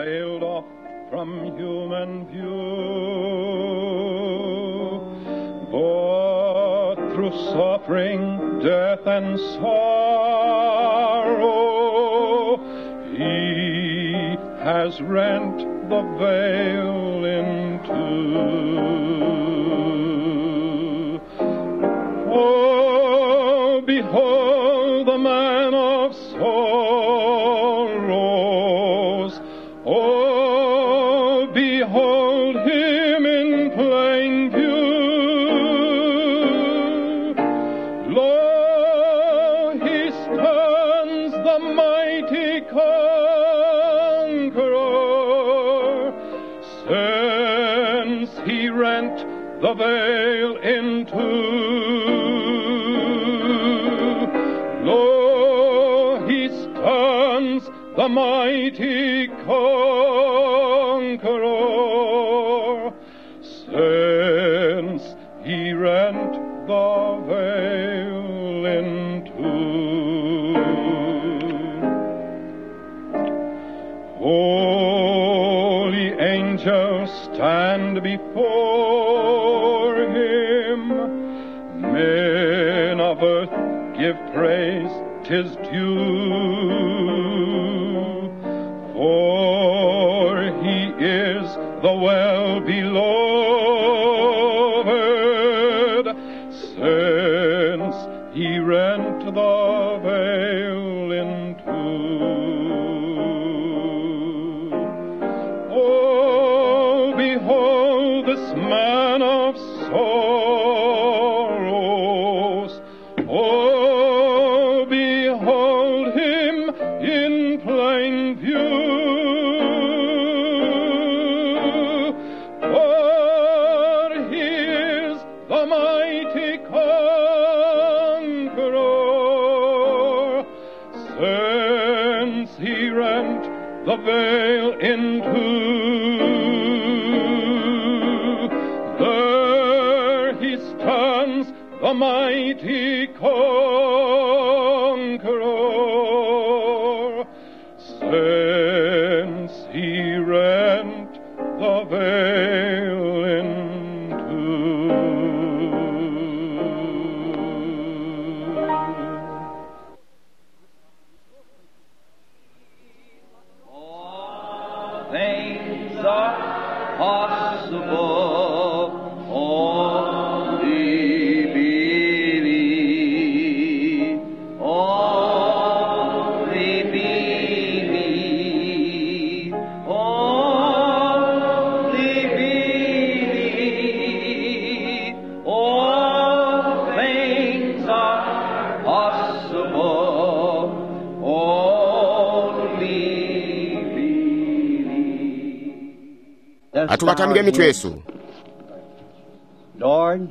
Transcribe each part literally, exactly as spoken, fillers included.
veiled off from human view. But through suffering, death, and sorrow, he has rent the veil in two. Oh, behold the man of sorrows. Oh, behold him in plain view. Lo, he stands the mighty conqueror, since he rent the veil in two. Lo, he stands the mighty conqueror, since he rent the veil in two. Holy angels stand before him. Men of earth give praise, 'tis due. For he is the well beloved, since he rent the veil in two. Oh, behold this man of sorrows. Oh, behold him in plain view. For he is the mighty conqueror, since he rent the veil in two. There he stands, the mighty conqueror, since he rent the veil in two. All things are possible. Only believe. Only believe. Only believe. All things are possible. Only believe. Atubatamike mitwe yesu. Lord,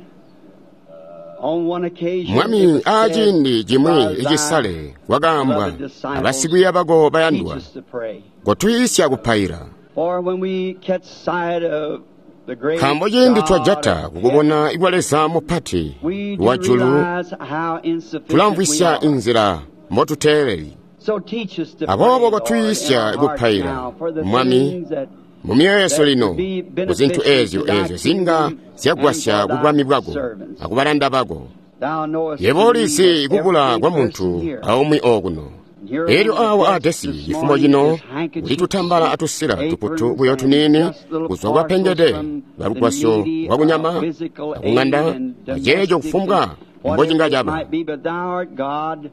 on one occasion, Mwami it was said aciindi cimwi by thy icisale kwakaambwa beloved disciples, abasikwiiya bako bayandwa teach us to pray. kotwiisya kupaila For when we catch sight of the great nkaambo ciindi God twajata of kukubona ikwa Leza mupati we do wa julu realize how insufficient we tulamvwisya are. inzila mbotuteeleli So teach us to Aboobo pray, Lord, in kotwiisya our hearts kupaila, now for the Mwami, things that mu myoyo yesu that lino would be ku zinthu beneficial ezyo to thy ezyo zinga kingdom zyagwasya and for ku bwami thy bwako servants. akubalanda bako Thou knowest yebo the need ulizi of kukula every kwa munthu person here. aumwi okuno Here elyo on the awa desk adesi this chifumo morning chino is handkerchiefs, kuti tutambala atusila tuputu aprons, buyo and tunini just little kuzwa kwa parcels pengede from the balugwasyo needy, lwa kunyama uh, physical aid akung'anda and aceeco domestic kufumbwa and whatever mbocinga it caba might be, but thou art God,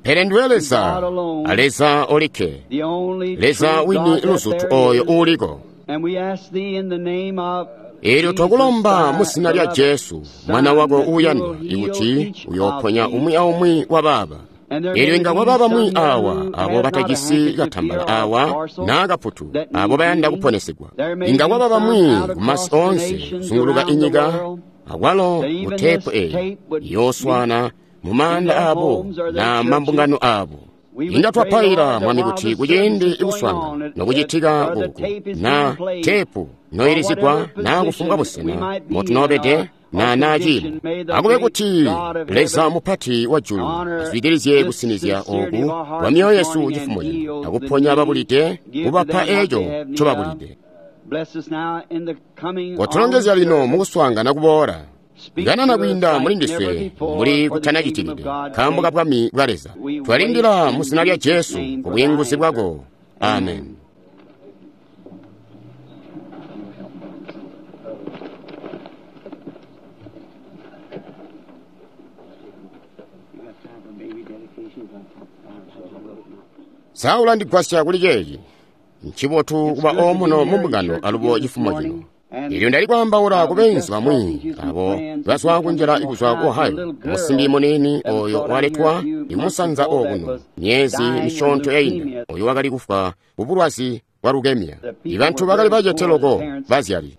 pele ndiwe Leza aleza olikke the only Leza true wini God that luzutu there oyo is. uuliko And we ask thee in the name of elyo Jesus, twakulomba thy mu zina lya beloved Jesu Son, mwana wako that you uuyandwa will heal ikuti each of uyooponya these. umwi aumwi wa baaba And there elyo may inga be kwaba bamwi some there awa who abo have not a batajisi handkerchief katambala here or a awa parcel naa kaputu that abo need bayanda healing. kuponesedwa There may inga be kwaba some bamwi out kumasi across the onse nations kuzunguluka around the inyika world akwalo that even mu tepu this eyi tape would yooswana mu in maanda their abo homes or their na churches. mambungano abo We would inga pray, twapaila Lord, that mwami while kuti the kuciindi service is going ikuswanga on, it- nokucitika or the kuku tape is na being played, tepu or noyilizigwa whatever na kufumbwa position we busena might be in motunoobede our na naa ciimo. Akube kuti Leza mupati wa julu azwidilizye kusinizya oku kwa myoyo yesu cifumo cino, akuponya babulide, kubapa eco ncobabulide. Kotulongezya lino mukuswaangana kuboola. Kanana kwiinda muli ndiswe mbuli kutanacitikide, nkaambo ka bwami bwa Leza. Twalindila mu zina lya Jesu ku bwiinguzi bwako. Amen. Saula ndigwasya kuli ceeci. Ncibotu kuba omuno mu mbungano alubo cifumo cino. Elyo ndali kwaambaula ku beenzu bamwi abo bazwa kunjila kuzwa ku Ohio. Musimbi muniini oyo waletwa ikumusanza okuno myezi misyoonto yainda, oyo wakali kufwa kubulwazi bwa leukemia. Ibantu bakali bacete loko bazyali.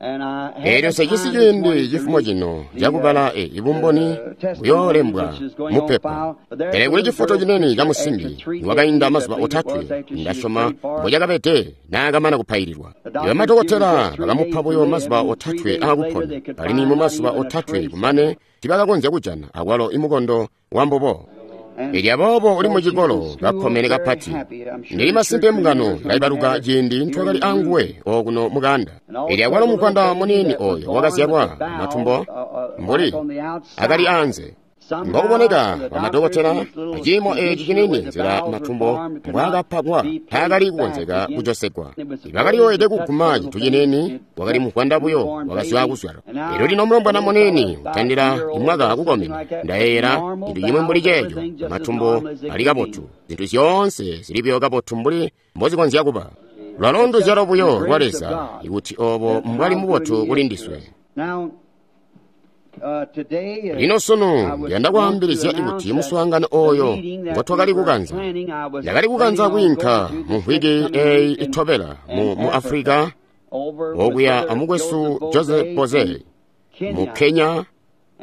Elyo nsecisi ciindi cifumo cino cakubala e ibumboni buyoolembwa mupepa. Pele kuli cifoto cinene ca musimbi niwakainda mazuba otatwe, ndasyoma mbocakabede naakamana kupaililwa. Ibamadokotela bakamupa buyo mazuba otatwe aakupona, alimwi mu mazuba otatwe kumane tibakakonzya kujana akwalo imukondo wambubo. Elyo aboobo uli mucikolo kakkomene kapati. Ndili masimpe mbungano ilaibaluka ciindi ntwakali anguwe okuno mukanda. Elyo akwalo muvwanda muniini oyo wakazyalwa matumbo mbuli akali anze. Mbokuboneka bamadokotela aciimo eci cinini nzila matumbo mbwaakapakwa taakali kukonzeka kujosegwa. Bakaliyoyede kuguma cintu cinini, wakali muvwanda buyo wakazwa kuzyalwa. Elyo lino mulombwana muniini utandila imwaka akukomena, ndayeeyela cintu cimwi mbuli ceeco. Matumbo ali kabotu, zintu zyoonse zili buyo kabotu mbuli mbozikonzya kuba. Lwalo nduzyalo buyo lwa Leza ikuti obo mbwali mubotu kuli ndiswe. Lino sunu ndiyanda kwaambilizya kuti muswaangano oyo ngotwakali kukanza. Ndakali kukanza kwiinka mu mvwiki eyi itobela mu, mu Afrika okuya amukwesu Joseph Boze mu Kenya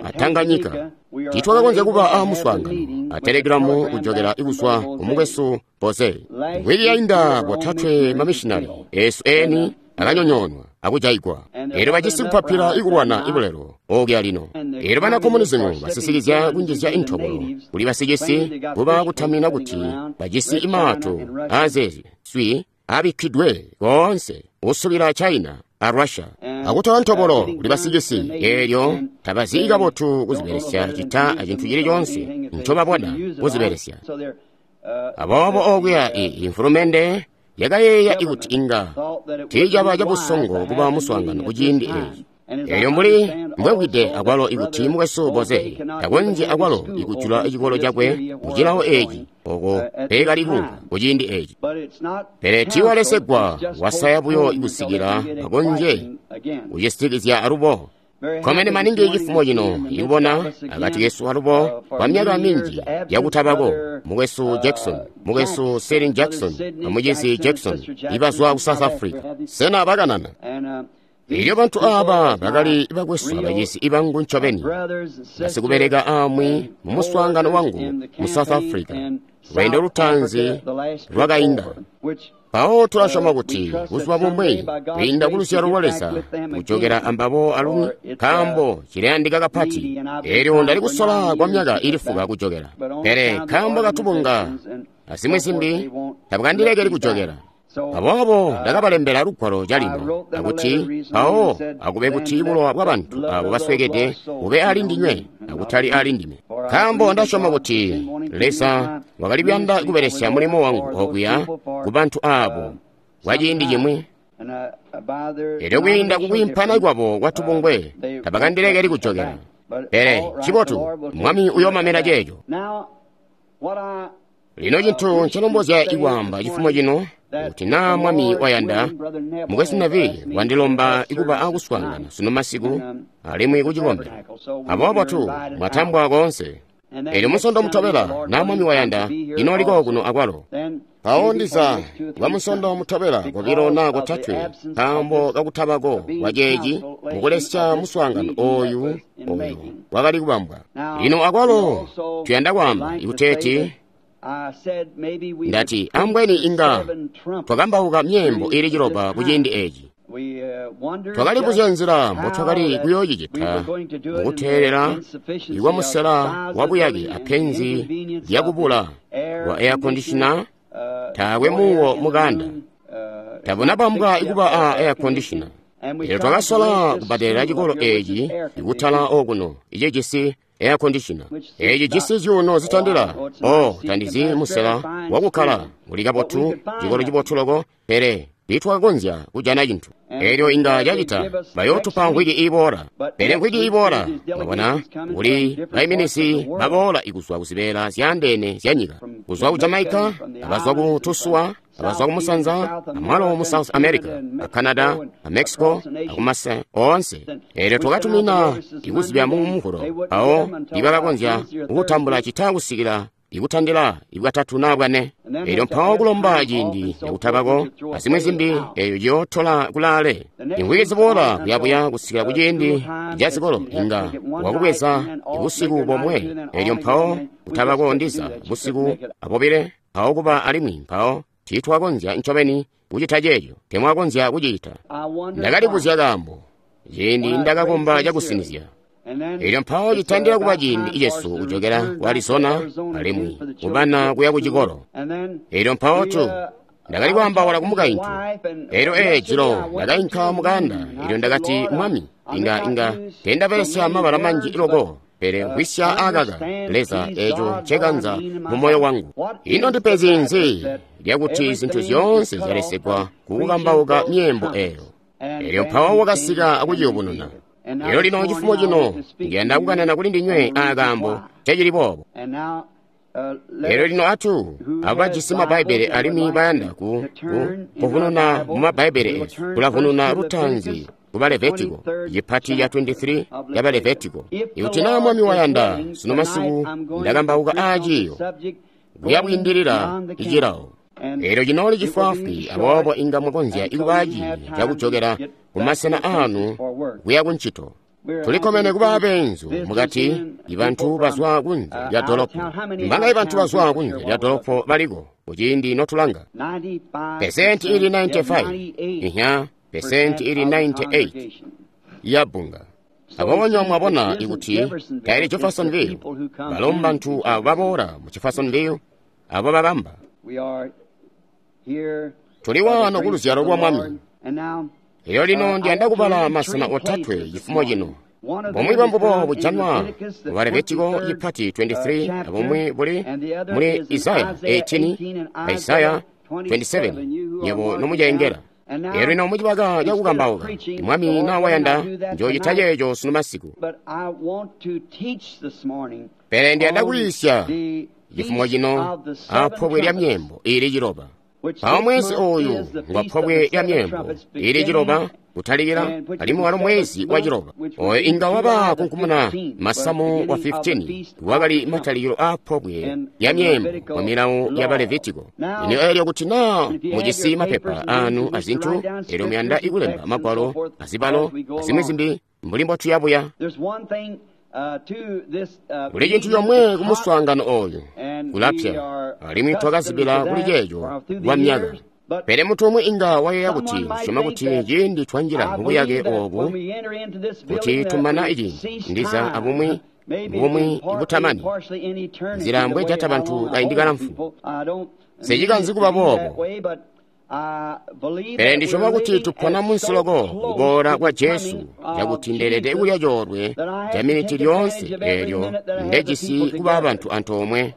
a Tanganyika. Tiitwakakonzya kuba a muswaangano a telegiramu kujokela kuzwa ku mukwesu Boze. Mvwiki yainda botatwe mamishinali esu eni akanyonyoonwa akujaigwa. Elyo bajisi kupapila ikulwana ibulelo okuya lino. Elyo bana komunizimu basisikizya kunjizya intobolo kuli basicisi kuba kutamina kuti bajisi imaato azeezi swi abikkidwe koonse usubila China a Russia akutola ntobolo kuli basicisi. Elyo tabazi kabotu kuzibelesya cita acintu cili coonse ncobabona kuzibelesya. Aboobo okuya imfulumende yakayeeya ikuti inga tiicaba cabusongo kuba muswaangano kuciindi eeci. Elyo mbuli mbwewide akwalo ikuti mukwesu Boze takonzyi akwalo ikujula cikolo cakwe mucilawo eeci oko peekali kuunka kuciindi eeci. Pele tiiwalesegwa, wasaya buyo kusikila bakonzye kucisitikizya alubo. Komene maningi cifumo cino ikubona akati kesu alubo kwa myaka minji yakutabako mukwesu Jackson, mukwesu Selin Jackson, amucizi Jackson ibazwa ku South Africa. Sena bakanana? Elyo bantu aba bakali bakwesu abacizi ibangu ncobeni, basikubeleka amwi mu muswaangano wangu mu South Africa lweendo lutaanzi lwakainda. Mpawo tulasyoma kuti buzuba bumwi kwiinda ku luzyalo lwa Leza kujokela ambabo alumwi, nkaambo cilayandika kapati. Elyo ndali kusola kwa myaka ili fuka kujokela, pele nkaambo katubunga azimwi zimbi tabukandilekeli kujokela. Aboobo ndakabalembela lugwalo calino akuti mpawo akube kuti bulowa bwabantu abo baswekede bube ali ndinywe akutali ali ndime, nkaambo ndasyoma kuti Leza wakali kuyanda kubelesya mulimo wangu okuya ku bantu abo kwa ciindi cimwi. Elyo kwiinda kukwiimpana kwabo kwatubungwe tabakandilekeli kujokela. Pele ncibotu, Mwami uyoomamela ceeco. Lino cintu ncelombozya ikwaamba cifumo cino, kuti naa Mwami wayanda, mukwesu Neville wandilomba ikuba akuswaangana sunu masiku alimwi kucikombelo. Aboobo tu mwatambwa koonse. Elyo musondo mutobela naa Mwami wayanda inooliko kuno akwalo. Mpawo ndiza kwa musondo mutobela kobilo naa kotatwe, nkaambo kakutabako kwa ceeci mukulesya muswaangano oyu oyu wakali kubambwa. Lino akwalo tuyanda kwaamba ikuteeti ndati ambweni inga twakambauka myeembo ili ciloba kuciindi eeci. Twakalibuzya nzila mbotwakali kuyoocicita mukuteelela ikwamusela wabuyake apenzi lyakubula kwa air conditioner, taakwe muuwo mukanda. Tabuna bambwa ikuba a air conditioner. Elyo twakasola kubbadelela cikolo eeci ikutala okuno icijisi air conditioner. Eeci jisi zyuuno zitandila o tandizi musela wakukkala uli kabotu, cikolo cibotu loko, pele tiitwakakonzya kujana cintu. Elyo inga cacita bayootupa mvwiki iboola, pele mvwiki iboola mwabona kuli baiminisi baboola ikuzwa kuzibeela zyaandeene zyanyika, kuzwa ku Jamaica, abazwa ku Tusua, abazwa ku Musanza, amwalo mu South America, a Canada, a Mexico, akumasi oonse. Elyo twakatumina ikuzibya mu Muvulo, awo ibakakonzya kutambula cita kusikila ikutandila ibwatatu naa bwane. Elyo mpawo kulomba ciindi cakutabako azimwi zimbi, eyo ciyootola kulaale. Imvwiki ziboola kuyabuya kusikila kuciindi ca zikolo inga wakubweza busiku bomwe. Elyo mpawo kutabako ndiza busiku abobile, mpawo kuba alimwi mpawo tiitwakonzya ncobeni kucita ceeco, temwakonzya kucita. Ndakalibuzya kaambo ciindi ndakakomba cakusinizya. Elyo mpawo citandila kuba ciindi cesu kujokela ku Arizona alimwi kubana kuya ku cikolo. Elyo mpawo tu ndakali kwaambaula ku mukaintu. Elyo ee jilo ndakainka mukanda, elyo ndakati, Mwami, inga inga tendabelesya mabala manji loko, pele mvwisya akaka Leza eeco ncekanza mu moyo wangu. Ino ndipenzi nzi lyakuti zintu zyoonse zyalesegwa kukukambauka myeembo eeyo? Elyo mpawo wakasika akuciyubununa. Elyo lino cifumo cino ndiyanda kukanana kuli ndinywe akaambo cacili boobo. Elyo lino atu abo bajisi mabbaibele alimwi bayanda ku, ku kuvununa mu mabbaibele esu, kulavununa lutaanzi kuba Levitiko, cipati ca twenty-three yaba Levitiko. Ikuti naa Mwami wayanda, sunu masiku ndakambauka aaciyo kuya bwiindilila icilawo. Elyo cinooli cifwaafwi, aboobo inga mwakonzya ikuba ciindi cakujokela kumasena aanu kuya kuncito. Tulikkomene kuba abeenzu mukati, ibantu bazwa kunze lya dolopo. Mbanga ibantu bazwa kunze lya dolopo baliko kuciindi notulanga pesenti ili ninety-five, inya pesenti ili ninety-eight ya bbunga. Aboobo nywebo mwabona ikuti taili Jeffersonville, balo mbantu abo baboola mu Jeffersonville abo babamba. Tuli waano ku luzyalo lwa Mwami. Elyo lino ndiyanda kubala masena otatwe cifumo cino. Bumwi bwambubo bujanwa mu Levitiko cipati twenty-three, abumwi buli muli Isaya eighteen, Isaya twenty-seven, nyebo nomucengela. Elyo lino mucibaka cakukambauka, Mwami naa wayanda, njoocita ceeco sunu masiku. Pele ndiyanda kwiisya cifumo cino apobwe lya myeembo ili ciloba. Mpawo mwezi ooyu ngwa pobwe lya myeembo ili ciloba kutalikila, alimwi walo mwezi wa ciloba oyo inga waba kunkumuna masamu wa fifteen, wakali matalikilo a pobwe lya myeembo mu milawo ya Balevitiko. Lino eelyo kuti naa mujisi mapepa anu azintu, eelyo muyanda ikulemba magwalo azibalo azimwi zimbi mbuli mbotuyabuya. Kuli cintu comwe kumuswaangano ooyu, kulapya, alimwi twakazibila kuli ceeco kwa myaka. Pele muntu umwi inga wayeeya kuti syoma kuti ciindi twanjila mubuyake oobu kuti tumana iciindi ndiza abumwi bumwi butamani, nzila mbwejata bantu kaindi kalamfu. Sicikanzi kuba boobo. Pele ndisyoma kuti tupona munsi loko kuboola kwa Jesu, cakuti ndeelede kulya coolwe ca miniti lyoonse eelyo ndejisi kuba bantu antoomwe.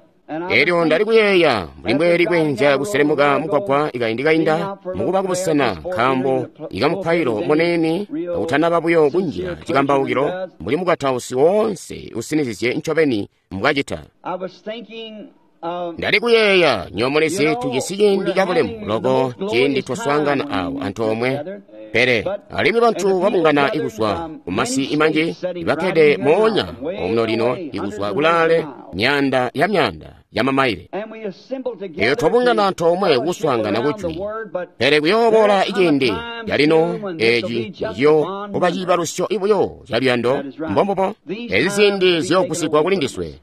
Elyo ndali kuyeeya mbuli mbweeli kweenzya kuselemuka mugwagwa ikaindi kainda mukuba kubusena, nkaambo ikamupailo muneene akutanaba buyo kunjila cikambaukilo mbuli mukatausi woonse usinizizye ncobeni mbwacita. Ndali kuyeeya nyoomulezi tujisi ciindi cabulemu loko ciindi twaswaangana awo antoomwe, pele alimwi bantu babungana ikuzwa kumasi imanji ibakkede moonya omuno lino ikuzwa kulaale myaanda ya myaanda ya mamaile. Eyo twabungana antoomwe kuswaangana kujwi, pele kuyooboola iciindi calino eeci ciyo kuba ciibalusyo ibuyo caluyando mbombubo. Ezi ziindi ziyoogusigwa kuli ndiswe.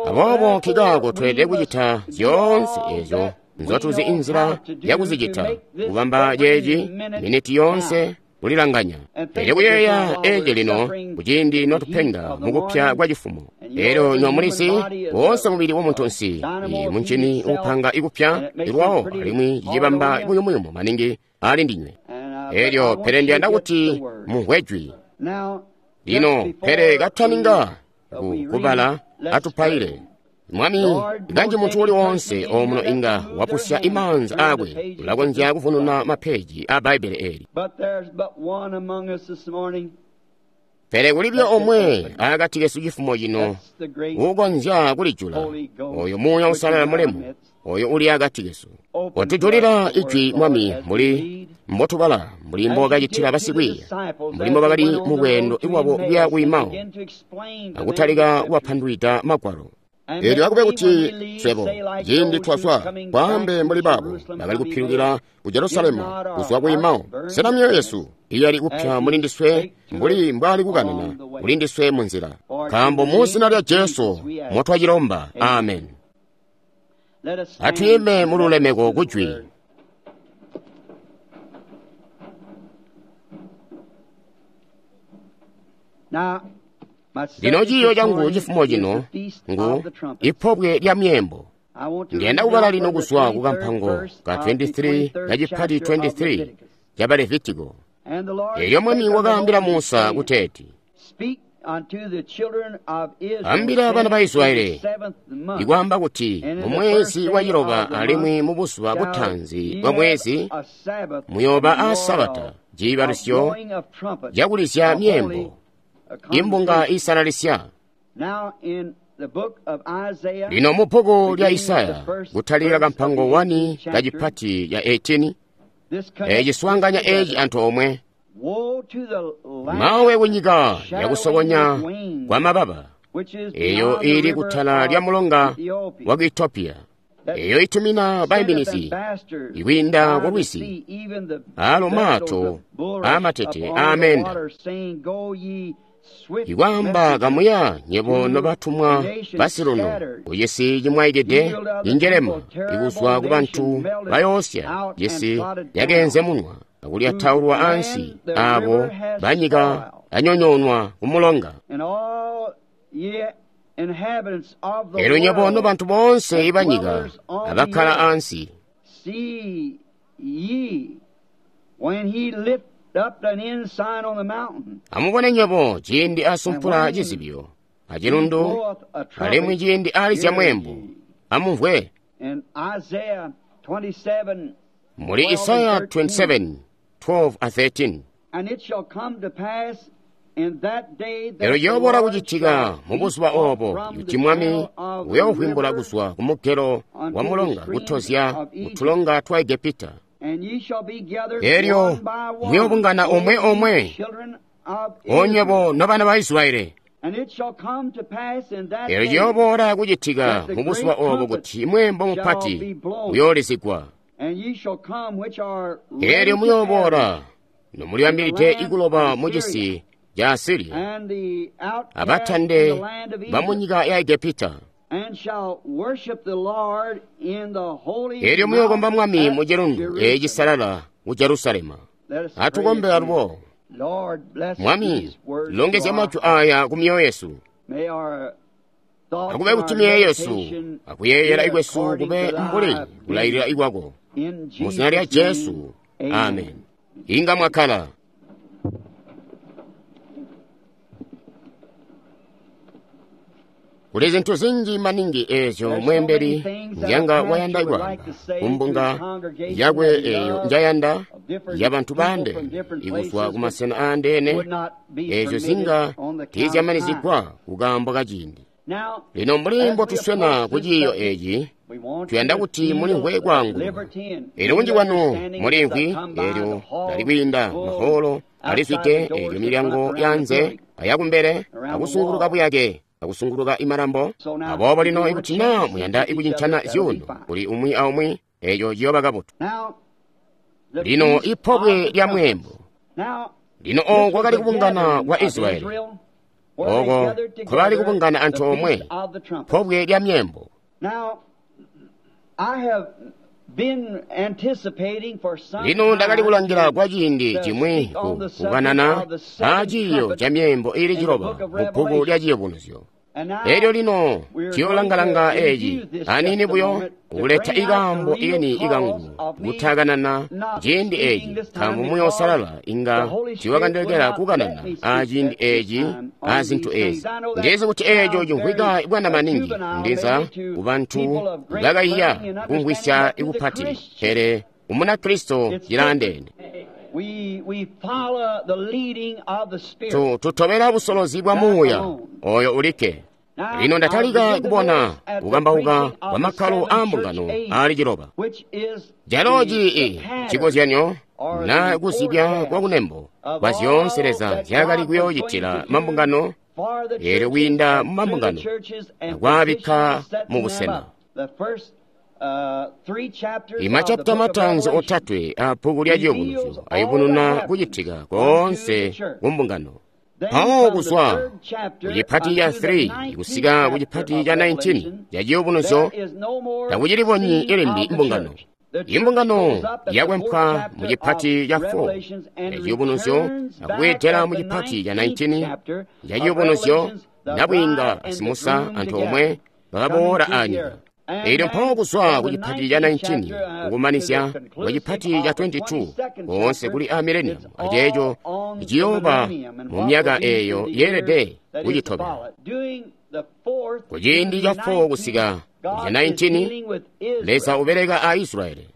Aboobo nkikaako tweelede kucita zyoonse eezyo nzotuzi inzila yakuzicita, kubamba ceeci miniti yoonse kulilanganya. Elyo kuyeeya eci lino kuciindi notupenga mukupya kwa cifumo. Elyo nyo mulizi woonse mubili wa muntunsi muncini uupanga ikupya ilwawo alimwi cicibamba buyumuyumu maningi ali ndinywe. Elyo pele ndiyanda kuti mumvwe jwi. Lino pele kataninga kubala atupaile. Mwami, kanji muntu uli wonse omuno inga wapusya imaanza akwe ulakonzya kuvununa mapeji a Bbaibele eli. Pele kulibyo omwe akati kesu cifumo cino ukonzya kulijula, oyo Muuya Uusalala mulemu, oyo uli akati kesu. Otujulila ijwi Mwami mbuli mbotubala, mbuli mbokacitila basikwiiya, mbuli mbobakali mu lweendo lwabo kuya ku Emau, akutalika kubapandulwida Magwalo. Elyo akube kuti swebo ciindi twazwa kwaambe mbuli baabo bakali kupilukila ku Jerusalemu kuzwa ku Emau, sena myoyo yesu iyali kupya muli ndiswe mbuli mbwali kukanana kuli ndiswe mu nzila. Nkaambo mu zina lya Jesu motwacilomba, amen. Atwiime mu lulemeko kujwi. Lino ciiyo cangu cifumo cino ngu ipobwe lya myeembo. Ndiyanda kubala lino kuzwa ku kampango ka twenty-three kacipati twenty-three ca Levitiko. Elyo Mwami wakaambila Musa kuteeti, ambila bana ba Israeli ikwaamba kuti mu mwezi wa ciloba alimwi mu buzuba butaanzi bwa mwezi muyooba a Sabata, ciibalusyo cakulizya myeembo, imbunga isalalisya. Lino mu bbuku lya Isaya kutalika kampango one kacipati ya eighteen, eci swaanganya eci antoomwe. Mawe kunyika yakusokonya kwa mababa, eyo ili kutala lya mulonga wa ku Ethiopia, eyo itumina baiminizi ikwiinda ku lwizi, alo maato amatete aamenda, ikwaamba kamuya nyebo nobatumwa basiluno kucisi cimwaikide injelema ikuzwa ku bantu bayoosya cisi yakeenze munwa akulyataulwa ansi abo banyika anyonyoonwa ku mulonga. Elyo nyebo nobantu boonse ibanyika abakkala ansi, amubone nywebo ciindi asumpula cizibyo acilundu, alimwi ciindi alizya mweembo, amumvwe. Muli Isaya twenty-seven twelve a thirteen. Elyo ciyooboola kucitika mu buzuba obo kuti Mwami uyoovwimbula kuzwa ku mugelo wa mulonga kutozya kutulonga twa Egepita. Elyo muyoobungana omwe omwe, onywebo nobana ba Israeli. Elyo ciyooboola kucitika mu buzuba obo kuti mweembo mupati uyoolizigwa. Elyo muyooboola nomulibambilide ikuloba mu cisi ca Asiriya, abatande bamunyika ya Egepita. Elyo muyookomba Mwami mu cilundu eci cisalala ku Jerusalema. Atukombe alubo. Mwami, longezya majwi aya ku myoyo yesu. Akube kuti myoyo yesu akuyeeyela ikwesu kube mbuli kulailila ikwako. Mu zina lya Jesu, amen. Inga mwakkala. Kuli zintu zinji maningi ezyo mweembeli njanga wayanda ikwaamba kumbunga yakwe eyo njayanda ya bantu bande ikuzwa ku masena aandeene, ezyo zinga tiizyamanizigwa kukaambo kaciindi. Lino mbuli mbotuswena ku ciiyo eci, tuyanda kuti mulimvwe kwaanguluka. Elyo kunji kwanu mulimvwi elyo lalikwiinda maholo alizwide, elyo milyango yanze ayakumbele akusunguluka buyake akusunguluka imalambo. Aboobo lino ikuti naa muyanda ikucincana zyuuno kuli umwi aumwi, eco ciyooba kabotu. Lino ipobwe lya mweembo. Lino oko kwakali kubungana kwa Israeli, oko kwakali kubungana antoomwe, pobwe lya myeembo. Lino ndakali kulangila kwa ciindi cimwi ku kukanana aa ciiyo ca myeembo iili ciloba mu bbuku lya Ciyubunuzyo. Elyo lino tuyolanga-langa eci aniini buyo kuleta ikaambo ikeni ikangu kutakanana ciindi eci, nkaambo Muuya Uusalala inga tiwakandilekela kukanana a ciindi eci a zintu ezi. Ndizi kuti eco cimvwika bwana maningi ndiza kubantu bakayiya kumvwisya ikupati, pele Umunakristo cilaandeene. Tutobela busolozi bwa Muuya oyo ulikke. Lino ndatalika kubona kukambauka kwa makkalo aa mbungano aali ciloba, calo cii cikozyanyo na kuzibya kwa kunembo kwa zyoonse Leza nzyaakali kuyoocitila mambungano, eelyo kwiinda mu mambungano akwaabikka mu busena. Imachapita matanzi otatwe a bbuku lya Ciyubunuzyo ayubununa kucitika koonse ku mbungano. Mpawo kuzwa kucipati ca three kusika kucipati ca nineteen ca Ciyubunuzyo takucilibonyi ilimbi mbungano. Imbungano yakwempwa mu cipati ca four ca Ciyubunuzyo akubweedela mu cipati ca nineteen ca Ciyubunuzyo, nabwiinga asimusa anthu omwe bakaboola anyika. Elyo mpawo kuzwa ku cipati ca nineteen kukumanizya kwa cipati ca twenty-two koonse kuli a millennium, aceeco ciyooba mu myaka eeyo yeelede kucitobela. Kuciindi ca four kusika ku ca nineteen, Leza ubeleka a Israeli.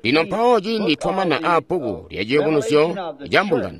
Lino mpawo ciindi twamana a bbuku lya Ciyubunuzyo ca mbungano,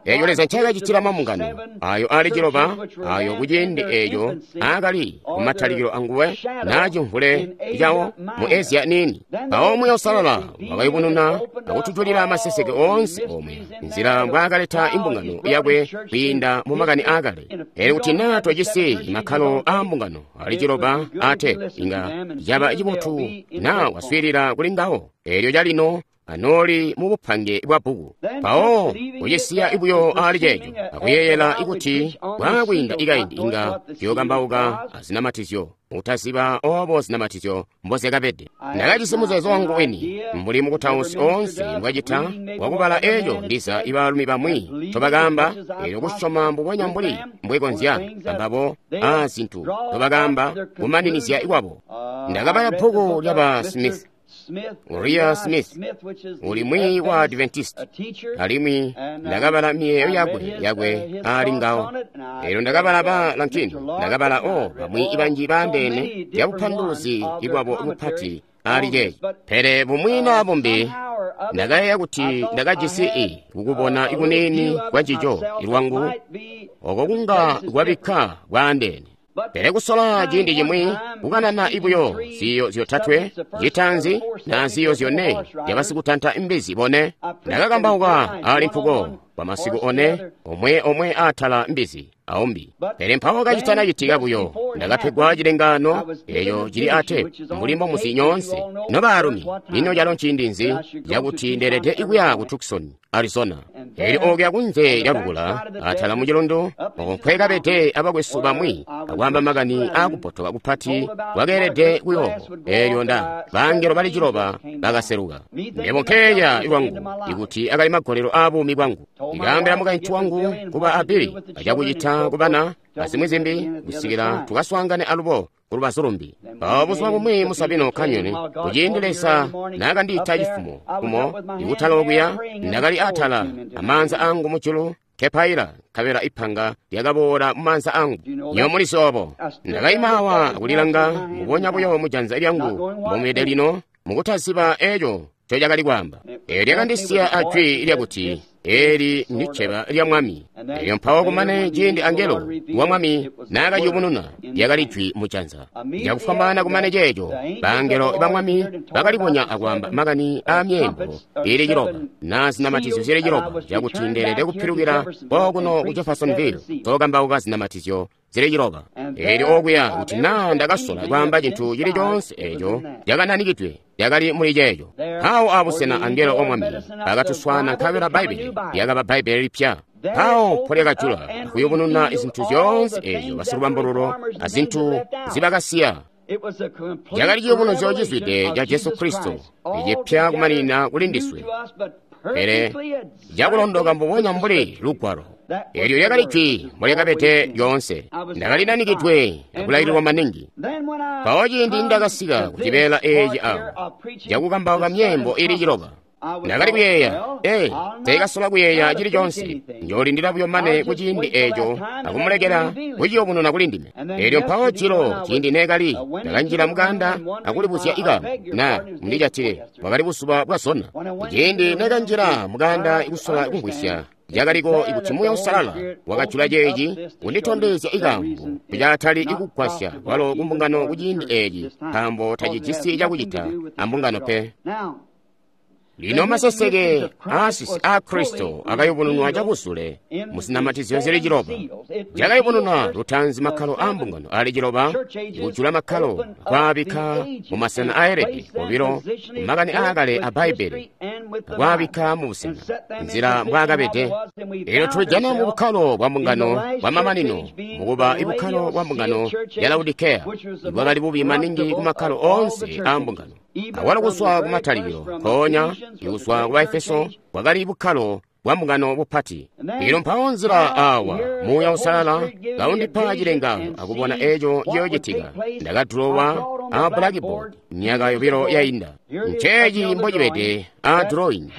eeco Leza ncaakacitila mambungano ayo aali ciloba, ayo kuciindi eeco aakali kumatalikilo anguwe naa cimvule cawo mu Asia niini. Mpawo Muuya Uusalala wakayubununa akutujulila maseseke oonse omwe nzila mbwaakaleta imbungano yakwe kwiinda mu makani aakale. Eelyo kuti naa twajisi makkalo aa mbungano aali ciloba aateepu, inga caba cibotu naa waswiilila kuli ngawo. Eelyo calino anooli mu bupange bwa bbuku. Mpawo kucisiya ibuyo aali ceeco akuyeeyela ikuti bwaakwiinda ikaindi inga tuyokambauka azinamatizyo, mutaziba obo zinamatizyo mbozyakabede. Ndakajisi muzeezo wangu wini mbuli mukutausi oonse mbwacita wakubala eeco ndiza ibaalumi bamwi ncobakaamba, eelyo kusyoma mbubonya mbuli mbwekonzya ambabo a zintu ncobakaamba kumaninizya ikwabo. Ndakabala bbuku lyaba Smith, Uriah Smith, uli mwiiyi wa Adventist, alimwi ndakabala miyeeyo yakwe yakwe aali ngawo. Eelyo ndakabala ba Lankin, ndakabala o bamwi banji baandeene lya bupanduluzi bwabo bupati aali ceeci. Pele bumwi naa bumbi ndakayeeya kuti ndakajisi i kukubona ikuniini kwa ncico ilwangu oko kunga kwabikka bwaandeene. Pele kusola ciindi cimwi kukanana ibuyo ziyo zyotatwe, citanzi na ziyo zyone zyabasikutanta imbizi bone. Ndakakambauka aali mpuko kwa masiku one, omwe omwe aatala mbizi aumbi. Pele mpawo kacitana citika buyo ndakapegwa cilengaano eeco cili aateepu mbuli mbomuzi nyoonse nobaalumi. Ino calo nciindi nzi cakuti ndeelede ikuya ku Tucson, Arizona. Eelyo okuya kunze lya lukula atala mu cilundu oko nkwekabede abakwesu bamwi akwaamba makani aakupotoka kupati kwakeelede kuyoobo. Eelyo nda bangelo bali ciloba bakaseluka. Mebo nkeeya ilwangu ikuti akali magolelo aabuumi bwangu. Ndikaambila mukaintu wangu kuba abili acakucita kubana azimwi zimbi kusikila tukaswaangane alubo kulubazu lumbi. Mpawo buzuba bumwi mu Sabino Canyon, kuciindi Leza naakandiita cifumo kumo ikutala okuya, ndakali atala amaanza angu mujulu kepaila, nkabela ipanga lyakaboola mu maanza angu. Nyo mulizi obo. Ndakaima awa akulilanga mbubonya buyo mu janza lyangu mbomwede lino, mukutaziba eco ncocakali kwaamba. Eelyo lyakandisiya ajwi lyakuti, "Eli ndi cceba lya Mwami." Eelyo mpawo kumane ciindi angelo wa Mwami naakayubununa, lyakali jwi mu janza. Cakufwambaana kumane ceeco, bangelo ba Mwami bakalibonya akwaamba makani aa myeembo iili ciloba naa zinamatizyo zili ciloba, cakuti ndeelede kupilukila kokuno ku Jeffersonville zookambauka zinamatizyo zili ciloba. Eelyo okuya kuti naa ndakasola kwaamba cintu cili coonse eeco cakananikidwe lyakali muli ceeco. Mpawo abusena angelo wa Mwami bakatuswaana, nkabela Bbaibbele lyakaba Bbaibbele lipya. Mpawo mpolyakajula akuyubununa zintu zyoonse eezyo basilubambululo azintu nzibakasiya. Cakali ciyubunuzyo cizwide ca Jesu Kristo, icipya kumanina kuli ndiswe, pele cakulondoka mbubonya mbuli Lugwalo. Eelyo lyakali jwi mbolyakabede lyoonse. Ndakali nanikidwe akulaililwa maningi. Mpawo ciindi ndakasika kucibeela eeci awo cakukambauka myeembo ili ciloba, ndakali kuyeeya, ee, teekasola kuyeeya cili coonse. Njoolindila buyo mane kuciindi eeco akumulekela kuciyubununa kuli ndime. Eelyo mpawo jilo ciindi neekali ndakanjila mukanda akulibuzya ikamu na mundijatile, bwakali buzuba bwa zona. Ciindi neekanjila mukanda ikusola kumvwisya cakaliko ikuti Muuya Uusalala wakajula ceeci kunditondezya ikaambo kucaatali ikugwasya kwalo kumbungano kuciindi eeci, nkaambo tacijisi cakucita ambungano pe. Lino maseseke aasisi aa Kristo akayubununwa cabusule muzinamatizyo zili ciloba. Cakayubununwa lutaanzi makkalo aa mbungano ali ciloba, kujula makkalo akwaabikka mumasena aelede obilo kumakani aakale a Bbaibbele, akwaabikka mubusena nzila mbwaakabede. Eelyo tulijana mu bukkalo bwa mbungano bwamamanino, mukuba ibukkalo bwa mbungano ya Laodikeya, ibwakali bubi maningi kumakkalo oonse aa mbungano. Awalo kuzwa kumatalikilo, mpoonya ikuzwa ku Baefeso bwakali bukkalo bwa mbungano bupati. Ilo mpawo nzila awa Muuya Uusalala kaundipa cilengaano akubona eeco ciyoocitika. Ndakadulowa a blackboard myaka yobilo yainda. Nceeci mbocibede a drawing,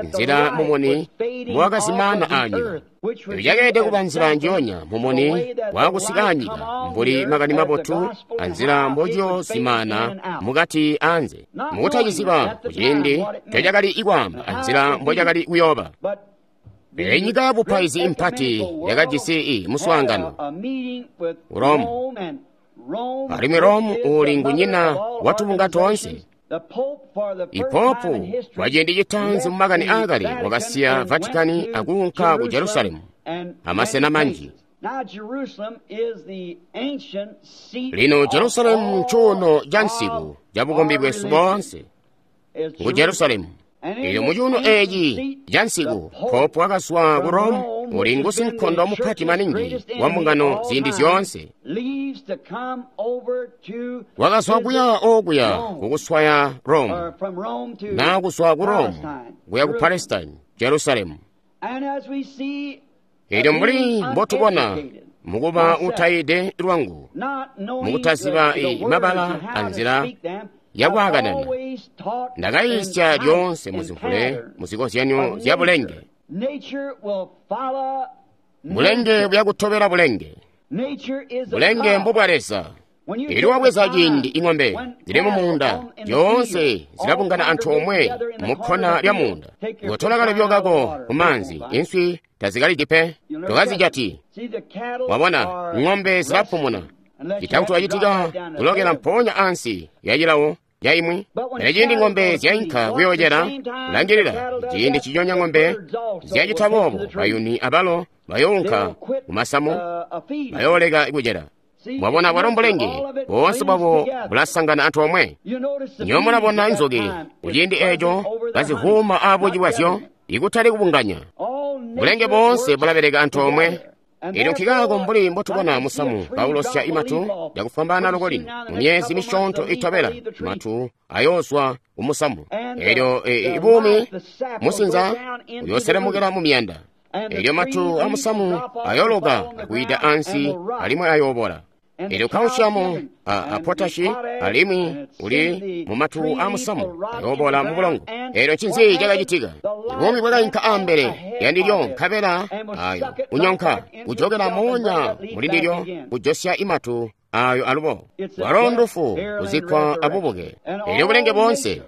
nzila mumuni mbowakazimaana anyika. Eco cakeelede kuba nzila njionya mumuni waakusika anyika mbuli makani mabotu anzila mbociyozimaana mukati anze, mukutaciziba kuciindi ncocakali ikwaamba anzila mbocakali kuyooba. Pele nyika yabupaizi impati yakajisi muswaangano Rome, alimwi Rome uli ngunyina watubunga toonse. Ipopu kwa ciindi citaanzi mumakani aakale wakasiya Vatikani akuunka ku Jerusalemu amasena manji. Lino Jerusalemu ncuuno ca nsiku ca bukombi bwesu boonse, ngu Jerusalemu. Eelyo mucuuno eeci ca nsiku popu wakazwa ku Rome, uli ngusinkondo mupati maningi wa mbungano ziindi zyoonse. Wakazwa kuya okuya kukuswaya Rome, naa kuzwa ku Rome kuya ku Palestine, Jerusalemu. Eelyo mbuli mbotubona mukuba utayide lwangu, mukutaziba mabala anzila yakwaakanana, ndakayiisya lyoonse muzimvule muzikozyanyo zya bulenge. Bulenge buyakutobela bulenge. Bulenge mbubwa Leza. Eelyo wabweza ciindi ing'ombe zili mumuunda zyoonse zilabungana antoomwe mukkona lya muunda. Ngotola kalebyo kako kumaanzi, inswi tazikalidi pe, tokazijati. Wabona ng'ombe zilapumuna, citakuti wacitika kulokela mpoonya ansi ya cilawo ya imwi. Pele ciindi ng'ombe zyainka kuyoocela, langilila ciindi ciconya ng'ombe zyacita boobo, bayuni abalo bayounka kumasamu, bayooleka kucela. Mwabona bwalo mbulenge boonse bwabo bulasangana antoomwe. Nywebo mulabona nzuki kuciindi eeco kazivuuma abuci bwazyo, ikutali kubunganya. Bulenge boonse bulabeleka antoomwe. Eelyo nkikaako mbuli mbotubona musamu kaulosya imatu cakufwambaana loko lino, mu myezi misyoonto itobela matu ayoozwa kumusamu. Eelyo ibuumi musinza uyooselemukila mu miyanda. Eelyo matu amusamu ayooloka akwiida ansi alimwi ayoobola. Eelyo calcium a potashi alimwi uli mumatu amusamu ayoobola mubulongo. Eelyo ncinzi cakacitika? Buumi bwakainka ambele yandilyo nkabela ayo unyonka kujokela moonya mulindilyo kujosya imatu ayo alubo. Walo ndufu kuzikkwa abubuke. Eelyo bulenge boonse.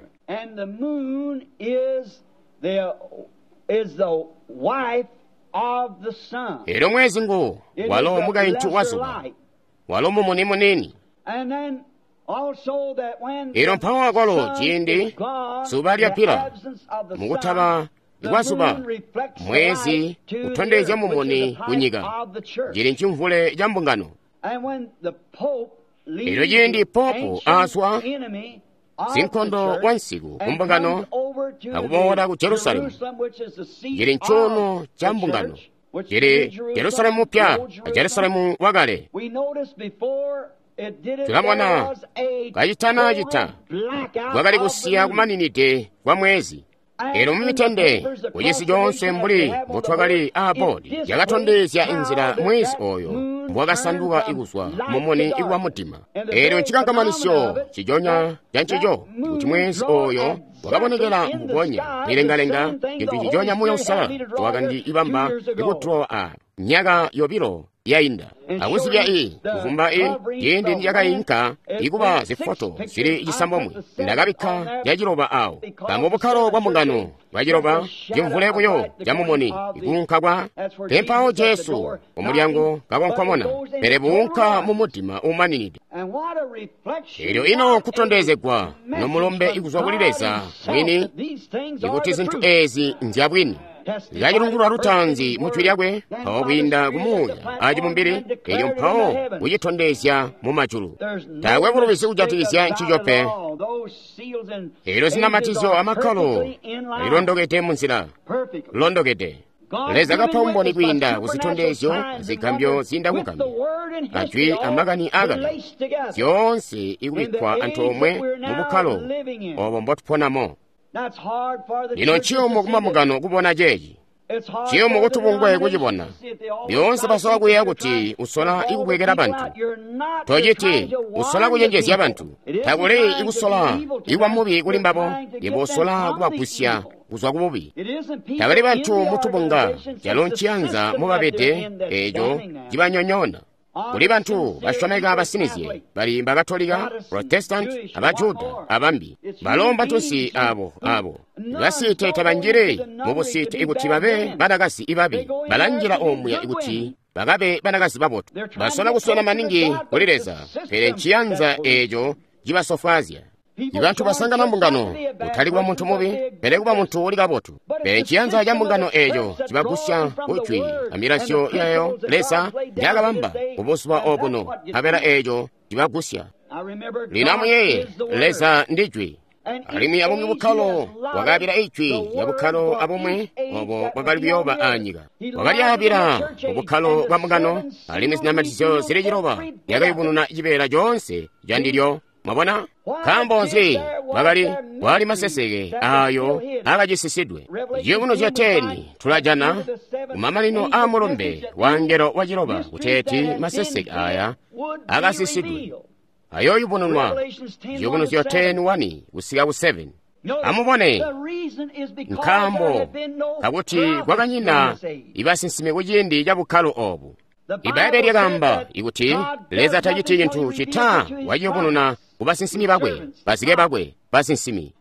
Eelyo mwezi ngu walo mukaintu wa zuba, walo mumuni munini. Eelyo mpawo akwalo ciindi zuba lyapila, mukutaba kwa zuba, mwezi utondezya mumuni kunyika, cili ncimvule ca mbungano. Eelyo ciindi popu azwa sinkondo wa nsiku kumbungano akuboola ku Jerusalemu, cili ncuuno ca mbungano, cili Jerusalemu mupya a Jerusalemu wakale. Tulabona kacitana cita kwakali kusiya kumaninide kwa mwezi. Elyo mumitende kucisi coonse mbuli mbutwakali aaboodi yakatondezya inzila mwezi oyo mbwakasanduka ikuzwa mumuni ikuba mudima. Elyo ncikankamanisyo ciconya cancico kuti mwezi oyo wakabonekela mbubonya mwilengalenga cintu ciconya Muuya Uusalala wakandibamba ikutulowa a myaka yobilo yainda akuzibya i kuvumba i ciindi ndyakayinka ikuba zifoto zili cisambomwe ndakabikka caciloba awo kambo bukkalo bwa mbungano bwaciloba cimvule buyo camumuni ikuunka kwa pempawo Jesu kumulyango kakonkomona pele buunka mu mudima umaninide. Elyo ino kutondezegwa nomulombe ikuzwa kuli Leza mwini ikuti zinthu ezi nzyabwini. Lyacilungulwa lutaanzi mu jwi lyakwe mpawo kwiinda kumuuya acibumbili elyo mpawo kucitondezya mu majulu. Taakwe bulubizi kujatikizya ncico pe. Elyo zinamatizyo amakkalo lilondokede munzila londokede. Leza kapa umboni kwiinda kuzitondezyo zigambyo ziinda kugambya ajwi amakani akale zyoonse ikubikkwa antoomwe mu bukkalo obo mbotuponamo. Lino nciyumu kumambungano kubona ceeci, nciyumu kutubungwe kucibona. Lyoonse basola kuyeeya kuti usola ikubwekela bantu. Tociti usola kucenjezya bantu. Takuli ikusola ikuba mubi kuli mbabo, yebo usola kubagwisya kuzwa kububi. Tabali bantu mutubunga calo nciyanza mubabede eeco cibanyonyoona. Kuli bantu basyomeka basinizye bali Bakatolika, Protestant, abajuda abambi. Balo mbatunsi abo abo basiite tabanjili mubusiite ikuti babe banakazi ibabi, balanjila omuya ikuti bakabe banakazi babotu. Basola kuswena maningi kuli Leza, pele nciyanza eeco cibasofwaazya. Ibantu basangana mbungano kutali kuba muntu mubi, pele kuba muntu uli kabotu. Pele ciyanza ca mbungano eeco cibagusya kujwi amilazyo yayo Leza njakabamba kubuzuba obuno, nkabela eeco cibagusya. Lino amuyeeye, Leza ndi jwi. Alimwi abumwi bukkalo wakaabila ijwi lya bukkalo abumwi obo bwakali kuyooba aanyika. Wakalyaabila mu bukkalo bwa mbungano, alimwi zinamatizyo zili ciloba lyakayubununa cibeela coonse candilyo. Mwabona? Nkaambo nzi bakali kwali maseseke ayo akacisisidwe. Ciyubunuzyo teni tulajana kumamanino a mulumbe wa ngelo wa ciloba kuteeti maseseke aya akasisidwe ayoyubununwa. Ciyubunuzyo teni wani kusika ku seven. Amubone, nkaambo kakuti kwakanyina ibasinsimi kuciindi ca bukkalo obu. Ibbaibbele lyakaamba ikuti Leza taciti cintu cita waciyubununa ku basinsimi bakwe, bazike bakwe, basinsimi.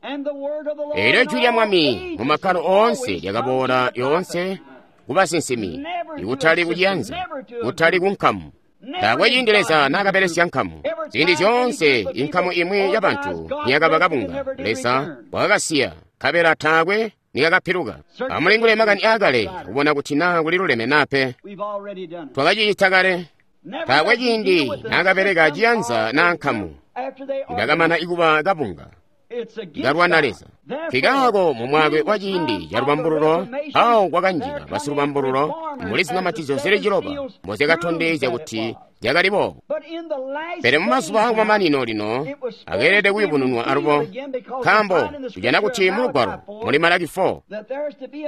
Elyo jwi lya Mwami mu makkalo oonse lyakaboola lyoonse ku basinsimi, ikutali kuciyanza, kutali ku nkamu. Taakwe ciindi Leza naakabelesya nkamu. Ziindi zyoonse inkamu imwi ya bantu niyakaba kabunga, Leza wakakasiya, nkabela taakwe nikakapiluka. Amulingule makani aakale kubona kuti naa kuliluleme naa pe. Twakacicita kale. Taakwe ciindi naakabeleka ciyanza naa nkamu ikakamana ikuba kabunga ikalwana Leza. Nkikaako mu mwaakwe wa ciindi ca lubambululo awo kwakanjila basilubambululo muli zinamatizyo zili ciloba mbozyakatondezya kuti zyakali boobo. Pele mumazuba akumamanino lino akeelede kuyubununwa alubo, nkaambo tujana kuti mulugwalo muli Malaki four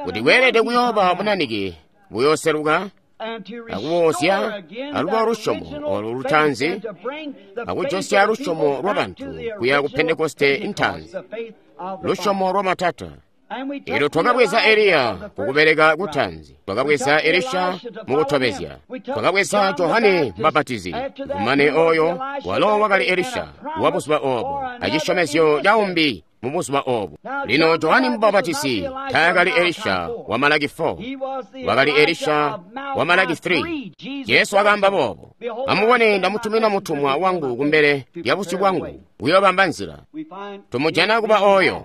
kuti kweelede kuyooba bunanike buyooseluka akuboozya alubo lusyomo olu lutaanzi akujosya lusyomo lwa bantu kuya ku Pentekoste intaanzi, lusyomo lwa matata. Elyo twakabweza Eliya kukubeleka kutaanzi, twakabweza Elisha mukutobezya, twakabweza Johane Mubapatizi kumane oyo walo wakali Elisha wa buzuba obo acisyomezyo caumbi mu buzuba obo. Lino Johane Mubapatizi taakali Elisha wa Malaki four, wakali Elisha wa Malaki three. Jesu wakaamba boobo, amubone ndamutumina mutumwa wangu kumbele lya busyu bwangu uyoobamba nzila. Tumujana kuba oyo.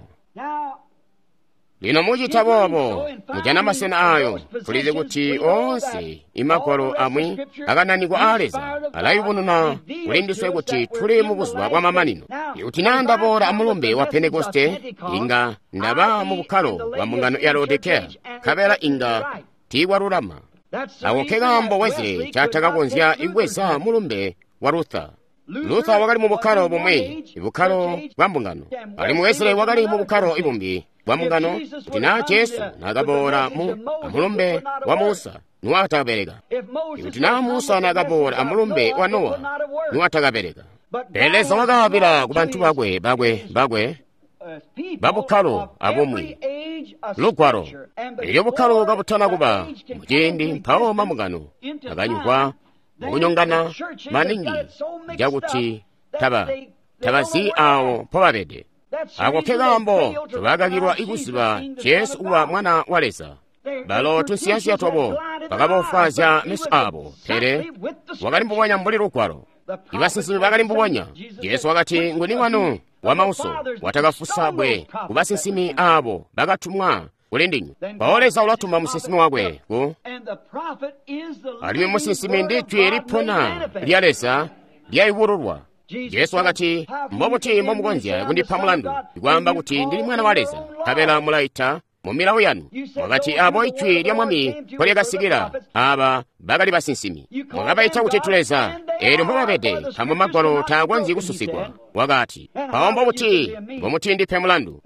Lino mucita boobo mujana masena ayo. Tulizi kuti oonse imagwalo amwi akananikwa aa Leza alayubununa kuli ndiswe kuti tuli mu buzuba bwa mamanino. Ikuti naa ndaboola amulumbe wa Pentekoste, inga ndaba mu bukkalo bwa mbungano ya Laodikea, nkabela inga tiikwalulama. Ako nke kaambo Wesley ncatakakonzya kubweza mulumbe wa Luther. Luther wakali mu bukkalo bumwi, bukkalo bwa mbungano, alimwi Wesley wakali mu bukkalo ibumbi bwa mbungano. Kuti naa Jesu naakaboola mu amulumbe wa Musa, niwatakabeleka. Ikuti naa Musa naakaboola amulumbe wa Nowa, niwatakabeleka. Pele Leza wakaabila ku bantu bakwe bakwe bakwe babukkalo abumwi lugwalo. Elyo bukkalo kabutana kuba muciindi, mpawo mambungano akanyugwa mukunyongana maningi cakuti taba tabazi awo mpobabede. Ako ke kaambo tobakakilwa ikuziba Jesu kuba Mwana wa Leza. Balo tunsiyansiya twabo bakabofwaazya meso abo, pele wakali mbubonya mbuli lugwalo. Ibasinsimi bakali mbubonya. Jesu wakati, nguni wanu wamauso watakafusa bwe ku basinsimi abo bakatumwa kuli ndinywe. Mpawo Leza ulatuma musinsimi wakwe ku, alimwi musinsimi ndi jwi lipona lya Leza lyayubululwa. Jesu wakati, mbobuti mbomukonzya kundipa mulandu ikwaamba kuti ndili Mwana wa Leza, nkabela mulaita mu milawo yanu? Mwakati abo ijwi lya Mwami nkolyakasikila, aba bakali basinsimi. Mwakabaita kuti tuleza, eelyo mbobabede, nkaambo Magwalo taakonzyi kususigwa. Wakati, mpawo mbobuti mbomutindipe mulandu?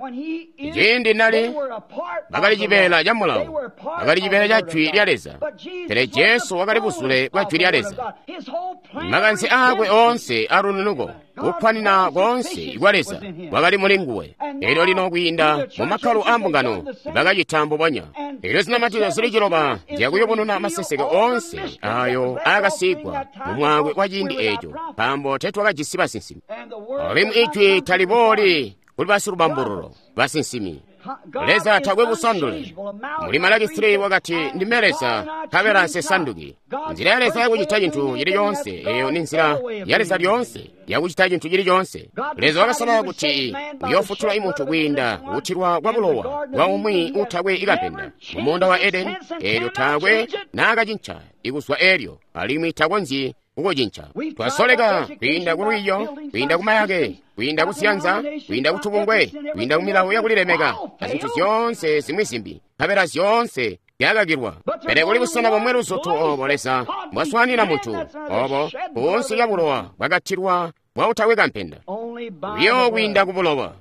Ciindi nali bakali cibeela ca mulawo, bakali cibeela ca jwi lya Leza, pele Jesu wakali buzule bwa jwi lya Leza. Makanze aakwe oonse alununuko, kukkwanina koonse kwa Leza kwakali muli nguwe. Elyo lino kwiinda mu makkalo a mbungano bakacita mbubonya. Elyo zinamatizyo zili ciloba zyakuyubununa maseseke oonse ayo aakasiigwa mu mwaakwe wa ciindi eeco, nkaambo tetwakajisi basinsimi. Alimwi ijwi talibooli kuli basilubambululo basinsimi. Leza takwe busandule. Muli Malaki three wakati, ndime Leza, nkabela nsesanduki. Nzila ya Leza yakucita cintu cili coonse, eyo ni nzila ya Leza lyoonse yakucita cintu cili coonse. Leza wakasala kuti uyoofutula imuntu kwiinda kutilwa kwa bulowa bwa umwi utakwe ikampenda mu muunda wa Edeni. Eelyo taakwe naakacinca ikuzwa eelyo, alimwi takonzyi kukucinca. Twasoleka kwiinda ku lwiiyo, kwiinda ku mayake, kwiinda ku siyanza, kwiinda ku tubungwe, kwiinda ku milawo yakulilemeka, azintu zyoonse zimwi zimbi, nkabela zyoonse zyakakilwa. Pele kuli busena bomwe luzutu obo Leza mbwaswaanina muntu, obo kunsi lya bulowa bwakatilwa bwa utakwe kampenda, buyo kwiinda ku bulowa.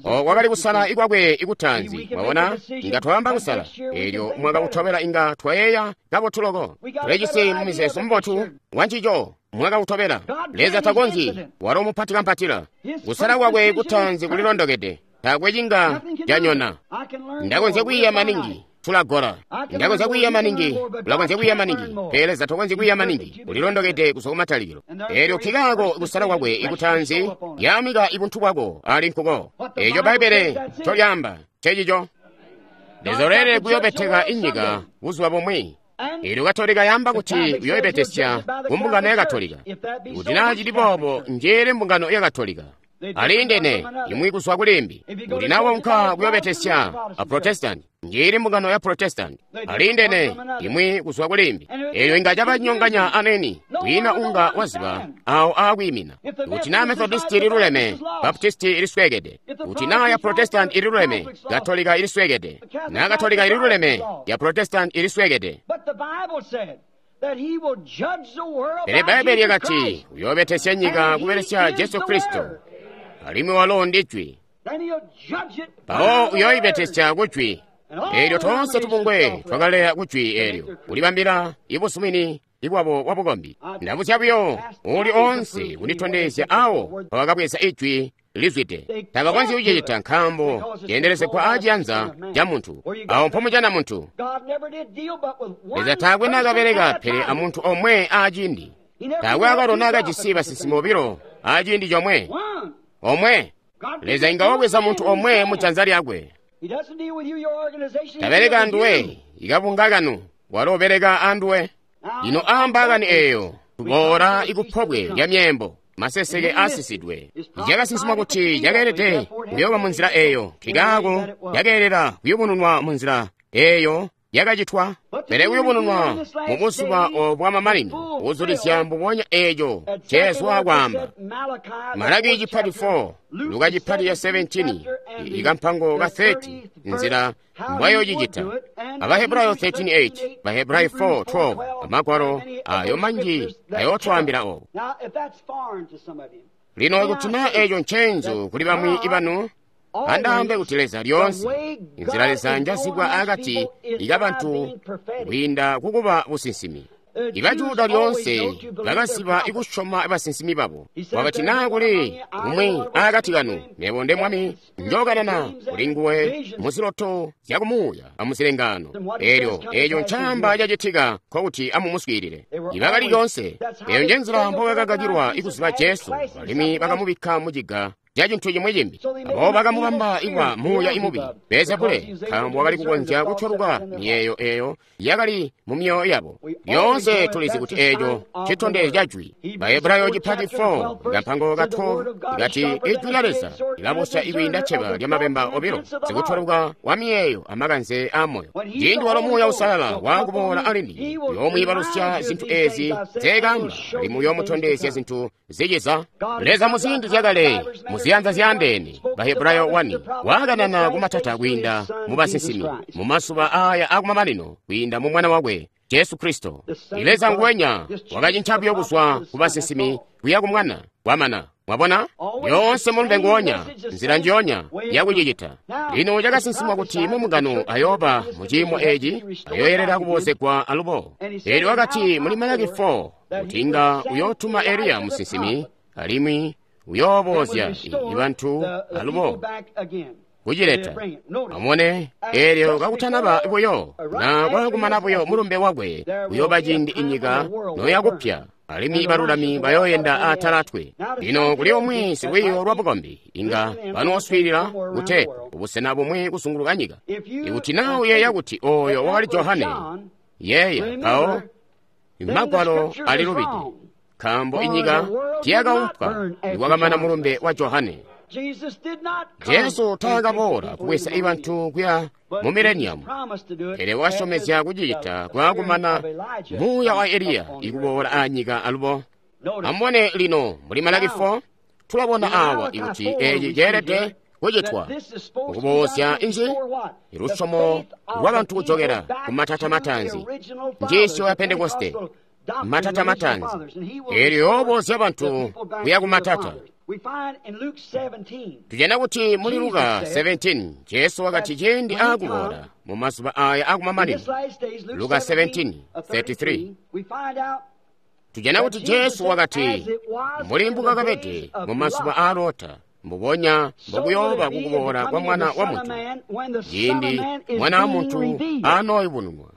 O kwakali kusala ikwakwe ikutaanzi. Mwabona, inga twaamba kusala eelyo mwakautobela, inga twayeeya kabotu loko, tulijisi mumizeezo mubotu wancico mwakautobela. Leza takonzyi, walo mupati kampatila. Kusala kwakwe kutaanzi kulilondokede, taakwe cinga canyona. Ndakonzya kwiiya maningi, tulagola. Ndakonzya kwiiya maningi, ulakonzya kwiiya maningi, pele Leza takonzyi kwiiya maningi, ulilondokede kuzwa kumatalikilo. Eelyo nkikaako kusala kwakwe ikutaanzi yaamika ibuntu bwako ali nkuko. Eeco Bbaibbele ncolyaamba ncecico. Leza uleelede kuyoobeteka inyika buzuba bumwi. Eelyo Katolika yaamba kuti uyoobetesya ku mbungano ya Katolika. Kuti naa cili boobo, njeele mbungano ya Katolika. Aliindene imwi kuzwa kulimbi. Kuti naa waunka kuyoobetesya a Protestant, njeili mbungano ya Protestant. Aliindene imwi kuzwa kulimbi. Eelyo inga cabanyonganya aneni, kwiina unga waziba awo aakwiimina. Kuti naa Methodist ililuleme, Baptist ilisweekede. Kuti naa ya Protestant ililuleme, Katolika ilisweekede. Naa Katolika ililuleme, ya Protestant ilisweekede. Pele Bbaibbele lyakati uyoobetesya nyika kubelesya Jesu Kristo, alimwi walo ndi Jwi. Mpawo uyoibetesya ku Jwi. Eelyo toonse tubungwe twakaleya ku Jwi eelyo, kulibambila ibusumini ibwabo bwa bukombi. Ndabuzya buyo uli oonse kunditondezya awo mpawakabweza Ijwi lizwide. Tabakonzyi kucicita nkaambo ceendelezegwa aaciyanza ca muntu. Awo mpomujana muntu. Leza taakwe naakabeleka pele amuntu omwe aaciindi. Taakwe akalo naakajisi basinsimi bobilo aaciindi comwe. Omwe. Leza inga wabweza muntu omwe mu janza lyakwe. Tabeleka anduwe, ikabunga kanu, walo ubeleka anduwe. Lino aamba kani eeyo, tuboola ikupobwe lya myeembo, maseseke aasisidwe. Cakasinsimwa kuti cakeelede kuyooba munzila eeyo, nkikaako cakeelela kuyubununwa munzila eeyo yakacitwa? Pele kuyubununwa mu buzuba obu bwamamanino, kuzulizya mbubonya eeco Jesu akwaamba. Malaki chapter four, Luka chapter seventeen, ikampango ka thirty, nzila mbwayocicita. Abahebrayo thirteen eight, Bahebrayo four twelve, amagwalo ayo manji ayotwaambila obo. Lino kuti naa eeco ncenzu kuli bamwi ibanu, andaambe kuti Leza lyoonse, inzila Leza njazibwa akati ikabantu kwiinda kukuba businsimi. Ibajuda lyoonse bakaziba ikusyoma basinsimi babo. Wakati naa kuli umwi akati kanu, mebo nde Mwami njokanana kuli nguwe muziloto zyakumuuya amuzilengaano. Eelyo eeco ncaamba cacitika nkokuti amumuswiilile. Ibakali lyoonse, eeyo njenzila mbobakakakilwa ikuziba Jesu, alimwi bakamubikka muciga ca cintu cimwi cimbi. Abo bakamubamba ikwa muuya imubi Beelzebule, nkaambo wakali kukonzya kutyoluka miyeeyo eeyo yakali mu myoyo yabo. Lyoonse tulizi kuti eeco citondezyo ca jwi. Bahebrayo chapter four, kampango ka twelve ikati ijwi lya Leza lilabosya ikwiinda cceba lyamabemba obilo, sikutyoluka wa miyeeyo amakanze a moyo. Ciindi walo Muuya Uusalala waakuboola alimwi uyoomwiibalusya zintu eezi nzeekaamba, alimwi uyoomutondezya zintu ziciza. Leza muziindi zyakale, muziyanza zyaandeene, Bahebrayo one, waakanana kumatata kwiinda mu basinsimi, mu mazuba aya akumamanino kwiinda mu Mwana wakwe Jesu Kristo. Leza nguwenya wakacinca buyo kuzwa ku basinsimi kuya ku Mwana wamana. Mwabona? Yoonse mulumbe nguwonya, nzila njiyonya yakucicita. Lino cakasinsimwa kuti mumbungano ayooba mu ciimo eeci, ayoyelela kuboozegwa alubo. Eelyo wakati muli Malaki four kuti inga uyootuma Eliya musinsimi, alimwi uyoobozya bantu alubo kucileta. Amubone, eelyo kakutanaba buyo na kwakumana buyo mulumbe wakwe, uyooba ciindi inyika noyakupya, alimwi balulami bayooyenda aatala atwe. Lino kuli umwi silwiiyo lwa bukombi inga banooswiilila kuteepu kubusena bumwi kuzunguluka nyika. Ikuti naa uyeeya kuti ooyo wakali Johane, yeeya mpawo Magwalo alilubide, nkaambo inyika tiyakaumpwa nikwakamana mulumbe wa Johane. Jesu taakaboola kubweza ibantu kuya mu mileniamu, pele wakasyomezya kucicita kwaakumana muuya wa Eliya ikuboola aanyika alubo. Amubone lino muli Malaki four, tulabona awa ikuti eeci ceelede kucitwa kukuboozya inzi lusyomo lwabantu kujokela ku matata mataanzi, njiisyo ya Pentekoste, matata mataanzi, eelyo yoobozya bantu kuya ku matata. Tujana kuti muli Luka seventeen, Jesu wakati ciindi aakuboola mu mazuba aya akumamanino. Luka seventeen thirty-three. Tujana kuti Jesu wakati mbuli mbukakabede mu mazuba aa Lota, mbubonya mbokuyooba kukuboola kwa Mwana wa Muntu, ciindi Mwana wa Muntu anooyubununwa.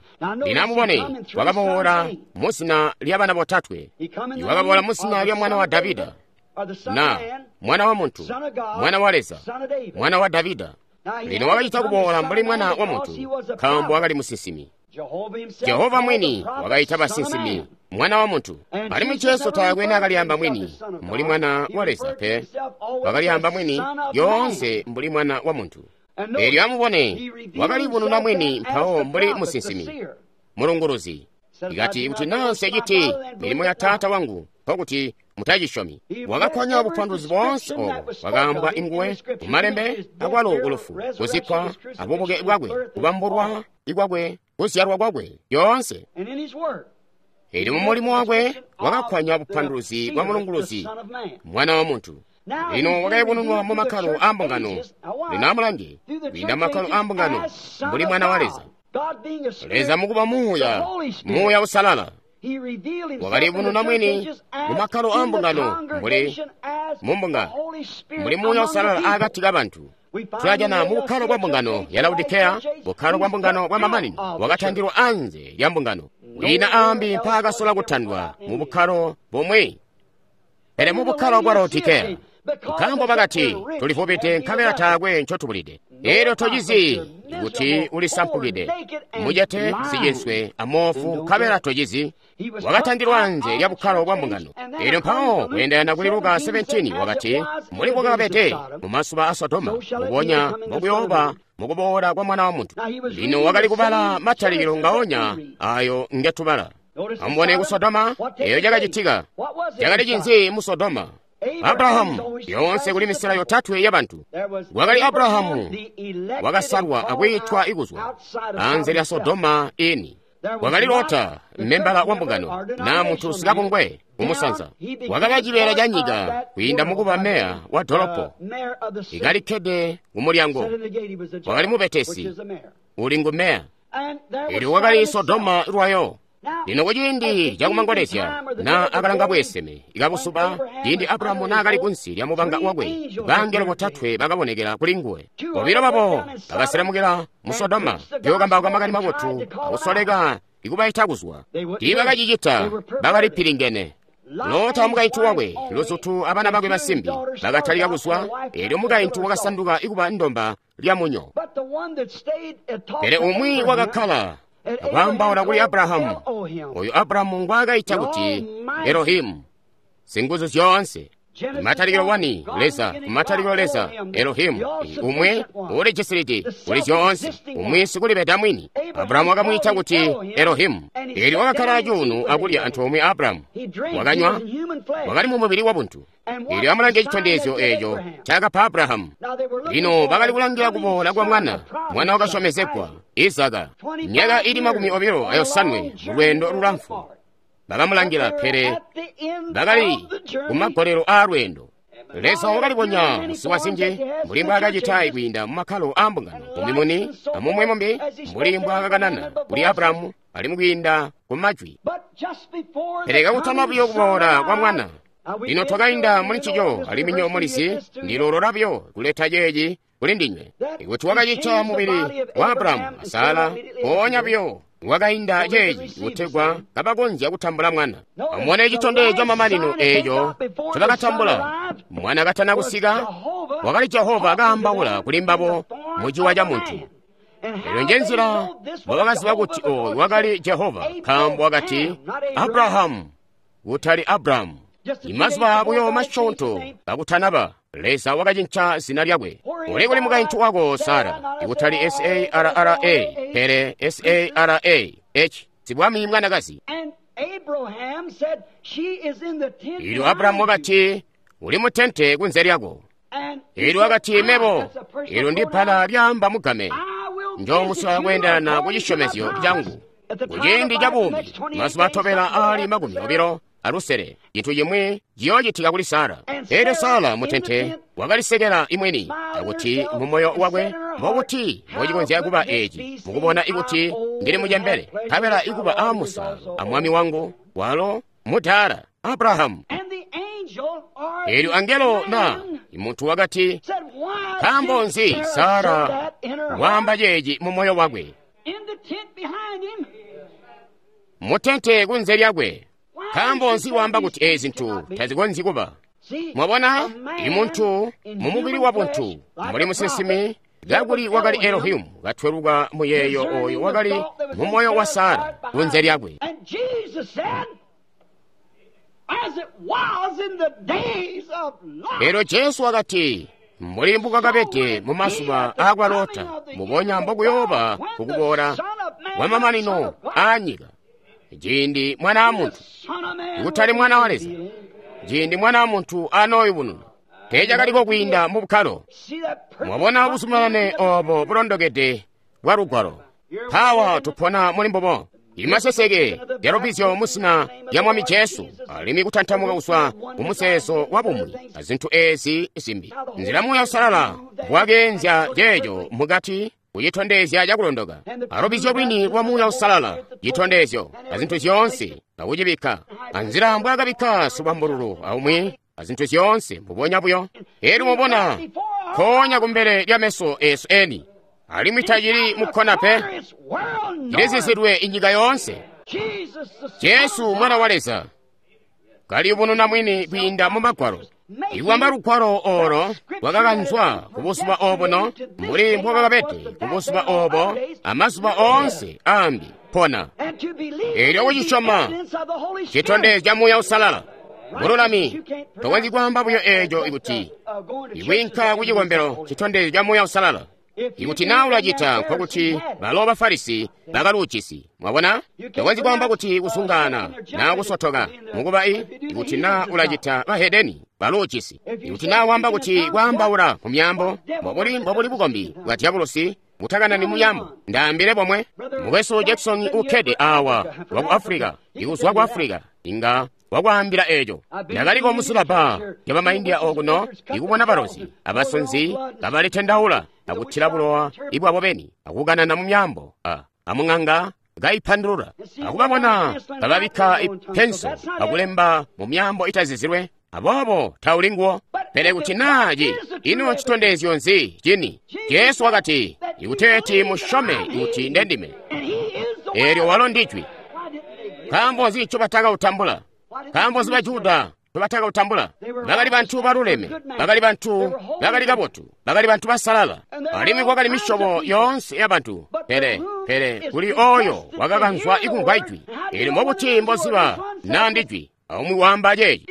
Lino amubone, wakaboola muzina lya bana botatwe. Wakaboola muzina lya mwana wa Davida, na Mwana wa Muntu, Mwana wa Leza, Mwana wa Davida. Lino wakacita kuboola mbuli Mwana wa Muntu, nkaambo wakali musinsimi. Jehova mwini wakaita basinsimi Mwana wa Muntu. Alimwi Jesu taakwe naakalyamba mwini mbuli Mwana wa Leza pe, wakalyamba mwini lyoonse mbuli Mwana wa Muntu. Eelyo amubone, wakalibununa mwini mpawo mbuli musinsimi, mulunguluzi. Ikati kuti naa nseciti milimo ya Taata wangu, nkokuti mutacisyomi. Wakakwanya bupanduluzi boonse obo bwakaambwa inguwe mumalembe, akwalo kulufu, kuzikkwa, abubuke bwakwe, kubambulwa ikwakwe, kuzyalwa kwakwe, yoonse. Eelyo mumulimo wakwe wakakwanya bupanduluzi bwa mulunguluzi, Mwana wa Muntu. Lino wakayubununwa mu makkalo aa mbungano. Lino amulange, kwiinda makkalo aa mbungano, mbuli Mwana wa Leza. Leza mukuba Muuya, Muuya Uusalala, wakalibununa mwini mu makkalo aa mbungano, mbuli mu mbungano, mbuli Muuya Uusalala akati kabantu. Tulajana mu bukkalo bwa mbungano ya Laodikeya, bukkalo bwa mbungano bwa mamanino, wakatandilwa anze lya mbungano. Kwiina aambi mpaakasola kutandwa mu bukkalo bumwi, pele mu bukkalo bwa Laodikeya. Nkaambo bakati, tulivubide nkabela taakwe ncotubulide. Eelyo tocizi kuti ulisampukide, mucete, sicinswe, amoofu, nkabela tocizi. Wakatandilwa anze lya bukkalo bwa mbungano. Eelyo mpawo kweendelana kuli Luka seventeen wakati, mbuli bwakabede mu mazuba a Sodoma, mbubonya mbokuyooba mukuboola kwa Mwana wa Muntu. Lino wakali kubala matalikilo ngaonya ayo ngetubala. Amubone ku Sodoma, eyo cakacitika. Cakali cinzi mu Sodoma? Abrahamu, yoonse kuli misela yotatwe ya bantu. Wakali Abrahamu wakasalwa akwiitwa ikuzwa anze lya Sodoma ini. Wakali Lota, membala wa mbungano, na muntu sikabungwe kumusanza. Wakaba cibeela ca nyika kwiinda mukuba meya wa dolopo, ikalikkede kumulyango. Wakali mubetesi, uli ngu meya. Elyo wakali Sodoma lwayo. Lino kuciindi cakumangolezya na akalanga bweeseme ikabusuba, ciindi Abrahamu naakali kunsi lya mubanga wakwe, bangelo botatwe bakabonekela kuli nguwe. Bobilo babo bakaselemukila mu Sodoma kuyokambauka makani mabotu akusoleka ikubaita kuzwa. Tiibakacicita, bakali pilingene. Lota mukaintu wakwe, luzutu abana bakwe basimbi bakatalika kuzwa, elyo mukaintu wakasanduka ikuba ndomba lya munyo. Pele umwi wakakkala akwaambaula kuli Abrahamu, oyo Abrahamu ngwaakaita kuti Elohimu, singuzu zyoonse. Matalikilo wani Leza, matalikilo Leza, Elohimu, umwe ulijisilidi kuli zyoonse, umwe sikulibeda mwini. Abrahamu wakamwiita kuti Elohimu. Elyo wakakkala cuunu akulya antoomwe Abrahamu, wakanywa, wakali mu mubili wa buntu. Elyo amulange citondezyo eeco cakapa Abrahamu. Lino bakali kulangila kuboola kwa mwana, mwana wakasyomezegwa, Izaka, myaka ili makumi obilo ayosanwe mu lweendo lulamfu. Bakamulangila, pele bakali kumagolelo aa lweendo. Leza wakalibonya muziwa zinji mbuli mbwaakacita kwiinda mu makkalo aa mbungano, mumimuni amumwe mumbi, mbuli mbwaakakanana kuli Abrahamu alimwi kwiinda ku majwi. Pele kakutama buyo kuboola kwa mwana. Lino twakainda muli ncico alimwi nyo mulizi, ndilolola buyo kuleta ceeci kuli ndinywe. Ikuti wakacita mubili wa Abrahamu a Sara, mpoonya buyo wakainda ceeci kutegwa kabakonzya kutambula mwana. Amubone citondezyo camamanino eeco ncobakatambula. Mwana katana kusika, wakali Jehova kaambaula kuli mbabo muciwa ca muntu. Elyo njenzila mbobakaziba kuti oyu wakali Jehova, nkaambo wakati Abrahamu, kutali Abrahamu. Imazuba buyo masyoonto kakutanaba, Leza wakacinca zina lyakwe. Uli kuli mukaintu wako Sara, ikutali S A R R A, pele S A R A H, sibwami mwanakazi. Elyo Abrahamu wakati, uli mutente kunze lyako. Elyo wakati, mebo, elyo ndi bbala lyaamba mugame, njoomuswaya kweendelana ku cisyomezyo cangu. Kuciindi ca buumi, mazuba atobela aali makumi obilo alusele, cintu cimwi ciyoocitika kuli Sara. Elyo Sara mutente wakalisekela imweni, akuti mu moyo wakwe, mbokuti mbocikonzya kuba eeci, mukubona ikuti ndili mucembele, nkabela ikuba aa Musa a mwami wangu, walo mudaala Abrahamu. Elyo angelo na muntu wakati, nkaambo nzi Sara waamba ceeci mu moyo wakwe? Mutente kunze lyakwe. Nkaambo nzi waamba kuti eezi zintu tazikonzyi kuba? Mwabona, imuntu mu mubili wa buntu, mbuli musinsimi, kakuli wakali Elohimu katweluka muyeeyo oyo wakali mu moyo wa Sara kunze lyakwe. Elyo Jesu wakati, mbuli mbukakabede mu mazuba aakwa Lota, mubonya mbokuyooba kukuboola kwa mamanino aa nyika. Ciindi Mwana wa Muntu, kutali Mwana wa Leza, ciindi Mwana wa Muntu anooyubununa, teecakaliko kwiinda mu bukkalo. Mwabona buzumanane obo bulondokede bwa Lugwalo. Mpawa tupona muli mbubo. Imaseseke lya lubizyo mu zina lya Mwami Jesu, alimwi kutantamuka kuzwa ku muzeezo wa bumwi a zintu eezi zimbi. Nzila Muuya Uusalala bwakeenzya ceeco mukati kucitondezya cakulondoka. Alubizyo lwini lwa Muuya Uusalala, citondezyo a zintu zyoonse, akucibikka anzila mbwaakabikka sibambululu aumwi a zintu zyoonse mbubonya buyo. Elyo mubona nkoonya kumbele lya meso eesu eni, alimwi tacili mukkona pe, cilizizidwe inyika yoonse. Jesu Mwana wa Leza kaliyubununa mwini kwiinda mu Magwalo. Ikwamba Lugwalo olo lwakakanzwa ku buzuba obuno, mbuli mbwakakabede ku buzuba obo amazuba oonse ambi pona. Elyo kucisyoma citondezya Muuya Uusalala. Bululami tokonzyi kwaamba buyo eeco ikuti ikwiinka ku cikombelo citondezyo ca Muuya Uusalala. Ikuti naa ulacita, nkokuti balo ba Farisi bakaluujisi. Mwabona? Tokonzyi kwaamba kuti kusungana naa kusotoka mukuba i, ikuti naa ulacita bahedeni baluujisi. Ikuti naa waamba kuti kwaambaula mu myaambo, mbobuli mbobuli bukombi bwa dyabulosi butakanani mu myaambo. Ndaambile bomwe. Mukwesu Jackson ukkede awa waku Africa, ikuzwa ku Africa, inga wakwaambila eco. Ndakaliko musilaba ya bamaindia okuno, ikubona balozi abasonzi kabalitendaula akuthila bulowa ibwabo beni akukanana mu myaambo a amung'anga kaipandulula akubabona kababikka ipenso akulemba mu myaambo itazizilwe. Aboobo tauli nguwo. Pele kuti naa ci ino citondezyo nzi cini? Jesu wakati, ikuteeti musyome kuti ndendime. Eelyo walo ndijwi. Nkaambo nzi ncobatakautambula? Nkaambo nzi Bajuda ncobatakautambula? Bakali bantu baluleme, bakali bantu bakali kabotu, bakali bantu basalala, alimwi kwakali misyobo yoonse ya bantu. Pele, pele kuli oyo wakakanzwa ikumvwa ijwi. Eelyo mbobuti mboziba naa ndijwi? Aumwi waamba ceeci.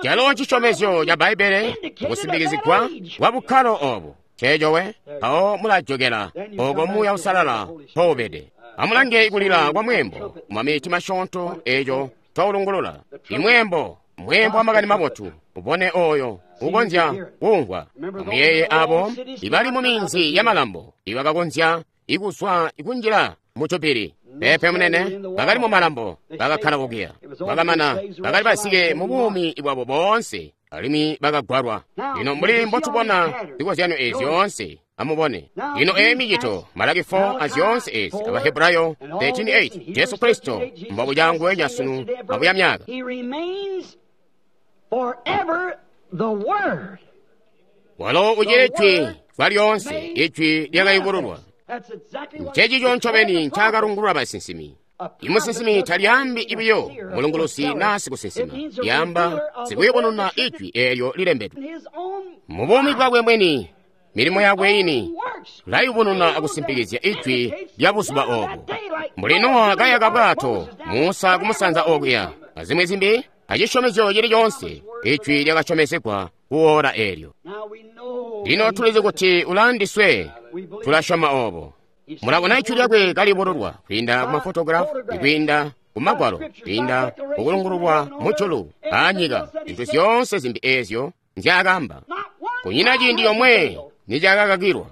Calo cisyomezyo ca Bbaibbele kusimbikizigwa kwa bukkalo obo. Ceeco we, mpawo mulajokela oko Muuya Uusalala mpoubede. Amulange kulila kwa mweembo mumamiti masyoonto eeco twaulungulula. Imweembo, mweembo wa makani mabotu, ubone oyo ukonzya kuumvwa. Amuyeeye abo ibali mu minzi ya malambo ibakakonzya ikuzwa ikunjila mu jubili. Pepe munene, bakali mu malambo, bakakkala kukiya. Bakamana, bakali basike mu buumi bwabo boonse, alimwi bakagwalwa. Lino mbuli mbotubona zikozyano ezi zyoonse, amubone. Lino eyi micito, Malaki four azyoonse ezi, Abahebrayo thirteen eight, Jesu Kristo, mbobucangwenya sunu abuya myaka. Walo ucili jwi kwa lyoonse, ijwi lyakayubululwa. Ncencico ncobeni ncaakalungulula basinsimi. Imusinsimi talyaambi ibiyo mulungulusi naa sikusinsima, lyaamba sikuyubununa ijwi eelyo lilembedwe. Mu buumi bwakwe mwini, milimo yakwe ini layubununa akusimpikizya ijwi lya buzuba obo. Mbuli Nowa kayaka bwato, Musa kumusanza okuya, azimwi zimbi, acisyomezyo cili coonse, ijwi lyakasyomezegwa kuora eelyo. Lino tulizi kuti ulaandiswe, tulasyoma obo. Mulabona ijwi lyakwe kalibululwa kwiinda ku mafotografu, kwiinda ku magwalo, kwiinda kukulungululwa mujulu aanyika, zintu zyoonse zimbi eezyo nzyaakaamba. Kunyina ciindi yomwe nicakakakilwa.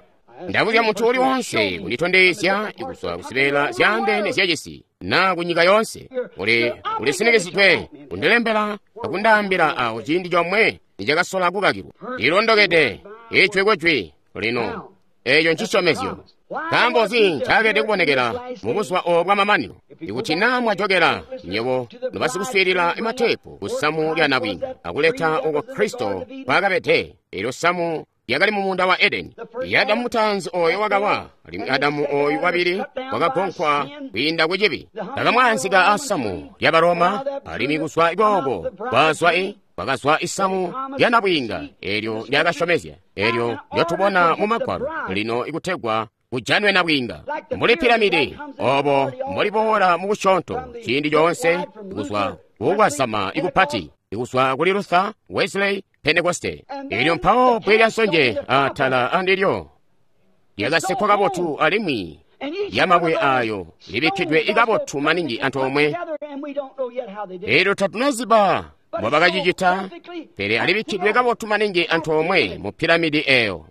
Ndabuzya muntu uli wonse kunditondezya kuzwa kuzibeela zyaandeene zyacisi naa kunyika yoonse, uli ulisinikizidwe kundilembela akundaambila awo ciindi comwe nicakasola kukakilwa. Lilondokede ijwi kujwi lino. Eeco ncisyomezyo. Nkaambo nzi ncaakede kubonekela mubuzuba obo bwamamanino? Ikuti naa mwajokela nywebo nobasikuswiilila mateepu ku samu lya nabwiinga akuleta oko Kristo kwaakabede, eelyo samu lyakali mu muunda wa Edeni. Adamu mutaanzi oyo wakawa, alimwi Adamu oyu wabili wakagonkwa kwiinda ku cibi. Bakamwaanzika asamu lya Baroma, alimwi kuzwa kooko kwazwa i kwakazwa isamu lya nabwiinga eelyo lyakasyomezya, eelyo lyotubona mu Magwalo lino ikutegwa kujanwe nabwiinga. Mbuli piramidi obo mboliboola mu busyoonto ciindi coonse kuzwa kukwasama ikupati, ikuzwa kuli Luther, Wesley, Pentekoste. Eelyo mpawo bbwe lya nsonje atala andilyo lyakasekkwa kabotu alimwi lyamabwe ayo libikkidwe ikabotu maningi antoomwe. Eelyo tatunaziba mbobakacicita, pele alibikkidwe kabotu maningi antoomwe mu piramidi eyo.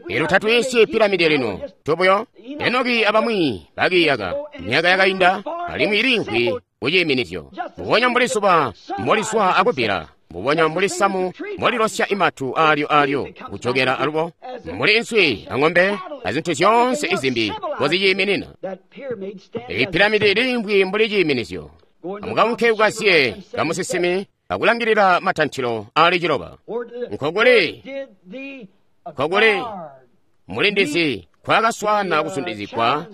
Eelyo tatwiisyi piramidi lino, tubuyo Enoki abamwi bakiyaka myaka yakainda, alimwi iliimvwi kuciiminizyo. Mbubonya mbuli zuba mbolizwa akubbila, mbubonya mbuli samu mbolilosya imatu aalyo aalyo kujokela alubo, mbuli inswi ang'ombe azintu zyoonse izimbi mboziciiminina. Eyi piramidi iliimvwi mbuli ciiminizyo. Amukaunke kukaziye kamusisimi akulangilila matantilo aali ciloba. Nkokuli nkokuli mulindizi kwakaswaana kusundizigwa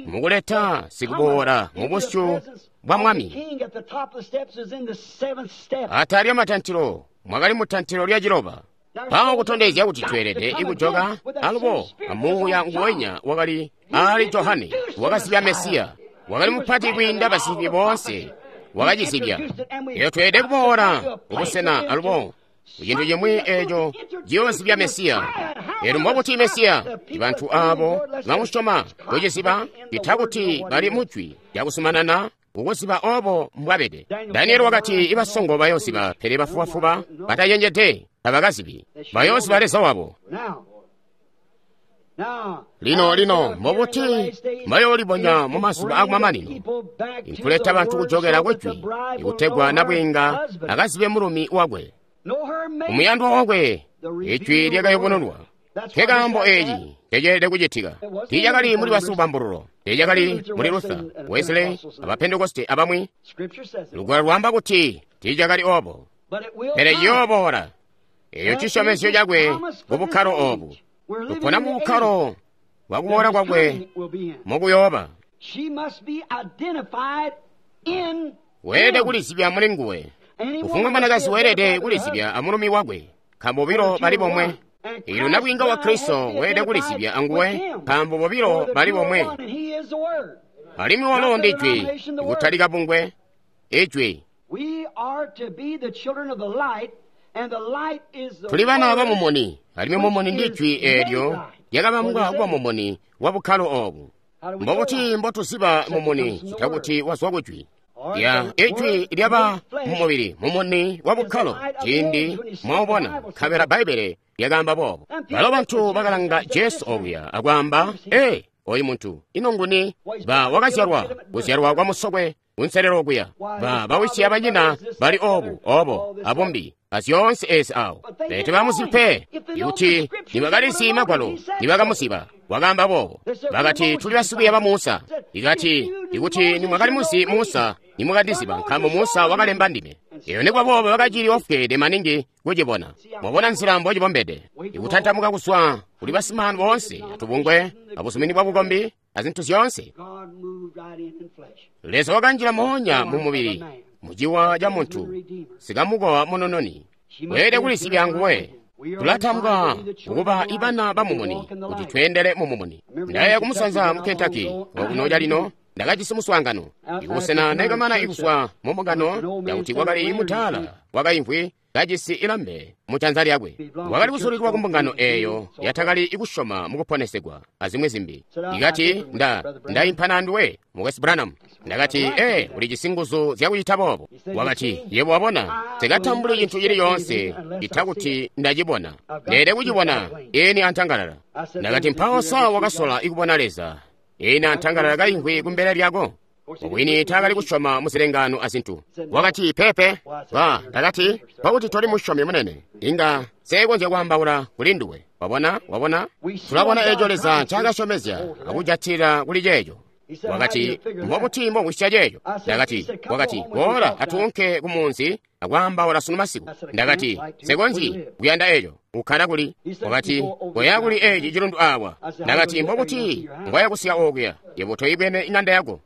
mukuleta sikuboola mu busyu bwa mwami. Atala lya matantilo mwakali mutantilo lya ciloba. Mpawo kutondezya kuti tweelede ikujoka alubo amuuya nguwenya wakali aali Johane wakazibya Mesiya, wakali mupati kwiinda basizibi boonse, wakacizibya. Eyo tweelede kuboola kubusena alubo Cintu cimwi eco ciyoozibya Mesiya. Elyo mbobuti Mesiya? Bantu abo bamusyoma kuciziba cita kuti bali mujwi lyakuzumanana kukuziba obo mbwabede. Danieli wakati ibasongo bayooziba, pele bafubafuba batacenjede tabakazibi. Bayooziba Leza wabo. Lino, lino, mbobuti bayoolibonya mu mazuba akumamanino? Inkuleta bantu kujokela kujwi, ikutegwa nabwiinga akazibe mulumi wakwe, umuyandwa wakwe. Ijwi lyakayubununwa. Nkekaambo eci nceceelede kucitika. Tiicakali muli basikubambululo, tiicakali muli Luther, Wesley, abapentekoste abamwi. Lugwalo lwaamba kuti tiicakali obo, pele ciyooboola. Eyo cisyomezyo cakwe ku bukkalo obu. Tupona mu bukkalo bwa kuboola kwakwe mukuyooba. Weelede kulizibya muli nguwe. Kufumbwa mwanakazi weelede kulizibya amulumi wakwe, nkaambo bobilo bali bomwe. Elyo nabwiinga wa Kristo weelede kulizibya anguwe, nkaambo bobilo bali bomwe. Alimwi walo ndi Ijwi, ikutali kabungwe, Ijwi. Tuli bana ba mumuni, alimwi mumuni ndi Ijwi eelyo lyakabambwa kuba mumuni wa bukkalo obu. Mbobuti mbotuziba mumuni cita kuti wazwa kujwi? Ya Ijwi lyaba mumubili, mumuni wa bukkalo, ciindi mwaubona, nkabela Bbaibbele lyakaamba boobo. Balo bantu bakalanga Jesu okuya akwaamba, ee, oyu muntu, ino nguni? Ba wakazyalwa, kuzyalwa kwa musokwe, kunselelo okuya. Ba bawisi abanyina bali obu, obo, abumbi, azyoonse ezi awo. Pele tebamuzi pe, ikuti nibakalizi Magwalo, nibakamuziba. Wakaamba boobo. Bakati, tuli basikwiiya ba Musa. Ikati, ikuti nimwakalimuzi Musa, nimwakandiziba, nkaambo Musa wakalemba ndime. Eyo nikuba boobo bakacili ofweede maningi kucibona. Mwabona nzila mbocibombede. Ikutantamuka kuzwa kuli basimaanu boonse, atubungwe, abuzumini bwa bukombi, azintu zyoonse. Leza wakanjila moonya mu mubili, muciwa ca muntu, sikamukowa munononi. Weelede kulizibya nguwe. Tulatambwa kukuba ibana ba mumuni kuti tweendele mu mumuni. Ndaya kumusanza mu Kentucky okuno calino ndakajisi muswaangano. Ikusena ndakamana ikuzwa mu mbungano yakuti kwakali mutaala wakaimvwi kajisi ilambe mu janza lyakwe. Wakali kusulilwa ku mbungano eeyo yatakali ikusyoma mukuponesegwa azimwi zimbi. Ikati nda ndaimpana anduwe Mukwesu Branham. Ndakati, ee, ulijisi nguzu zyakucita boobo. Wakati, yebo wabona, nsikatambuli cintu cili yoonse cita kuti ndacibona. Ndeelede kucibona eni antangalala. Ndakati, mpawo sa wakasola ikubona Leza eni antangalala kaimvwi kumbele lyako? Mubwini taakali kusyoma muzilengaano azintu. Wakati, pepe. Ba, ndakati, pakuti toli musyomi munene, inga seekonzya kwaambaula kuli nduwe. Wabona, wabona? Tulabona eco Leza ncaakasyomezya akujatilila kuli ceeco. Wakati, mbobuti mbomwisya ceeco? Ndakati, wakati, boola atuunke ku munzi akwaambaula sunu masiku. Ndakati, nsekonzyi kuyanda eco, ukkala kuli. Wakati, koya kuli eci cilundu awa. Ndakati, mbobuti mbwaya kusika okuya? Yebo toyibwene iŋanda yako.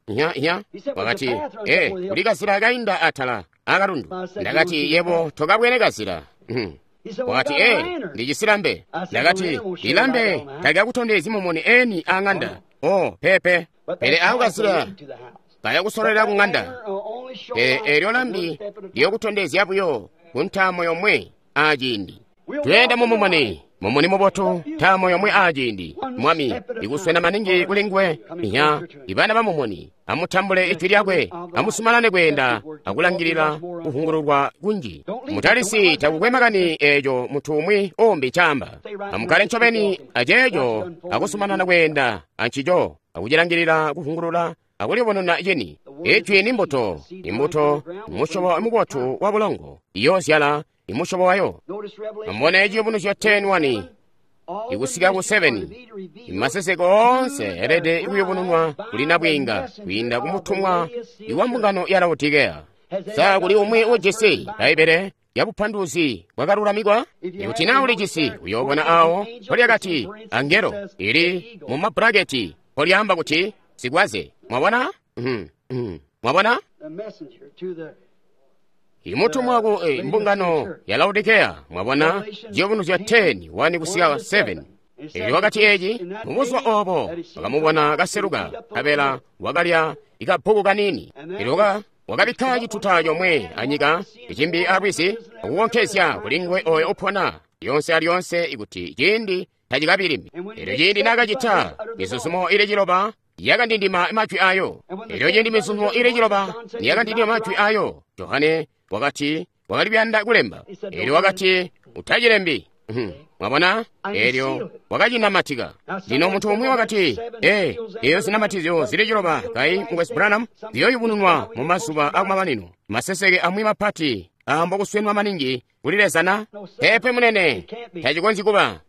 Nya, nya. Wakati, ee, kuli kazila kainda atala akalundu. Ndakati, yebo tokabwene kazila. Wakati, ee, ndijisi lambe. Ndakati, ilambe talikakutondezyi mumuni eni aŋanda. Oh, pepe. Pele ako kazila kaya kusololera ku ŋanda. Pele eelyo lambi liyokutondezya buyo ku ntaamo yomwe aciindi. Tweenda mu mumuni, mumuni mubotu, ntaamo yomwe aciindi. Mwami, ikuswena maningi kuli nguwe. Nya, ibana ba mumuni, amutambule ijwi lyakwe, amusumanane kweenda akulangilila kuvungululwa kunji. Mutalisi takukwe makani eeco muntu umwi umbi ncaamba. Amukkale ncobeni aceeco akusumanana kweenda ancico, akucilangilila kuvungulula akulibonona cini. Ijwi ni mbuto, imbuto musyobo mubotu wa bulongo, iyoozyala imusyobo wayo. Amubone Ciyubunuzyo ten one ikusika ku seven. Imaseseko oonse elede kuyubununwa kuli nabwiinga kwiinda kumutumwa iwa mbungano ya Laodikea. Sa kuli umwi ujisi Bbaibbele lya bupanduluzi bwakalulamikwa? Ikuti naa ulijisi, uyoobona awo mpolyakati angelo ili mu maburaketi mpolyaamba kuti sikwaze. Mwabona? Mwabona? Imutumwa ku eh, mbungano ya Laodikea, mwabona, Ciyubunuzyo ten one kusika seven. Elyo wakati eci, mubuzuba obo bakamubona kaseluka, nkabela wakalya ikabbuku kanini. Elyo Wakabikka cituta comwe anyika, icimbi alwizi, akukonkezya kuli nguwe oyo upona lyonse alyonse ikuti ciindi tacikabi limbi. Elyo ciindi naakacita, mizuzumo ili ciloba yakandindima majwi ayo. Elyo ciindi mizuzumo ili ciloba yakandindima majwi ayo, Johane wakati wakali kuyanda kulemba. Elyo wakati utacilembi. Mwabona? Elyo wakacinamatika. Lino muntu umwi wakati, ee, eyo zinamatizyo zili ciloba kai Mukwesu Branham ziyoyubununwa mu mazuba akumamanino. Maseseke amwi mapati aambo kuswenwa maningi kuli Leza na? Peepe munene, tacikonzyi kuba.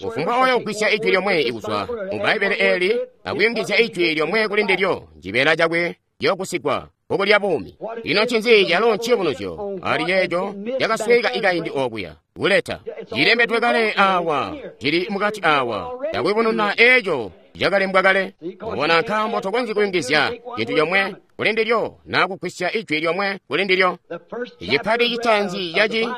Kufumbwa oyo ugwisya ijwi lyomwe ikuzwa mu Bbaibbele eli akuyungizya ijwi lyomwe kuli ndilyo, cibeela cakwe ciyogusigwa bbuku lya buumi. Ino ncinzi calo nciyubunuzyo ali ceeco cakasweka ikaindi okuya kuleta cilembedwe kale awa, cili mukati awa, cakuyubununa eeco cakalembwa kale. Wabona, nkaambo tokonzyi kuyungizya cintu comwe kuli ndilyo naa kugwisya ijwi lyomwe kuli ndilyo. Icipati citaanzi caci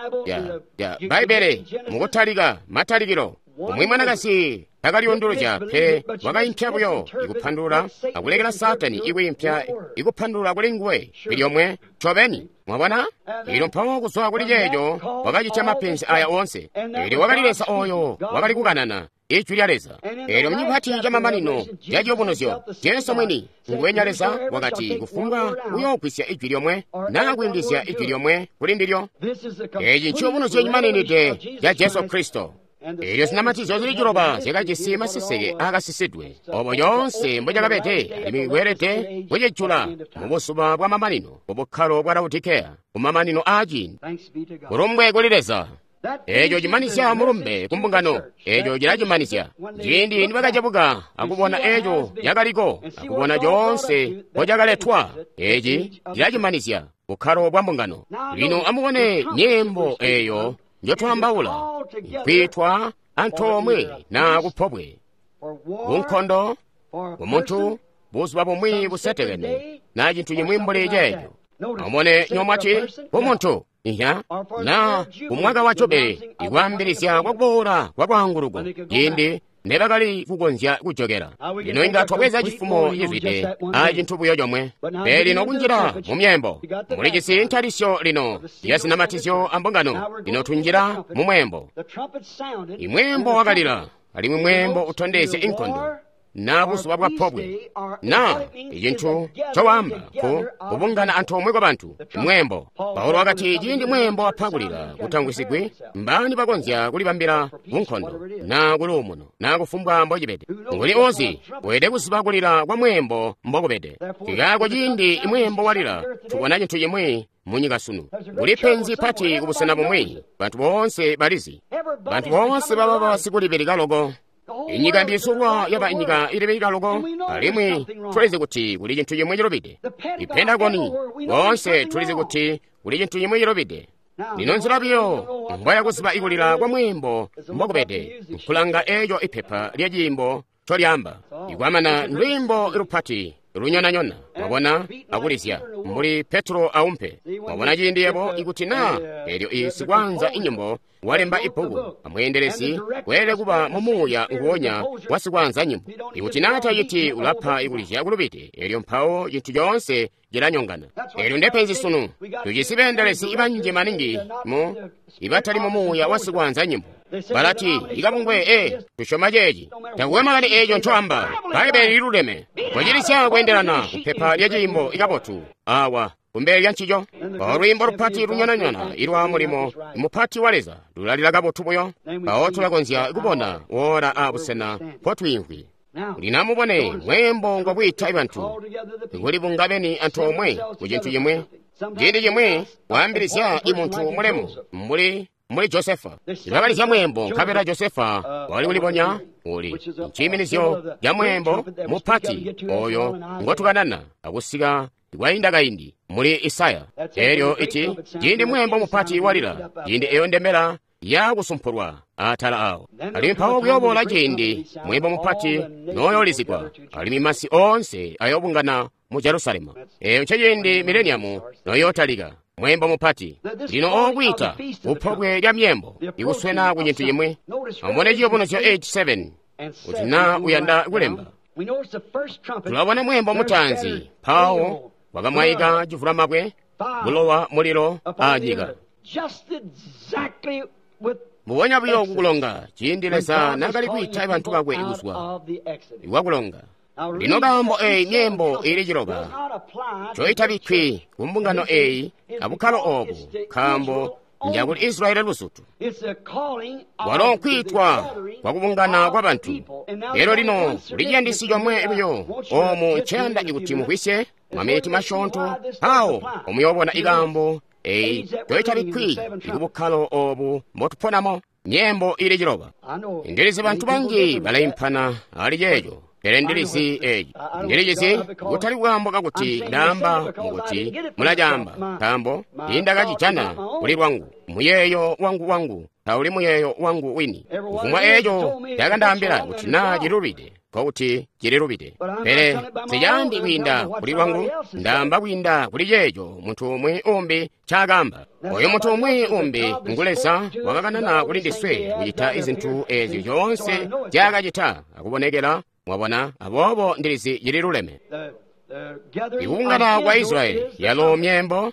ya Bbaibbele mukutalika matalikilo, umwi mwanakazi takalyunduluzya pe, wakaimpya buyo ikupandulula akulekela Saatani ikwiimpya ikupandulula kuli nguwe ilyomwe ncobeni. Mwabona? Lino mpawo kuzwa kuli ceeco wakacitya mapenzi aya oonse. Elyo wakali Leza oyo wakali kukanana ijwi lya Leza. Elyo mucipati camamanino ca ciyubunuzyo, Jesu mwini nguwenya Leza wakati kufumbwa uyoogwisya ijwi lyomwe naa kuyungizya ijwi lyomwe kuli ndilyo. Eci nciyubunuzyo cimaninide ca Jesu Kristo. Elyo zinamatizyo zili ciloba zyakajisi maseseke aakasisidwe, obo yoonse mbocakabede, alimwi kweelede kucijula mubuzuba bwa mamanino, kubukkalo bwa Laodikeya, kumamanino aaciindi. Kulumbwe kuli Leza. Eeco cimanizya mulumbe ku mbungano. Eeco cilacimanizya. Ciindi nibakacebuka akubona eeco cakaliko, akubona coonse mbocakaletwa, eci cilacimanizya bukkalo bwa mbungano. Lino amubone nyimbo eeyo njotwaambaula, kwiitwa antoomwe naa kupobwe, kunkondo, kumuntu, buzuba bumwi busetekene, naa cintu cimwi mbuli ceeco. Amubone nyomwati kumuntu, inya, naa kumwaka wa jubili, ikwaambilizya kwakuboola kwa lwaanguluko, ciindi nebakali kukonzya kujokela. Lino inga twabweza cifumo cizwide a cintu buyo comwe. Pele lino kunjila mu myembo, mulijisi ntalisyo lino ya zinamatizyo a mbungano. Lino tunjila mu mwembo. Imwembo wakalila, alimwi mwembo utondezya inkondo, na buzuba bwa pobwe, na icintu cowamba ku kubungana antoomwe kwa bantu. Mwembo. Paulo wakati ciindi mwembo wapakulila kutangwisigwi, mbani bakonzya kulibambila kunkondo na kuluumuno na kufumbwa mbocibede. Nguli ozi weede kuziba kulila kwa mwembo mbokubede. Kikaako ciindi imwembo walila, tubona cintu cimwi munyika sunu. Kuli penzi pati kubusena bumwi, bantu boonse balizi. Bantu boonse baba basikulibeleka loko. Inyika mbisulwa yaba inyika ilibeleka loko, alimwi tulizi kuti kuli cintu cimwi cilubide. Ipentagoni, boonse tulizi kuti kuli cintu cimwi cilubide. Lino nzila biyo mbwaya kuziba ikulila kwa mwimbo mbokubede, nkulanga eeco ipepa lya ciimbo ncolyaamba. Ikwamana ndwimbo lupati lunyonanyona, mwabona, akulizya mbuli Petro aumpe. Mwabona ciindi yebo ikuti naa elyo isikwaanza inyimbo walemba ibbuku, amweendelezi weelede kuba mumuuya nguwonya wa sikwaanza nyimbo. Ikuti naa taciti ulapa ikulizya kulubide, elyo mpawo cintu coonse cilanyongana. Elyo ndepenzi sunu, tujisi beendelezi banji maningi mu ibatali mumuuya wa sikwaanza nyimbo. Balati ikabungwe e tusyoma ceeci, takuwe makani eeco ncoamba, Bbaibbele liluleme. Kwacilisya kweendelana kupepa lya ciimbo ikabotu awa kumbele lya ncico. Mpawo lwiimbo lupati lunyonanyona ilwa mulimo mupati wa Leza lulalila kabotu buyo. Mpawo tulakonzya kubona woola abusena mpotwiimvwi. Lino amubone mwembo ngwakwiita bantu kulibunga beni antoomwe ku cintu cimwi. Ciindi cimwi waambilizya imuntu mulemu mbuli mbuli Josefa. Bakalizya mwembo nkabela Josefa wali kulibonya uli nciiminizyo ca mwembo mupati oyo ngotukanana akusika kwainda kaindi muli Isaya. Elyo ici ciindi mwembo mupati walila, ciindi eyo ndembela yakusumpulwa atala awo. Alimwi mpawo kuyoboola ciindi mwembo mupati noyoolizigwa, alimwi masi oonse ayoobungana mu Jerusalemu. Eyo nceciindi mileniamu noyootalika. Mwembo mupati lino okwiita kupobwe lya myembo ikuswena ku cintu cimwi. Amubone ciyubunuzyo eighty-seven kuti naa uyanda kulemba. Tulabona mwembo mutaanzi mpawo Kwakamwaika civulamabwe, bulowa, mulilo aanyika. Mbubonya buyo kukulonga, ciindi Leza naakali kwiita bantu bakwe kuzwa kwakulonga. Lino kaambo eeyi myeembo iili ciloba ncoitabikkwi ku mbungano eeyi abukkalo oobu, nkaambo njakuli Israyeli luzutu. Walo nkwiitwa kwakubungana kwa bantu. Elyo lino kuli ciyandisi comwe buyo oomu nceyanda kuti mugwisye maminiti masyoonto, awo omuyoobona ikaambo eeyi ncoitabikkwi kubukkalo oobu mbotuponamo, myeembo iili ciloba. Ndilizi bantu banji balaimpana ali ceeco. Pele ndilizi eeci, ndilicizi kutali kaambo kakuti ndaamba mukuti mulacaamba, nkaambo tiindakacijana kuli lwangu. Muyeeyo wangu wangu tauli muyeeyo wangu wini. Kufumbwa eeco cakandaambila kuti naa cilubide, nkokuti cililubide. Pele sicaambi kwiinda kuli lwangu, ndaamba kwiinda kuli ceeco muntu umwi umbi ncaakaamba. Oyo muntu umwi umbi ngu Leza wakakanana kuli ndiswe kucita izintu eezyo zyoonse nzyaakacita akubonekela. Mwabona, aboobo ndilizi cililuleme. Ikubungana kwa Israyeli yalo myeembo,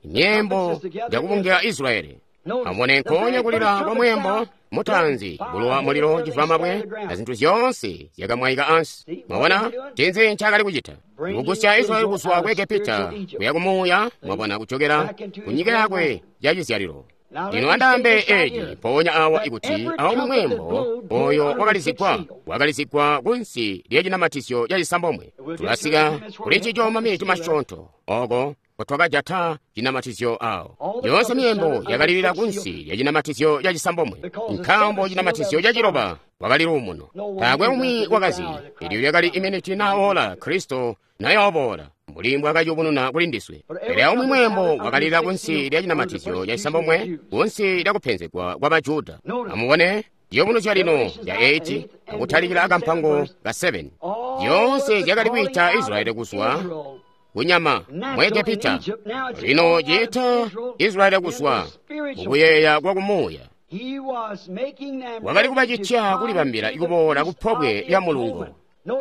myeembo jakubungila Israyeli. Amubone nkoonya kulila kwa mweembo mutaanzi, bulowa, mulilo, civulamabwe, na zintu zyoonse zyakamwaika ansi. Mwabona, ncinzi ncaakali kucita? Kugusya Israyeli kuzwa ku Egepita kuya kumuuya, mwabona, kujokera ku nyika yakwe yacizyalilo. Lino andaambe eeci mpoonya awa ikuti aumwi mweembo oyo wakalizigwa wakalizigwa kunsi lyacinamatizyo cacisambomwe. Tulasika kuli ncico maminiti masyoonto oko kotwakajata cinamatizyo awo. Yoonse myeembo yakalilila kunsi lyacinamatizyo cacisambomwe, nkaambo cinamatizyo caciloba wakali luumuno. Taakwe umwi wakazi elyo lyakali iminiti naa ola Kristo nayooboola mbuli mbwakayubununa kuli ndiswe. Pele aumwi mweembo wakalilila kunsi lya cinamatizyo cacisambomwe, kunsi lya kupenzegwa kwa Bajuda. Amubone ciyubunuzyo lino ca eight akutalikila akampango ka seven. Zyoonse zyakali kwiita Israyeli kuzwa kunyama mu Egepita. Lino ciita Israyeli kuzwa mukuyeeya kwa kumuuya. Wakali kubacitya kulibambila kuboola ku pobwe lya mulungo.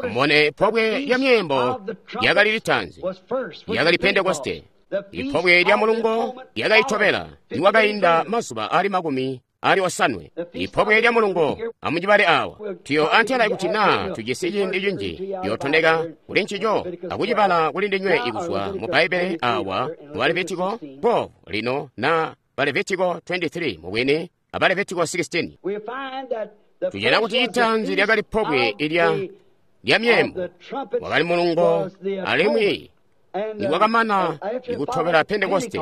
Amubone pobwe lya myeembo lyakali litaanzi, lyakali Pentekoste. Ipobwe lya mulungo lyakaitobela nikwakainda mazuba aali makumi ali osanwe. Ipobwe lya mulungo amucibale awa tuyo antela kuti naa tujisi ciindi cinji yootondeka kuli ncico akucibala kuli ndinywe ikuzwa mu Bbaibele awa mu Levitiko twelve lino na Levitiko twenty-three mubwini aba Levitiko sixteen. Tujana kuti itaanzi lyakali pobwe ilya lya myeembo wakali mulungo alimwi nikwakamana ikutobela Pentekoste.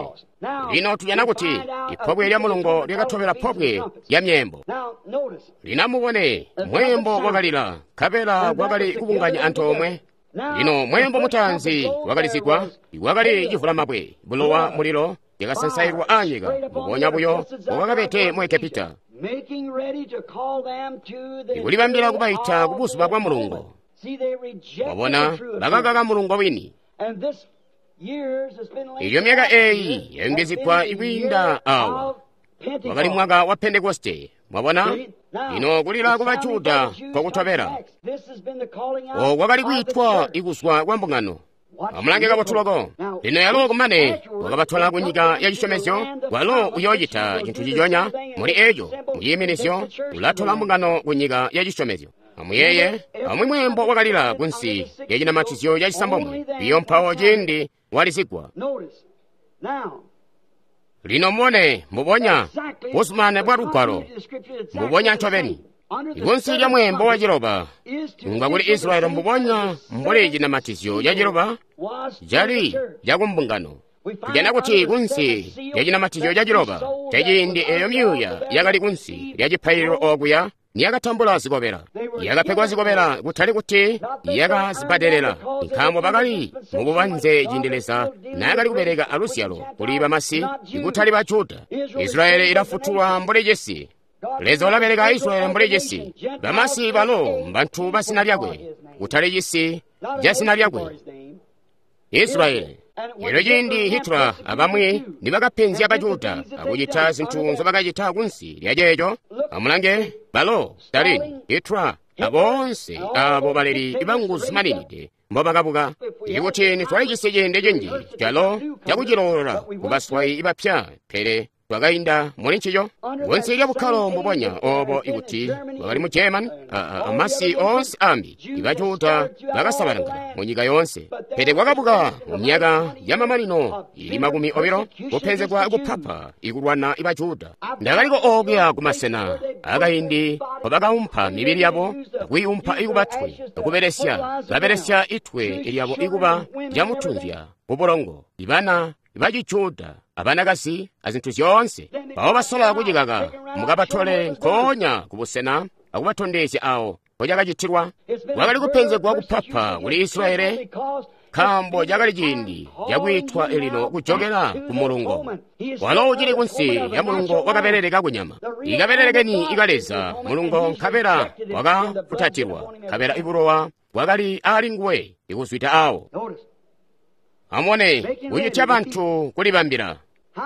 Lino tujana kuti ipobwe lya mulungo lyakatobela pobwe lya myeembo. Lino amubone mweembo wakalila nkabela kwakali kubunganya antoomwe. Lino mweembo mutaanzi wakalizigwa wakali civulamabwe, bulowa, mulilo yakasansailwa aanyika mbubonya buyo mbwaakabede mu Egepita, ikulibambila kubaita kubuzuba bwa mulungo. Mwabona, bakakaka mulungo wini. Ilyo myaka eeyi yayungizigwa ikwiinda awa wakali mwaka wa Pentekoste. Mwabona, lino kulila ku Bajuda kwakutobela oku kwakali kwiitwa ikuzwa kwa mbungano. Amulange kabotu loko. Lino yalo kumane wakabatola ku nyika ya cisyomezyo, walo uyoocita cintu ciconya muli eco muciiminizyo, ulatola mbungano ku nyika ya cisyomezyo. Amuyeeye, amwi mweembo wakalila kunsi lya cinamatizyo ca cisambomwe, iyo mpawo ciindi walizigwa. Lino mubone mbubonya busumane bwa lugwalo, mbubonya ncobeni. Ikunsi lya mweembo wa ciloba nga kuli Israyeli mbubonya mbuli cinamatizyo ca ciloba cali cakumbungano. Tujana kuti kunsi lya cinamatizyo ca ciloba caciindi eeyo myuuya yakali kunsi lya cipaililo okuya niyakatambula zikobela. Yakapegwa zikobela kutali kuti yakazibbadelela, nkaambo bakali mububanze ciindi Leza naakali kubeleka aluzyalo kuli bamasi ikutali ba Juda. Israyeli ilafutulwa mbuli cisi. Leza ulabeleka Israyeli mbuli cisi. Bamasi balo mbantu ba zina lyakwe, kutali cisi ca zina lyakwe, Israyeli. Elyo ciindi Hitler abamwi nibakapenzya Bajuda akucita zintu nzobakacita kunsi lya ceeco, amulange balo Stalin, Hitler Aboonse abo baleli banguzu maninide mbobakabuka. Ikuti nitwalijisi ciindi cinji calo cakuciloolola kubaswayi bapya, pele twakainda muli ncico. Kunsi lya bukkalo mbubonya obo ikuti bwakali mu German, amasi oonse ambi, ibaJuda bakasabalangana mu nyika yoonse. Pele kwakabuka mu myaka yamamanino ili makumi obilo kupenzegwa kupapa ikulwana ibaJuda. Ndakaliko okuya kumasena akaindi nkobakaumpa mibili yabo akwiiumpa ikuba twe, akubelesya babelesya itwe lyabo ikuba lyamutunzya kubulongo. Ibana baciJuda abanakazi azintu zyoonse mpawo basola kucikaka mukabatole nkoonya kubusena akubatondezya awo mpocakacitilwa. Kwakali kupenzegwa kupapa kuli Israeli nkaambo cakali ciindi cakwiitwa elino kujokela ku mulungo. Walo ucili kunsi ya mulungo wakabelele kakunyama. Ikabelele keni ika Leza mulungo nkabela wakafutatilwa, nkabela ibulowa bwakali ali nguwe ikuzwida awo. Amubone kucitya bantu kulibambila.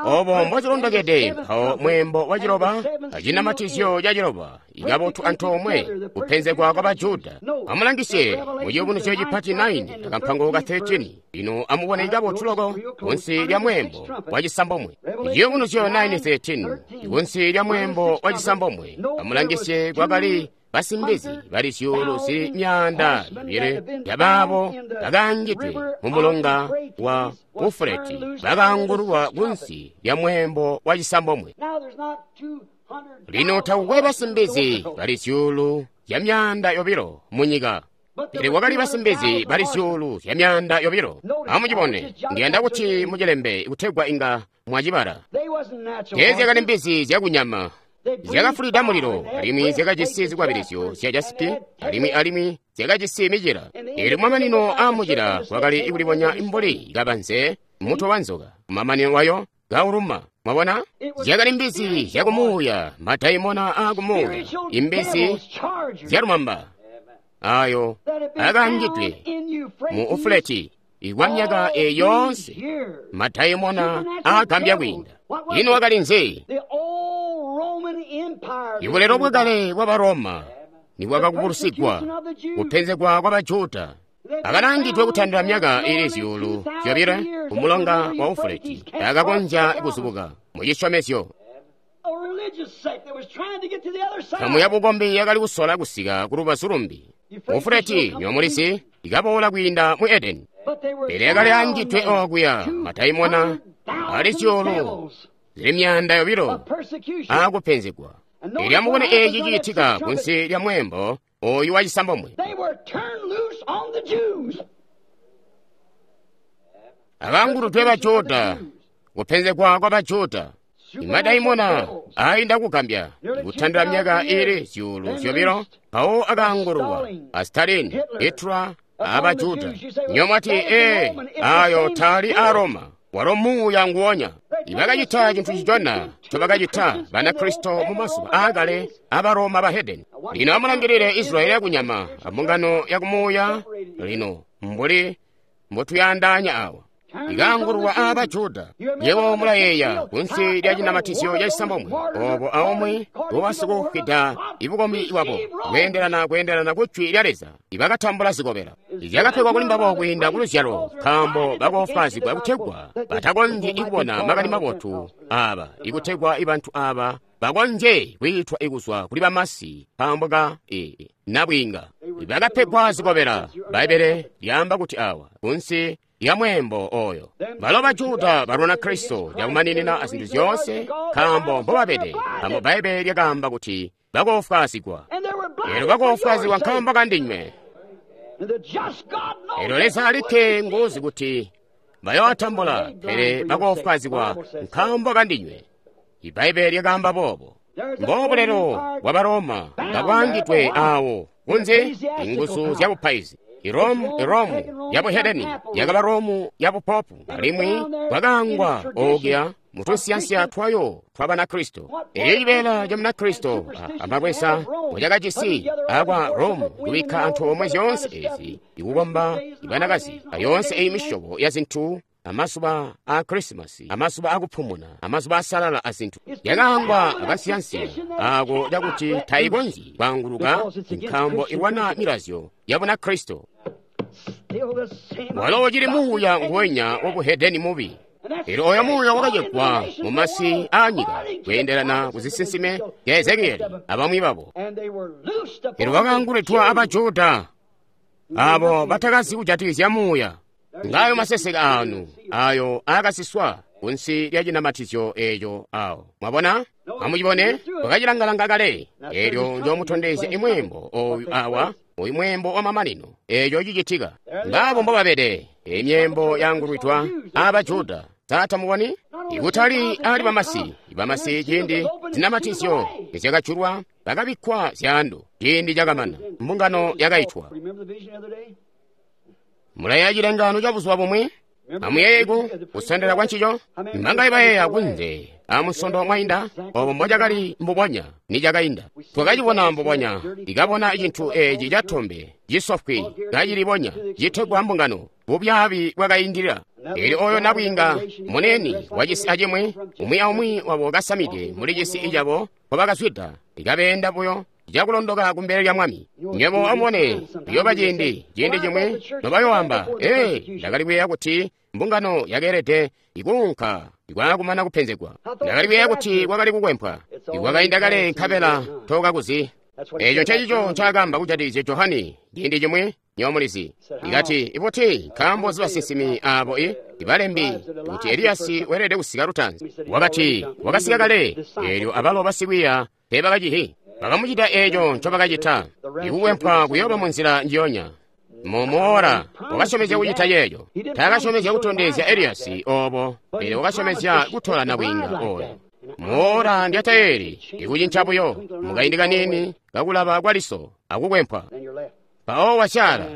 Obo mbocilondokede mpawo mweembo wa ciloba acinamatizyo ca ciloba ikabotu antoomwe kupenzegwa kwa baJuda. Amulangisye mu Ciyubunuzyo cipati nine akampango ka thirteen. Ino amubone ikabotu loko kunsi lya mweembo wa cisambomwe. Ciyubunuzyo nine thirteen kunsi lya mweembo wa cisambomwe. Amulangisye kwakali basimbizi bali zyuulu zili myaanda yobilo yabaabo bakaangidwe mu mulonga wa Ufuleti bakaangululwa kunsi lya mweembo wa cisambomwe. Lino takukwe basimbizi bali zyuulu zya myaanda yobilo mu nyika, pele kwakali basimbizi bali zyuulu zya myaanda yobilo. Amucibone, ndiyanda kuti mucilembe kutegwa inga mwacibala. Teezyakali mbizi zyakunyama, zyakafulida mulilo, alimwi zyakajisi zikwabilizyo zya jasipi, alimwi alimwi zyakajisi micila. Eelyo kumamanino aamucila kwakali kulibonya mbuli kabanze mutwe wa nzoka, kumamanino wayo kauluma. Mwabona, zyakali mbizi zyakumuuya, madaimona aakumuuya, imbizi zyalumamba ayo akaangidwe mu Ufuleti ikwa myaka eyi yoonse, madaimona aagambya kwiinda. Ino wakali nzi? Ibulelo bwakale bwa Baroma nibwakakubulusigwa kupenzegwa kwa baJuda akalangidwe kutandila myaka ili zyuulu zyobilo ku mulonga wa Ufuleti akakonzya kuzubuka mu cisyomezyo. Nkamu ya bukombi yakali kusola kusika ku lubazu lumbi. Ufuleti nyomulizi ikaboola kwiinda mu Edeni, pele yakali angidwe okuya madaimona ali zyuulu zili myaanda yobilo aakupenzegwa. Elyo amubone eeci ciitika kunsi lya mweembo oyu wa cisambomwe. Akaanguludwe baJuda, kupenzegwa kwa baJuda, imadaimona ainda kugambya kutandila myaka ili zyuulu zyobilo mpawo akaangululwa a Stalin, Hitler abaJuda. Nyomwati ee ayo tali a Roma, walo muuya nguonya. Ibakacita cintu cicona ncobakacita Banakristo mu mazuba aakale abaroma bahedeni. Lino amulangilile Israeli yakunyama ambungano yakumuuya lino mbuli mbotuyandaanya awa. Ikaangululwa aba Juda. Yebo mulayeeya kunsi lya cinamatizyo ca cisambomwe obo aomwe ngobasikufwida ibukombi bwabo kweendelana kweendelana ku jwi lya Leza ibakatambula zikobela zyakapegwa kuli mbabo kwiinda ku luzyalo, nkaambo bakoofwaazigwa kutegwa batakonzyi ikubona makani mabotu aba, ikutegwa ibantu aba bakonzye kwiitwa ikuzwa kuli bamasi nkaambo ka e, nabwiinga. Bakapegwa zikobela. Bbaibbele lyaamba kuti awa kunsi ya mweembo oyo balo baJuda balwana Kristo lyakumaninina azintu zyoonse nkaambo mbobabede, nkaambo Bbaibbele lyakaamba kuti bakoofwaazigwa. Eelyo bakoofwaazigwa nkaambo kandinywe. Eelyo Leza alikke nguzi kuti bayootambula, pele bakoofwaazigwa nkaambo kandinywe. Ibbaibbele lyakaamba boobo. Mbobulelo bwa Baroma kabwaangidwe awo kunze inguzu zyabupaizi. Iromu, Iromu yabuhedeni yakaba Romu yabupopu, alimwi bwakaangwa okuya mutunsiyansiya twayo twa Banakristo. Elyo cibeela ca Munakristo amakwesa mbocakajisi akwa Romu kubikka antoomwe zyoonse ezi ikukomba ibanakazi ayoonse eyi misyobo ya zintu amazuba a Krisimasi, amazuba akupumuna, amazuba asalala azintu. Yakaangwa akasiyansiya ako cakuti taikonzyi kwaanguluka nkaambo ilwana milazyo ya Bunakristo. Walo ucili muuya nguwenya wabuhedeni mubi. Elyo oyo muuya wakacegwa mu masi aanyika kweendelana kuzisinsime zya Ezekieli abamwi babo. Elyo wakaangulitwa abajuda abo batakazi kujatikizya muuya. Ngayo maseseke anu ayo akasiswa kunsi lya cinamatizyo eco awo. Mwabona? Amucibone, wakacilangalanga kale. Elyo njomutondezya imweembo oyu awa, oyu mweembo wa mamanino, eco cicitika. Ngabo mbobabede, emyembo yangulwidwa abajuda. Sa tamuboni? Ikutali ali bamasi, bamasi ciindi zinamatizyo nizyakajulwa bakabikkwa zyaandu. Ciindi cakamana, mbungano yakaitwa. Mulayeeya cilengaano ca buzuba bumwi? Amuyeeye kusendela kwa ncico? Mbangaye bayeeya kunze amusondo mwainda obo mbocakali mbubonya nicakainda. Twakacibona mbubonya, ikabona cintu eci catombe cisofwi kacilibonya citegwa mbungano, bubyaabi bwakaindilila. Elyo oyo nabwiinga munene wacisi acimwi, umwi aumwi wabo kasamide muli cisi icabo nkobakazwida, ikabeenda buyo cakulondoka kumbele lya Mwami. Nywebo amubone, kuyooba ciindi, ciindi cimwi nobayooamba, ee, ndakali kuyeeya kuti mbungano yakeelede ikuunka ikwaakumana kupenzegwa. Ndakali kuyeeya kuti kwakali kukwempwa. Ikwakainda kale nkabela tokakuzi. Eco ncencico ncaakamba kujatikizya Johani ciindi cimwi, nywebo mulizi. Ikati, ibuti nkaambo zibasinsimi abo i ibalembi kuti Eliyasi weelede kusika lutaanzi. Wakati, wakasika kale, eelyo abalo basikwiiya teebakacihi. Bakamucita eeco ncobakacita. Ikukwempwa kuyooba munzila njiyonya. Mumuora wakasyomezya kucita ceeco. Taakasyomezya kutondezya Eliyasi obo, pele wakasyomezya kutola nabwiinga oyo. Muora ndyatayeli, ikucinca buyo mukaindi kaniini kakulaba kwa liso akukwempwa. Mpawo wasyaala.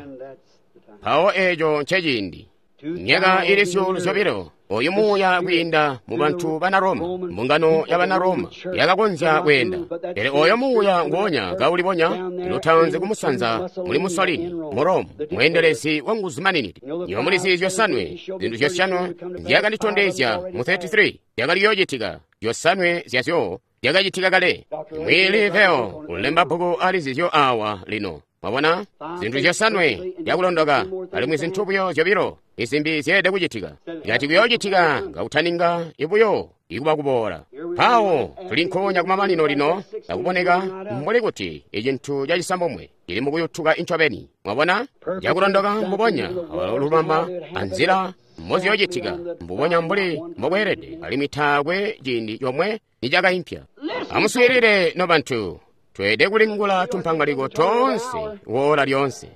Mpawo eeco nceciindi. Myaka ili zyuulu zyobilo, oyu muuya kwiinda mu bantu bana Roma, mbungano ya bana Roma yakakonzya kweenda. Pele oyo muuya nguonya kaulibonya lutaanzi kumusanza muli Mussolini mu Rome, mweendelezi wa nguzu maninidi. Nywebo mulizi zyosanwe, zintu zyosanwe nzyakanditondezya mu thirty-three zyakali kuyoocitika, zyosanwe zyazyo zyakacitika kale. Mwili Veo ulemba bbuku ali zizyo awa lino. Mwabona? Zintu zyosanwe zyakulondoka, alimwi zintu buyo zyobilo izimbi zyeelede kucitika. Ikati kuyoocitika ngakutaninga ibuyo ikuba kuboola. Mpawo tuli nkoonya kumamanino lino, akuboneka mbuli kuti icintu cacisambomwe cili mukuyutuka incobeni. Mwabona? Zyakulondoka mbubonya lubamba anzila mboziyoocitika mbubonya mbuli mbokweelede, alimwi taakwe ciindi comwe nicakaimpya. Amuswiilile nobantu. Tweelede kulingula tumpangaliko toonse woola lyoonse.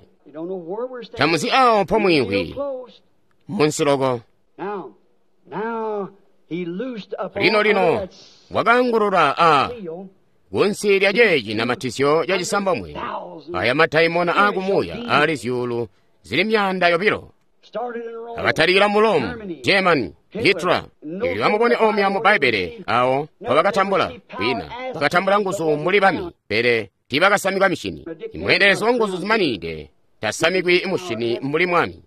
Tamuzi awo mpomwiimvwi munsiloko. Lino lino wakaangulula a kunsi lya ceeci namatizyo ca cisambomwe aya madaimona aakumuuya aali zyuulu zili myaanda yobilo. Akatalikila mu Rome, Germany, Hitler. Elyo amubone omya mu Bbaibbele awo mpobakatambula kwina bakatambula nguzu mbuli bami, pele tiibakasamikwa mishini. Imweendelezi wa nguzu zimanide tasamikwi mushini mbuli mwami,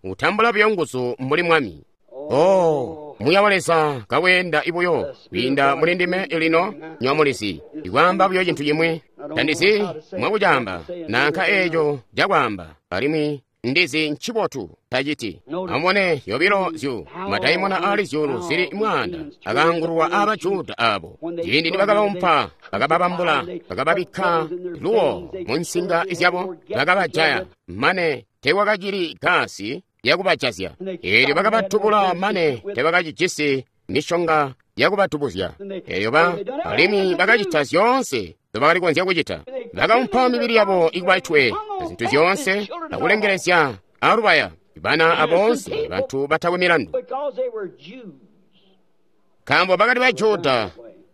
utambula buyo nguzu mbuli mwami. Oh, muuya wa Leza kaweenda ibuyo kwiinda muli ndime lino, nywebo mulizi, ikwaamba buyo cintu cimwi. Tandizi mwakucaamba nanka eeco cakwaamba, alimwi ndizi ncibotu taciti. Amubone yobilo zyu madaimona aali zyuulu zili mwaanda akaangululwa abajuda abo. Ciindi nibakabaumpa, bakababambula, bakababikka luwo mu nsinga zyabo, bakabajaya mane teekwakacili gasi yakubajazya. Eelyo bakabatubula mane teebakacijisi mishonga yakubatubuzya. Eelyo ba alimwi bakacita zyoonse nzobakali kukonzya kucita. Bakaumpa mibili yabo ikuba itwe, zintu zyoonse, akulengelezya alubaya bana aboonse bantu batakwe milandu. Nkaambo bakali Bajuda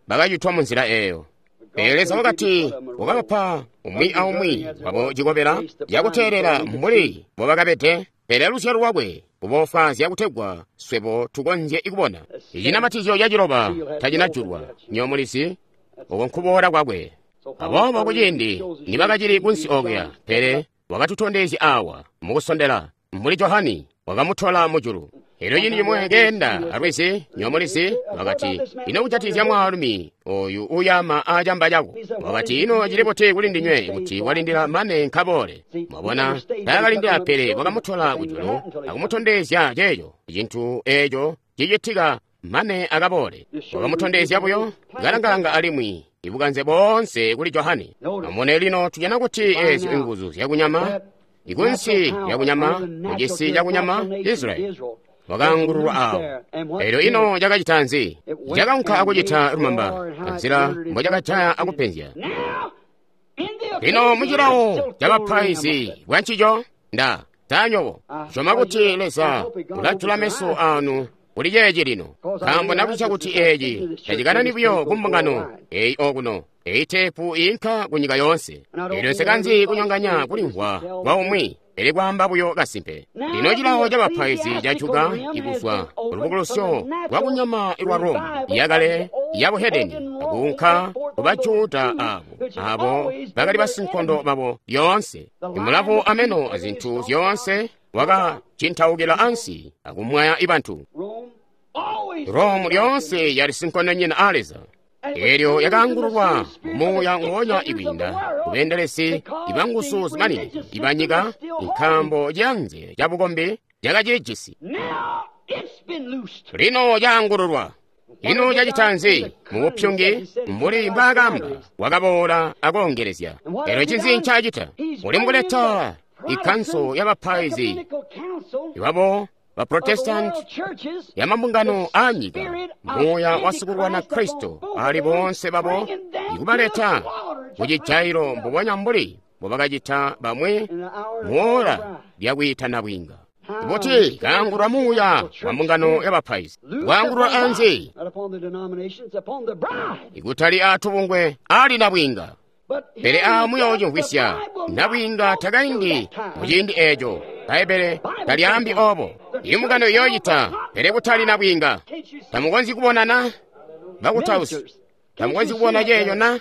bakacitwa munzila eeyo. Pele Leza wakati wakabapa umwi aumwi wabo cikobela cakuteelela mbuli mbobakabede, pele luzyalo lwakwe kuboofwaazya kutegwa swebo tukonzye kubona. Icinamatizyo caciloba tacinajulwa, nywebo mulizi, oko nkuboola kwakwe. Aboobo kuciindi nibakacili kunsi okuya, pele wakatutondezya awa mukusondela, mbuli Johani wakamutola mujulu. Elyo ciindi cimwe keenda alwizi, nyomulizi, wakati, ino kujatikizya mwaalumi oyu uyama aacamba cako? Wakati, ino cili buti kuli ndinywe kuti walindila mane nkaboole? Mwabona, taakalindila pele wakamutola kujulu akumutondezya ceeco cintu eeco cicitika mane akaboole. Wakamutondezya buyo kalangalanga alimwi ibukanze boonse kuli Johane. Amubone lino tujana kuti eezyo inguzu zyakunyama, ikunsi lyakunyama, mucisi cakunyama, Israeli wakaangululwa awo. Elyo ino cakacita nzi? Cakaunka akucita lumamba, anzila mbocakajaya akupenzya. Lino mucilawo cabapaizi bwancico, nda tanyobo syoma kuti Leza ulajula meso anu kuli ceeci lino, nkaambo ndakuca kuti eeci tacikanani buyo ku mbungano eyi okuno, eyi teepu iinka ku nyika yoonse. Elyo nsikanzi kunyonganya kulimvwa kwa umwi, pele kwaamba buyo kasimpe. Lino cilawo cabapaizi cajuka ikuzwa kulubukulusyo lwakunyama lwa Roma yakale ya buhedeni akuunka ku Bajuda abo abo bakali basinkondo babo lyoonse. Imulavu ameno azintu zyoonse wakacintaukila ansi akumwaya ibantu. Rome lyoonse yali sinkondonyina a Leza. Elyo yakaangululwa muuya ngoonya ikwiinda kubeendelezi ibanguzu zimanini ibanyika, nkaambo cianze cabukombi cakacilijisi. Lino caangululwa. Ino cacita nzi? Mubupyungi mbuli mbwaakamba wakaboola akoongelezya. Elyo ncinzi ncacita? Uli mukuleta ikanso y'abapaizi ibabo ba Protestant ya mambungano aanyika, muuya wasikulwana Kristo ali boonse babo ikubaleta kucijailo mbubonya mbuli mbubakacita bamwi muola lyakwiitana bwinga. Kuti kaangulwa muuya wa mbungano y'abapaizi, kwaangulwa anzi? Ikutali aatubungwe ali nabwinga. Pele amuyoocimvwisya, nabwinga takaindi muciindi eeco. Bbaibbele talyaambi oobo. Imbungano iyoocita, pele kutali nabwinga. Tamukonzyi kubonana, bakutausi? Tamukonzyi kubona ceeco na,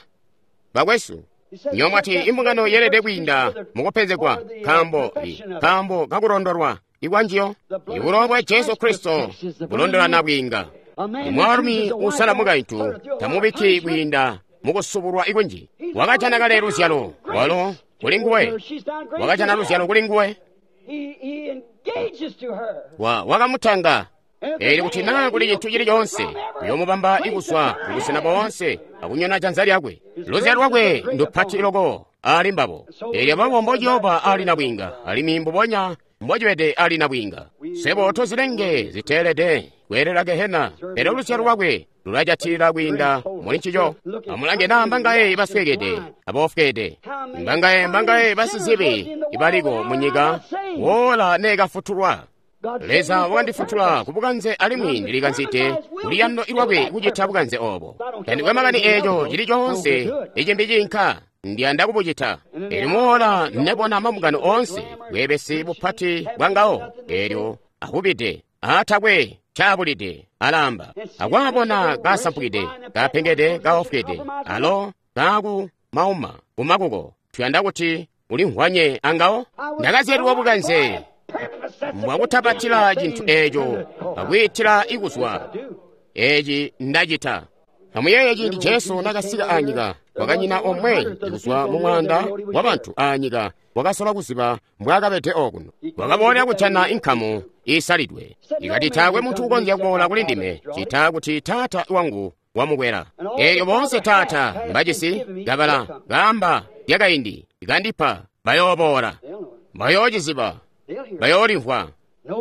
bakwesu? Nyomwati imbungano yeelede kwiinda mukupenzegwa nkaambo nkaambo kakulondolwa ikwanjiyo. Ibulowa bwa Jesu Kristo bulondola nabwinga. Mwaalumi usala mukaintu tamubikki kwiinda mukusubulwa ikunji. Wakajana kale luzyalo walo kuli nguwe, wakajana luzyalo kuli nguwe, wa wakamutanga. Eelyo kuti naa kuli cintu cili coonse uyoomubamba ikuzwa kubusena boonse akunyona janza lyakwe. Luzyalo lwakwe ndupati loko ali mbabo. Eelyo babo mbociyooba ali nabwinga, alimwi mbubonya mbocibede ali nabwinga. Swebo tozilenge ziteelede kweelela gehena, pele luzyalo lwakwe lulajatilila kwiinda muli ncico. Amulange naa mbangaye basweekede aboofweede, mbangaye mbangaye basizibi ibaliko munyika woola neekafutulwa. Leza wakandifutula kubukanze alimwi ndilikanzide kuliyando lwakwe kucita bukanze oobo. Tandikwe makani eeco cili coonse icimbi ciinka, ndiyanda kubucita. Eelyo moola nebona mambungano oonse bweebesi bupati bwangawo, eelyo ahubide aatakwe caabulide alaamba, akwaabona kasampukide, kapengede, kaofwede, alo kaaku mauma kumakuko. Tuyanda kuti ulimvwanye angawo. Ndakazyalilwa bukanze mbwakutapatila cintu eeco akwiitila ikuzwa eeci ndacita. Amuyeeye ciindi Jesu nakasika aanyika, kwakanyina omwe kuzwa mumwaanda wabantu aanyika wakasola kuziba mbwaakabede okuno. Wakaboola kujana inkamu iisalidwe. Ikati taakwe muntu ukonzya kuboola kuli ndime cita kuti Taata wangu wamukwela. Eelyo boonse Taata mbajisi kabala kaamba lyakaindi kandipa bayooboola, bayoociziba, bayoolimvwa.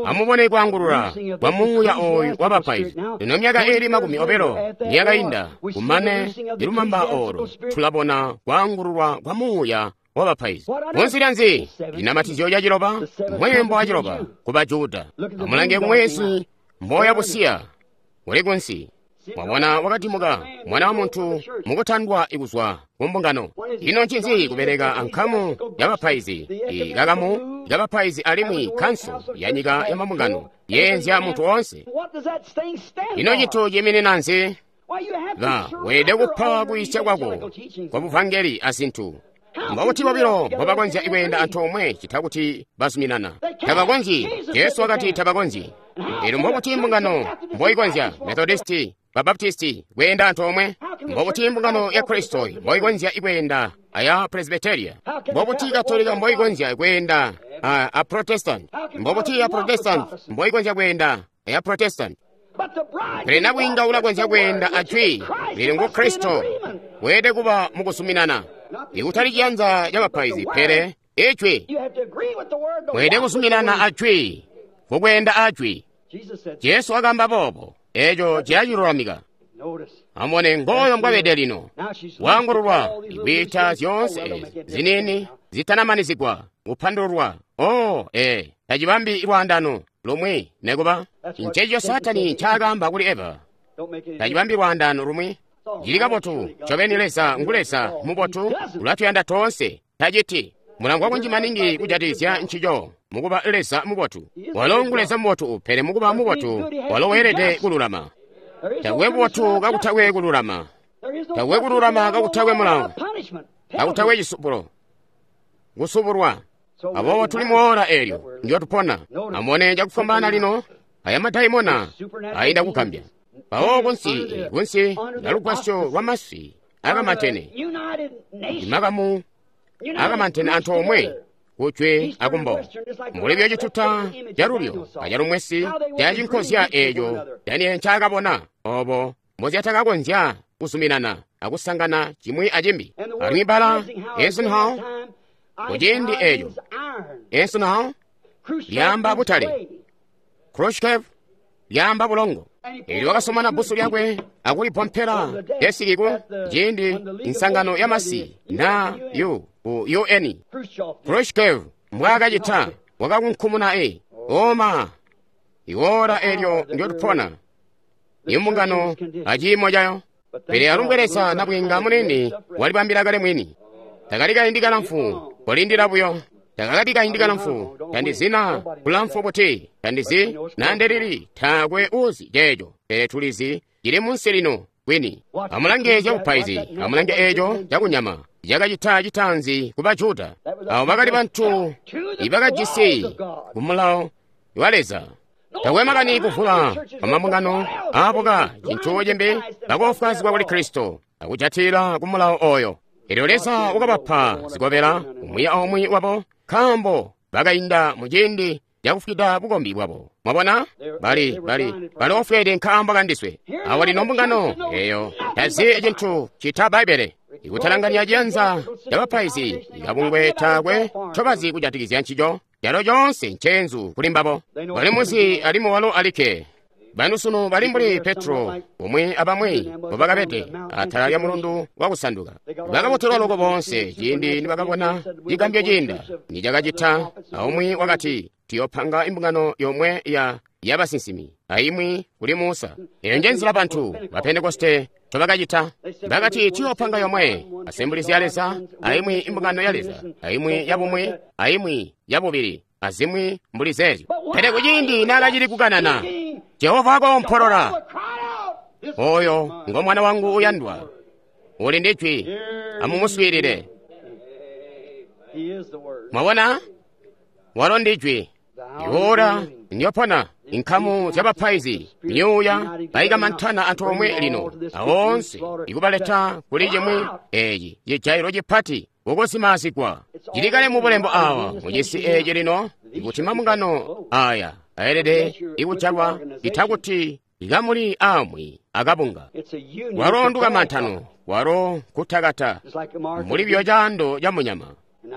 Amubone kwaangulula kwa muuya ooyu wabapaizi. Lino myaka iili makumi obilo niyakainda kumane ilumamba oolo, tulabona kwaangululwa kwa muuya wabapaizi. Munsi lyanzi linamatizyo caciloba, mweembo wa ciloba ku Bajuda. Amulange kumwezi mboya busiya uli kunsi. Mwabona wakatimuka mwana wa muntu mukutandwa ikuzwa ku mbungano. Ino ncinzi kubeleka ankamu y'abapaizi, ikakamu y'abapaizi alimwi kanso ya nyika ya mambungano yeenzya muntu woonse. Ino cintu ciiminina nzi? Ba weelede kupa kuyisya kwako kwa buvangeli azintu. Mbakuti bobilo mbobakonzya kweenda antoomwe cita kuti bazuminana. Tabakonzyi. Jesu wakati tabakonzyi. Elyo mbobuti mbungano mboikonzya, Methodisti, Babaptisti, kweenda antoomwe? Mbobuti mbungano ya Kristo mboikonzya kweenda aya Presbyteria? Mbobuti Katolika mboikonzya kweenda a, a Protestant? Mbobuti ya Protestant mboikonzya kweenda aya Protestant? Pele nabwiinga ulakonzya kweenda a Jwi lili ngu Kristo, weelede kuba mukuzuminana. Ikutali ciyanza ca bapaizi, pele Ijwi. Mweelede kuzuminana a Jwi, kukweenda a Jwi. Jesu wakaamba boobo, eco cilacilulamika. Amubone ngooyo mbwabede lino. Waangululwa, ikwiita zyoonse ezi ziniini zitanamanizigwa kupandululwa. Oh, ee, tacibambi lwaandano lumwi nekuba. Nceeco Saatani ncaakaamba kuli Eva. Tacibambi lwaandano lumwi. Cili kabotu, ncobeni Leza ngu Leza mubotu, ulatuyanda toonse. Taciti mulangwa kunji maningi kujatikizya ncico mukuba Leza mubotu. Walo ngu Leza mubotu, pele mukuba mubotu, walo weelede kululama. Takwe bubotu kakutakwe kululama. Takwe kululama kakutakwe mulawo. Kakutakwe cisubulo. Kusubulwa. Aboobo tuli mu oora eelyo ndyotupona. Amubone cakufwambaana lino, aya madaimona ainda kugambya. Mpawo kunsi, kunsi lugwasyo lwamasi akamantene. Imakamu akamantene antoomwe kujwe akumbo. Mbuli buyo cituta calulyo acalumwesi cacinkozya eeco Daniele ncaakabona, obo mbozyatakakonzya kuzuminana akusangana cimwi acimbi. Alimwi bbala Eisenhower kuciindi eeco, Eisenhower lyaamba butale, Khrushchev lyaamba bulongo. Elyo wakasomana bbusu lyakwe akulipompela desiki ku ciindi nsangano ya masi na U ku U N. Khrushchev mbwaakacita wakakunkumuna e oma iwoora elyo ndyotupona imbungano aciimo cayo. Pele alumbwe Leza nabwiinga munene walibambila kale mwini. Takali kaindi kalamfu, kolindila buyo. Takakali kaindi kalamfu, tandizina kulamfu buti, tandizi nandelili, taakwe uzi ceeco, pele tulizi cili munsi lino kwini. Amulange zyabupaizi, amulange eeco cakunyama cakacita citaanzi ku Bajuda. Abo bakali bantu ibakajisi ku mulawo wa Leza. Takwe makani kuvula kwamambungano aabuka cintu cimbi, bakoofwaazigwa kuli Kristo akujatila ku mulawo oyo. Elyo Leza wakabapa zikobela umwi aumwi wabo, nkaambo bakainda mu ciindi cakufwida bukombi bwabo. Mwabona? Bali, bali, baloofweede nkaambo kandiswe. Awo lino mbungano eyo tazi cintu cita Bbaibbele. Ikutalanganya ciyanza cabapaizi ikabungwe taakwe ncobazi kujatikizya ncico. Calo coonse nceenzu kuli mbabo. Bali muzi alimwi walo alikke. Banu sunu bali mbuli Petro umwi abamwi mbobakabede atala lya mulundu wakusanduka. Bakabotelwa loko boonse ciindi nibakabona cigambyo ciinda nicakacita. Aumwi wakati, tuyopanga imbungano yomwe ya yabasinsimi aimwi kuli Musa. Eyo njenzila bantu ba Pentekoste ncobakacita. Bakati tuyopanga yomwe Assemblies ya Leza, aimwi imbungano ya Leza, aimwi yabumwi, aimwi yabubili, azimwi mbuli zeezyo. Pele kuciindi naakacili kukanana, Jehova wakoompolola, oyo ngo mwana wangu uyandwa, uli ndi jwi, amumuswiilile. Mwabona? Walo ndi jwi. Iwoora ndyopona inkamu zyabapaizi myuuya bayikamantana antoomwe lino awoonse ikubaleta kuli cimwi eeci cijailo cipati kukuzimaazigwa. Cili kale mu bulembo awa mucisi eeci lino ikuti mambungano aya aelede ikujalwa ita kuti ikamuli amwi akabunga. Walo ndukamantano, walo kutakata, mbuli buyo caando ca munyama.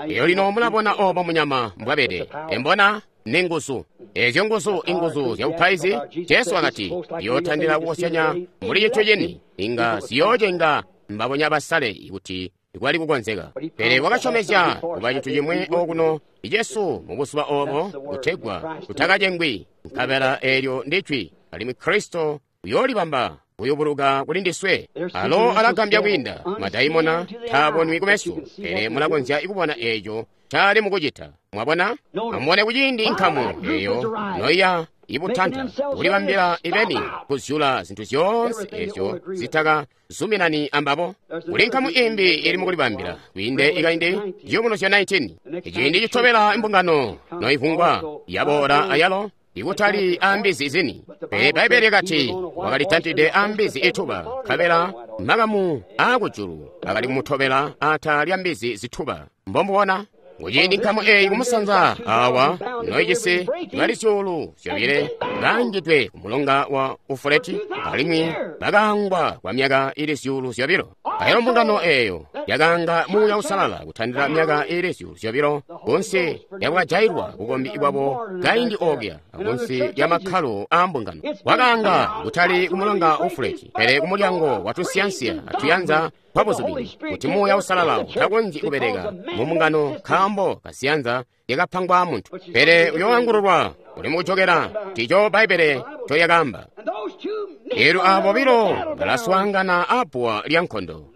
Eyo lino mulabona obo munyama mbwabede. Embona ni nguzu. Ezyo nguzu inguzu zyabupaizi. Jesu wakati yootandila kukosyanya mbuli cintu cini inga ziyoocenga mbabonya basale ikuti kwali kukonzeka. Pele wakasyomezya kuba cintu cimwi okuno Jesu mubuzuba obo kutegwa tutakacengwi. Nkabela eelyo ndi jwi, alimwi Kristo uyoolibamba kuyubuluka kuli ndiswe. Alo alagambya kwiinda madaimona taabonwi kumeso, pele mulakonzya kubona eeco cali mukucita. Mwabona? Amubone kuciindi inkamu eyo noiya ibutanta kulibambila ibeni kuzyula zintu zyoonse ezyo zitaka zuminani ambabo. Kuli nkamu imbi ili mukulibambila kwiinde ikaindi ciyubunuzyo nineteen. Iciindi citobela imbungano noivungwa yaboola ayalo Ikutali ambizi zini. Pele Bbaibbele lyakati wakali tantide ambizi ituba, nkabela makamu aakujulu akali kumutobela atala lya mbizi zituba. Mbomubona? Kuciindi nkamu eyi kumusanza awa noijisi bali zyuulu zyobile baangidwe ku mulonga wa Ufuleti alimwi bakaangwa kwa myaka ili zyuulu zyobilo. Ayalo mbungano eyo yakaanga Muuya Uusalala kutandila myaka ili zyuulu zyobilo kunsi lyakwajailwa bukombi bwabo kaindi okuya akunsi lya makkalo aa mbungano. Wakaanga kutali ku mulonga Ufuleti pele ku mulyango wa tunsiyansiya atuyanza twabuzubini kuti Muuya Uusalala utakonzyi kubeleka mu mbungano nkaambo kasiyanza yakapangwa muntu. Pele uyoangululwa uli mukujokera tico Bbaibbele ncolyakaamba. Eelyo aabo bobilo balaswaangana abbuwa lya nkondo,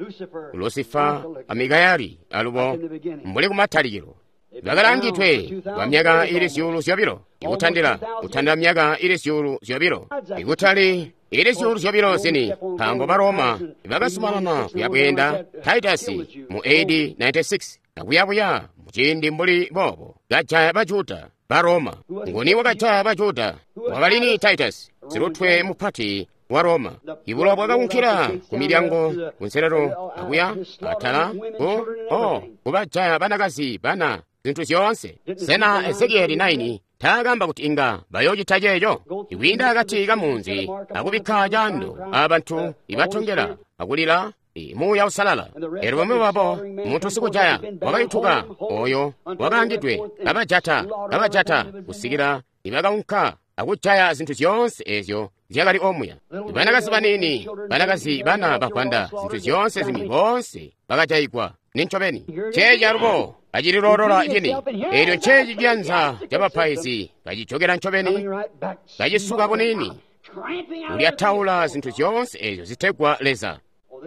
Lusifa a Mikayeli alubo mbuli kumatalikilo. Bakalangidwe kwa myaka ili zyuulu zyobilo, ikutandila kutandila myaka ili zyuulu zyobilo, ikutali ili zyuulu zyobilo zini, nkaambo ba Roma bakazumanana kuyabweenda Titus mu A D ninety-six akuyabuya muciindi mbuli boobo kajaya ba Juda ba Roma. Nguni wakajaya ba Juda? Wakalini Titus, silutwe mupati wa Roma. Ibulowa bwakaunkila ku milyango kunselelo akuya atala ku o kubajaya banakazi bana zintu zyoonse. Sena Ezekieli nine taakamba kuti inga bayoocita ceeco? Ikwiinda akati kamunzi akubikka caando abantu ibatongela akulila Muuya Uusalala. Eelyo bamwi babo muntu sikujaya wakayutuka oyo wakaangidwe kabajata kabajata kusikila ibakaunka akujaya zintu zyoonse ezyo zyakali omuya. Banakazi baniini, banakazi bana bavwanda, zintu zyoonse zimwi boonse bakajayigwa. Nincobeni ceeci alubo kacililoolola cini. Eelyo nceeci ciyanza cabapaizi kacijokera ncobeni kacisuka buniini ulyataula zintu zyoonse ezyo zitegwa Leza.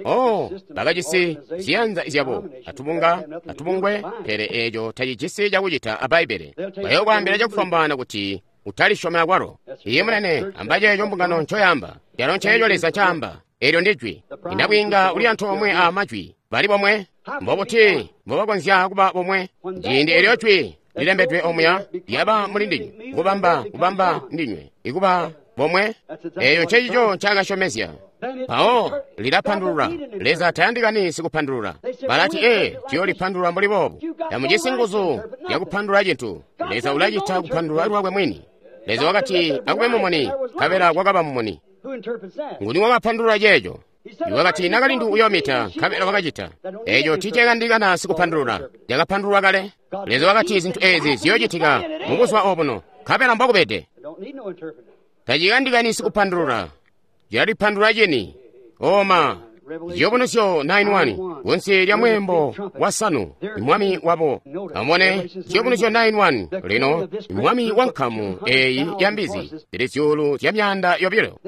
Oh, bakajisi ziyanza zyabo atubunga atubungwe, pele eeco tacijisi cakucita a Bbaibbele. Bayokwaambila cakufwambaana kuti utalisyoma akwalo. Iye munene, amba ceeco mbungano ncoyamba, calo nceeco Leza ncaamba. Eelyo ndijwi. Inabwiinga uli antoomwe a majwi bali bomwe. Mbobuti mbobakonzya kuba bomwe? Ciindi eelyo jwi lilembedwe omuya lyaba muli ndinywe, kubamba kubamba ndinywe ikuba bomwe. Eeyo ncencico ncaakasyomezya. Mpawo lilapandulula. Leza tayandikani sikupandulula. Balati ee, tuyoolipandulula mbuli boobu. Tamujisi nguzu yakupandulula cintu. Leza ulacita kupandulula lwakwe mwini. Leza wakati akube mumuni, nkabela kwakaba mumuni. Nguni wakapandulula ceeco? Wakati nakalindu uyoomita, nkabela wakacita. Eeco tiicakandikana sikupandulula, cakapandululwa kale. Leza wakati zintu eezi ziyoocitika mubuzuba obuno, nkabela mbokubede. Tacikandikani sikupandulula, cilalipandulula cini. Oma Ciyubunuzyo nine one kunsi lya mweembo wasanu mwami wabo. Amubone Ciyubunuzyo nine one lino mwami wa nkamu eyi ya mbizi zili zyuulu zya myaanda yobilo.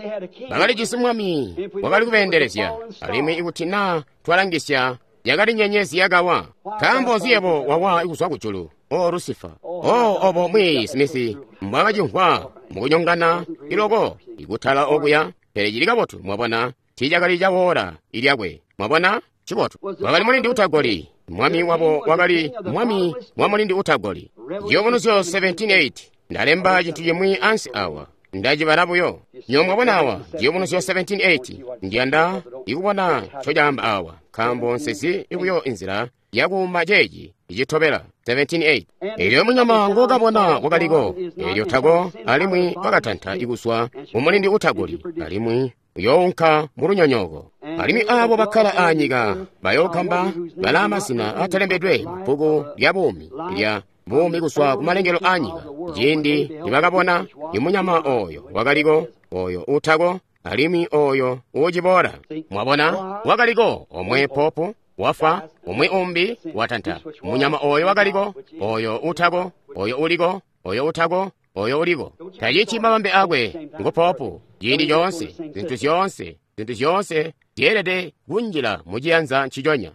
Bakalijisi mwami wakali kubeendelezya, alimwi ikuti naa twalangisya yakali nyenyezi yakawa. Nkaambo nzi yebo wawa kuzwa kujulu, O Lusifa? O obo Mwiiyi Smith mbwakacimvwa mukunyongana iloko ikutala okuya, pele cili kabotu mwabona. Tiicakali cawoola ilyakwe. Mwabona? Cibotu. Wakali mulindi utagoli. Mwami wabo wakali mwami wa mulindi utagoli. Ciyubunuzyo seventeen eight. Ndalemba cintu cimwi ansi awa. Ndacibala buyo. Nyo mwabona awa, Ciyubunuzyo seventeen eight. Ndiyanda ikubona ncocaamba awa, nkaambo nsezi buyo inzila yakuuma ceeci icitobela. seventeen eight. Eelyo munyama ngokabona wakaliko, eelyo tako, alimwi wakatanta ikuzwa mumulindi utagoli, alimwi uyounka mulunyonyooko. Alimwi aabo bakkala aanyika bayookamba balaa mazina atalembedwe mubbuku lya buumi lya buumi kuzwa kumalengelo aanyika, ciindi nibakabona imunyama oyo wakaliko, oyo uutako, alimwi oyo uuciboola. Mwabona, wakaliko omwe popu wafa, umwi umbi watanta. Munyama oyo wakaliko, oyo uutako, oyo uliko, oyo uutako, oyo uliko. Tacici mabambe akwe ngu popu. Ciindi coonse, zintu zyoonse, zintu zyoonse zyeelede kunjila muciyanza nciconya.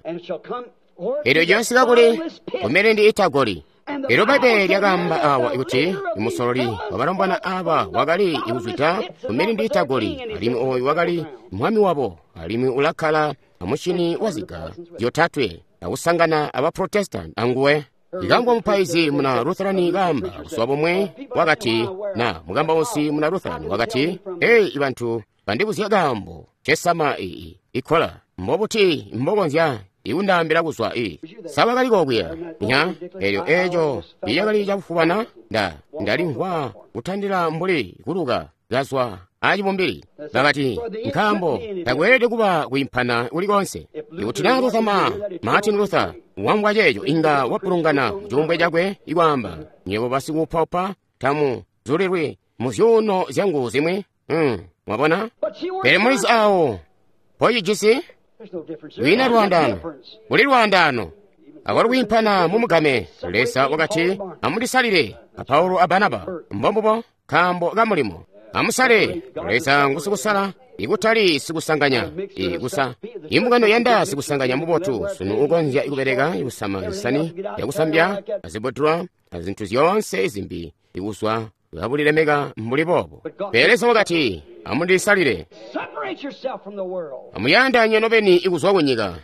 Eelyo ciyosika kuli kumilindi itagoli. Eelyo Bbaibbele lyakaamba awa kuti musololi wabalombwana aba wakali ikuzwida kumilindi itagoli, alimwi oyu wakali mwami wabo, alimwi ulakkala amushini waziga zyotatwe akusangana aba Protestant anguwe. Ikamvwa mupaizi muna Lutherani kaamba buzuba bumwe wakati, na mukambausi muna Lutherani wakati, "Ei bantu bandibuzya kaambo cesama iyi ikkola mbobuti mbokonzya ikundaambila kuzwa i saba kali kokuya nya elyo eco iyakali cakufubana nda ndalimvwa kutandila mbuli kuluka kazwa acibumbili." Bakati, "Nkaambo takweelede kuba kwiimpana kulikonse. Ikuti na Luther ma Martin Luther wamvwa ceeco inga wapulungana mucuumbwe cakwe ikwaamba, nywebo basikuupaupa tamu zulilwi mu zyuuno zyangu zimwi." Mm, mwabona? Pele mulizi awo pocijisi lwina lwaandaano, kuli lwaandaano akwalo kwiimpana mumugame. Leza wakati, "Amundisalile a Paulo a Barnaba." Mbombubo, nkaambo ka mulimo. Amusale. Leza ngusikusala, ikutali sikusanganya. Ikusa imbungano yanda sikusanganya mubotu sunu ukonzya ikubeleka ikusama zisani yakusambya azibudula azintu zyoonse zimbi ikuzwa kabulilemeka mbuli boobo. Pele Leza wakati, "Amundisalile." Amuyandanye nobeni ikuzwa kunyika.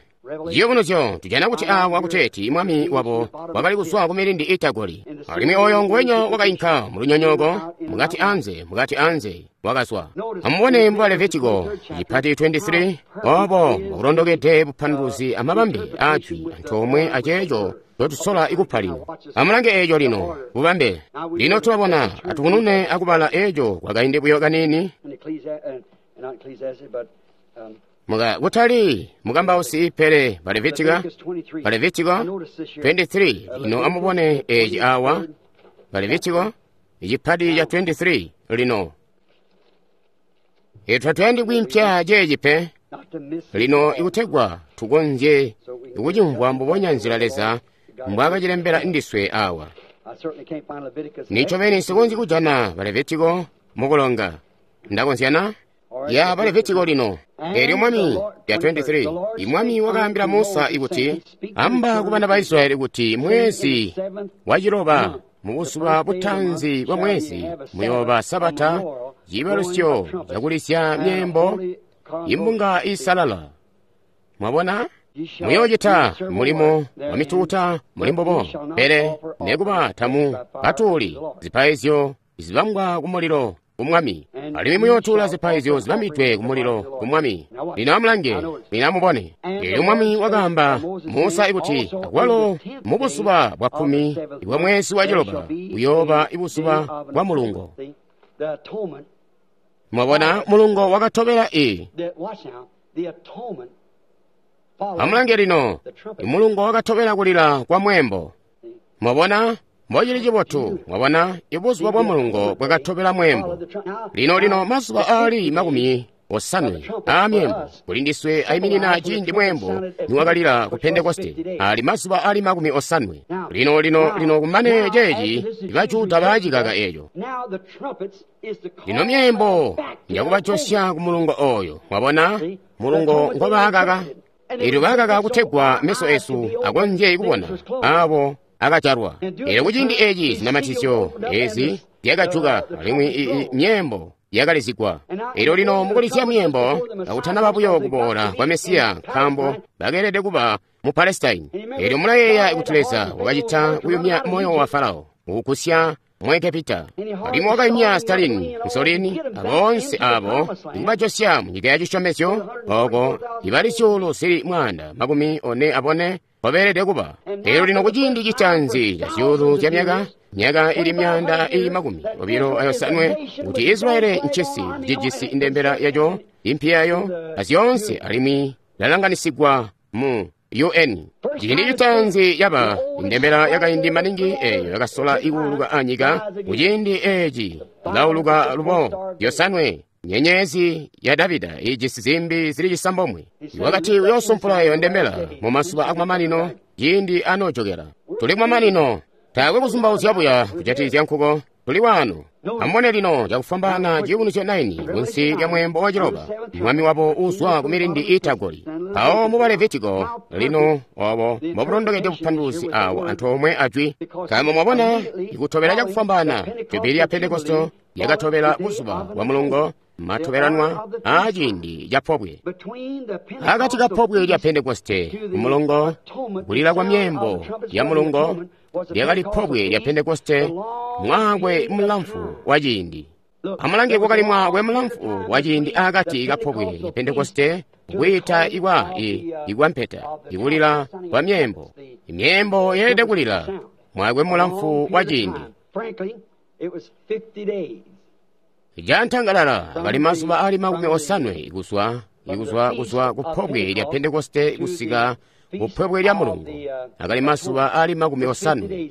Ciyubunuzyo tujana kuti awa kuteeti mwami wabo wakali kuzwa ku milindi itagoli, alimwi oyo nguwenya wakainka mu lunyonyooko mukati anze, mukati anze wakazwa. Amubone mu Levitiko cipati makumi abili atatu obo mbulondokede bupanduluzi amabambe ajwi antoomwe aceeco ncotusola ikupa lino. Amulange eeco lino bubambe. Lino tulabona atukunune akubala eeco kwakaindi buyo kaniini. Muka kutali mukambausi pele Balevitika, Balevitiko makumi abili atatu. Lino amubone eci awa, Balevitiko icipati ca makumi abili atatu. Lino etwa tuyandi kwiimpya ceeci pe lino ikutegwa tukonzye ikucimvwa mbubonya nzila Leza mbwaakacilembela ndiswe awa. Nincobeni sikonzyi kujana Balevitiko mukulonga. Ndakonzyana ya Balevitiko lino. Elyo mwami ya makumi abili atatu, imwami wakaambila Musa ikuti, "Amba ku bana ba Israyeli kuti mwezi wa ciloba mubuzuba butanzi bwa mwezi muyooba sabata, ciibalusyo cakulisya myeembo, imbunga isalala." Mwabona? Muyoocita mulimo wa mituuta muli mbubo, pele nekuba tamu katuuli zipaizyo zibambwa ku mulilo ku Mwami, alimwi muyootuula zipaizyo zibambidwe ku mulilo ku Mwami. Lino amulange, lino amubone. Elyo Mwami wakaamba Musa ikuti, "Akwalo mubuzuba bwa kkumi bwa mwezi wa ciloba buyooba ibuzuba bwa mulungo." Mwabona, mulungo wakatobela i. Amulange lino, imulungo wakatobela kulila kwa mweembo. Mwabona? Mbocili cibotu, mwabona, ibuzuba bwa mulungo bwakatobela mweembo. Lino lino mazuba aali makumi osanwe aa myeembo kuli ndiswe ayiminina ciindi mweembo niwakalila ku Pentekoste, ali mazuba aali makumi osanwe. Lino lino lino kumane ceeci Bajuda baacikaka eeco. Lino myeembo njakubajosya ku mulungo oyo, mwabona, mulungo ngobaakaka. Elyo baakaka kutegwa meso esu akonzye kubona abo akajalwa. Elyo kuciindi eci zinamatizyo ezi zyakajuka alimwi i myeembo yakalizigwa. Elyo lino mukulisya myeembo akutanaba buyo kuboola kwa Mesiya, nkaambo bakeelede kuba mu Palestine. Elyo mulayeeya kuti Leza wakacita kuyumya moyo wa Farao kukusya mu Egepita, alimwi wakayumya Stalin, Mussolini aboonse abo ikubajosya mu nyika ya cisyomezyo oko ibali zyuulu zili mwaanda makumi one abone kobeelede kuba. Elyo lino kuciindi citanzi ca zyuulu zya myaka, myaka ili myaanda ili makumi obilo ayosanwe, kuti Israeli ncisi cijisi ndembela yaco, impi yayo, azyoonse, alimwi lalanganisigwa mu U N. Ciindi citanzi yaba indembela yakaindi maningi eyo yakasola ikuuluka anyika. Kuciindi eci ilauluka lubo yosanwe, nyenyezi ya Davida ijisi zimbi zili cisambomwe. Wakati uyoosumpula eyo ndembela mu mazuba akumamanino ciindi anoojokela. Tuli kumamanino, taakwe kuzumbauzya buya kujatikizya nkuko. Tuli wano. Amubone lino cakufwambaana ciyubunuzyo naini kunsi lya mweembo wa ciloba, mwami wabo uzwa ku milindi itagoli. Mpawo mu Balevitiko lino obo mbobulondokede bupanduluzi awo antoomwe ajwi. Nkaambo mwabona ikutobela cakufwambaana Jubilee ya Pentekoste yakatobela buzuba bwa mulungo Matobelanwa aa ciindi ca pobwe. Akati ka pobwe lya Pentekoste, kumulongo, kulila kwa myeembo ya mulongo, lyakali pobwe lya Pentekoste, mwaakwe mulamfu wa ciindi. Amulange kwakali mwaakwe mulamfu wa ciindi akati ka pobwe lya Pentekoste, kwiita ikwa i ikwa mpeta, ikulila kwa myeembo. Imyeembo yeelede kulila mwaakwe mulamfu wa ciindi. Jantangalala akali mazuba ali makumi osanwe kuzwa ikuzwa kuzwa ku pobwe lya Pentekoste kusika ku pobwe lya mulungu, akali mazuba ali makumi osanwe.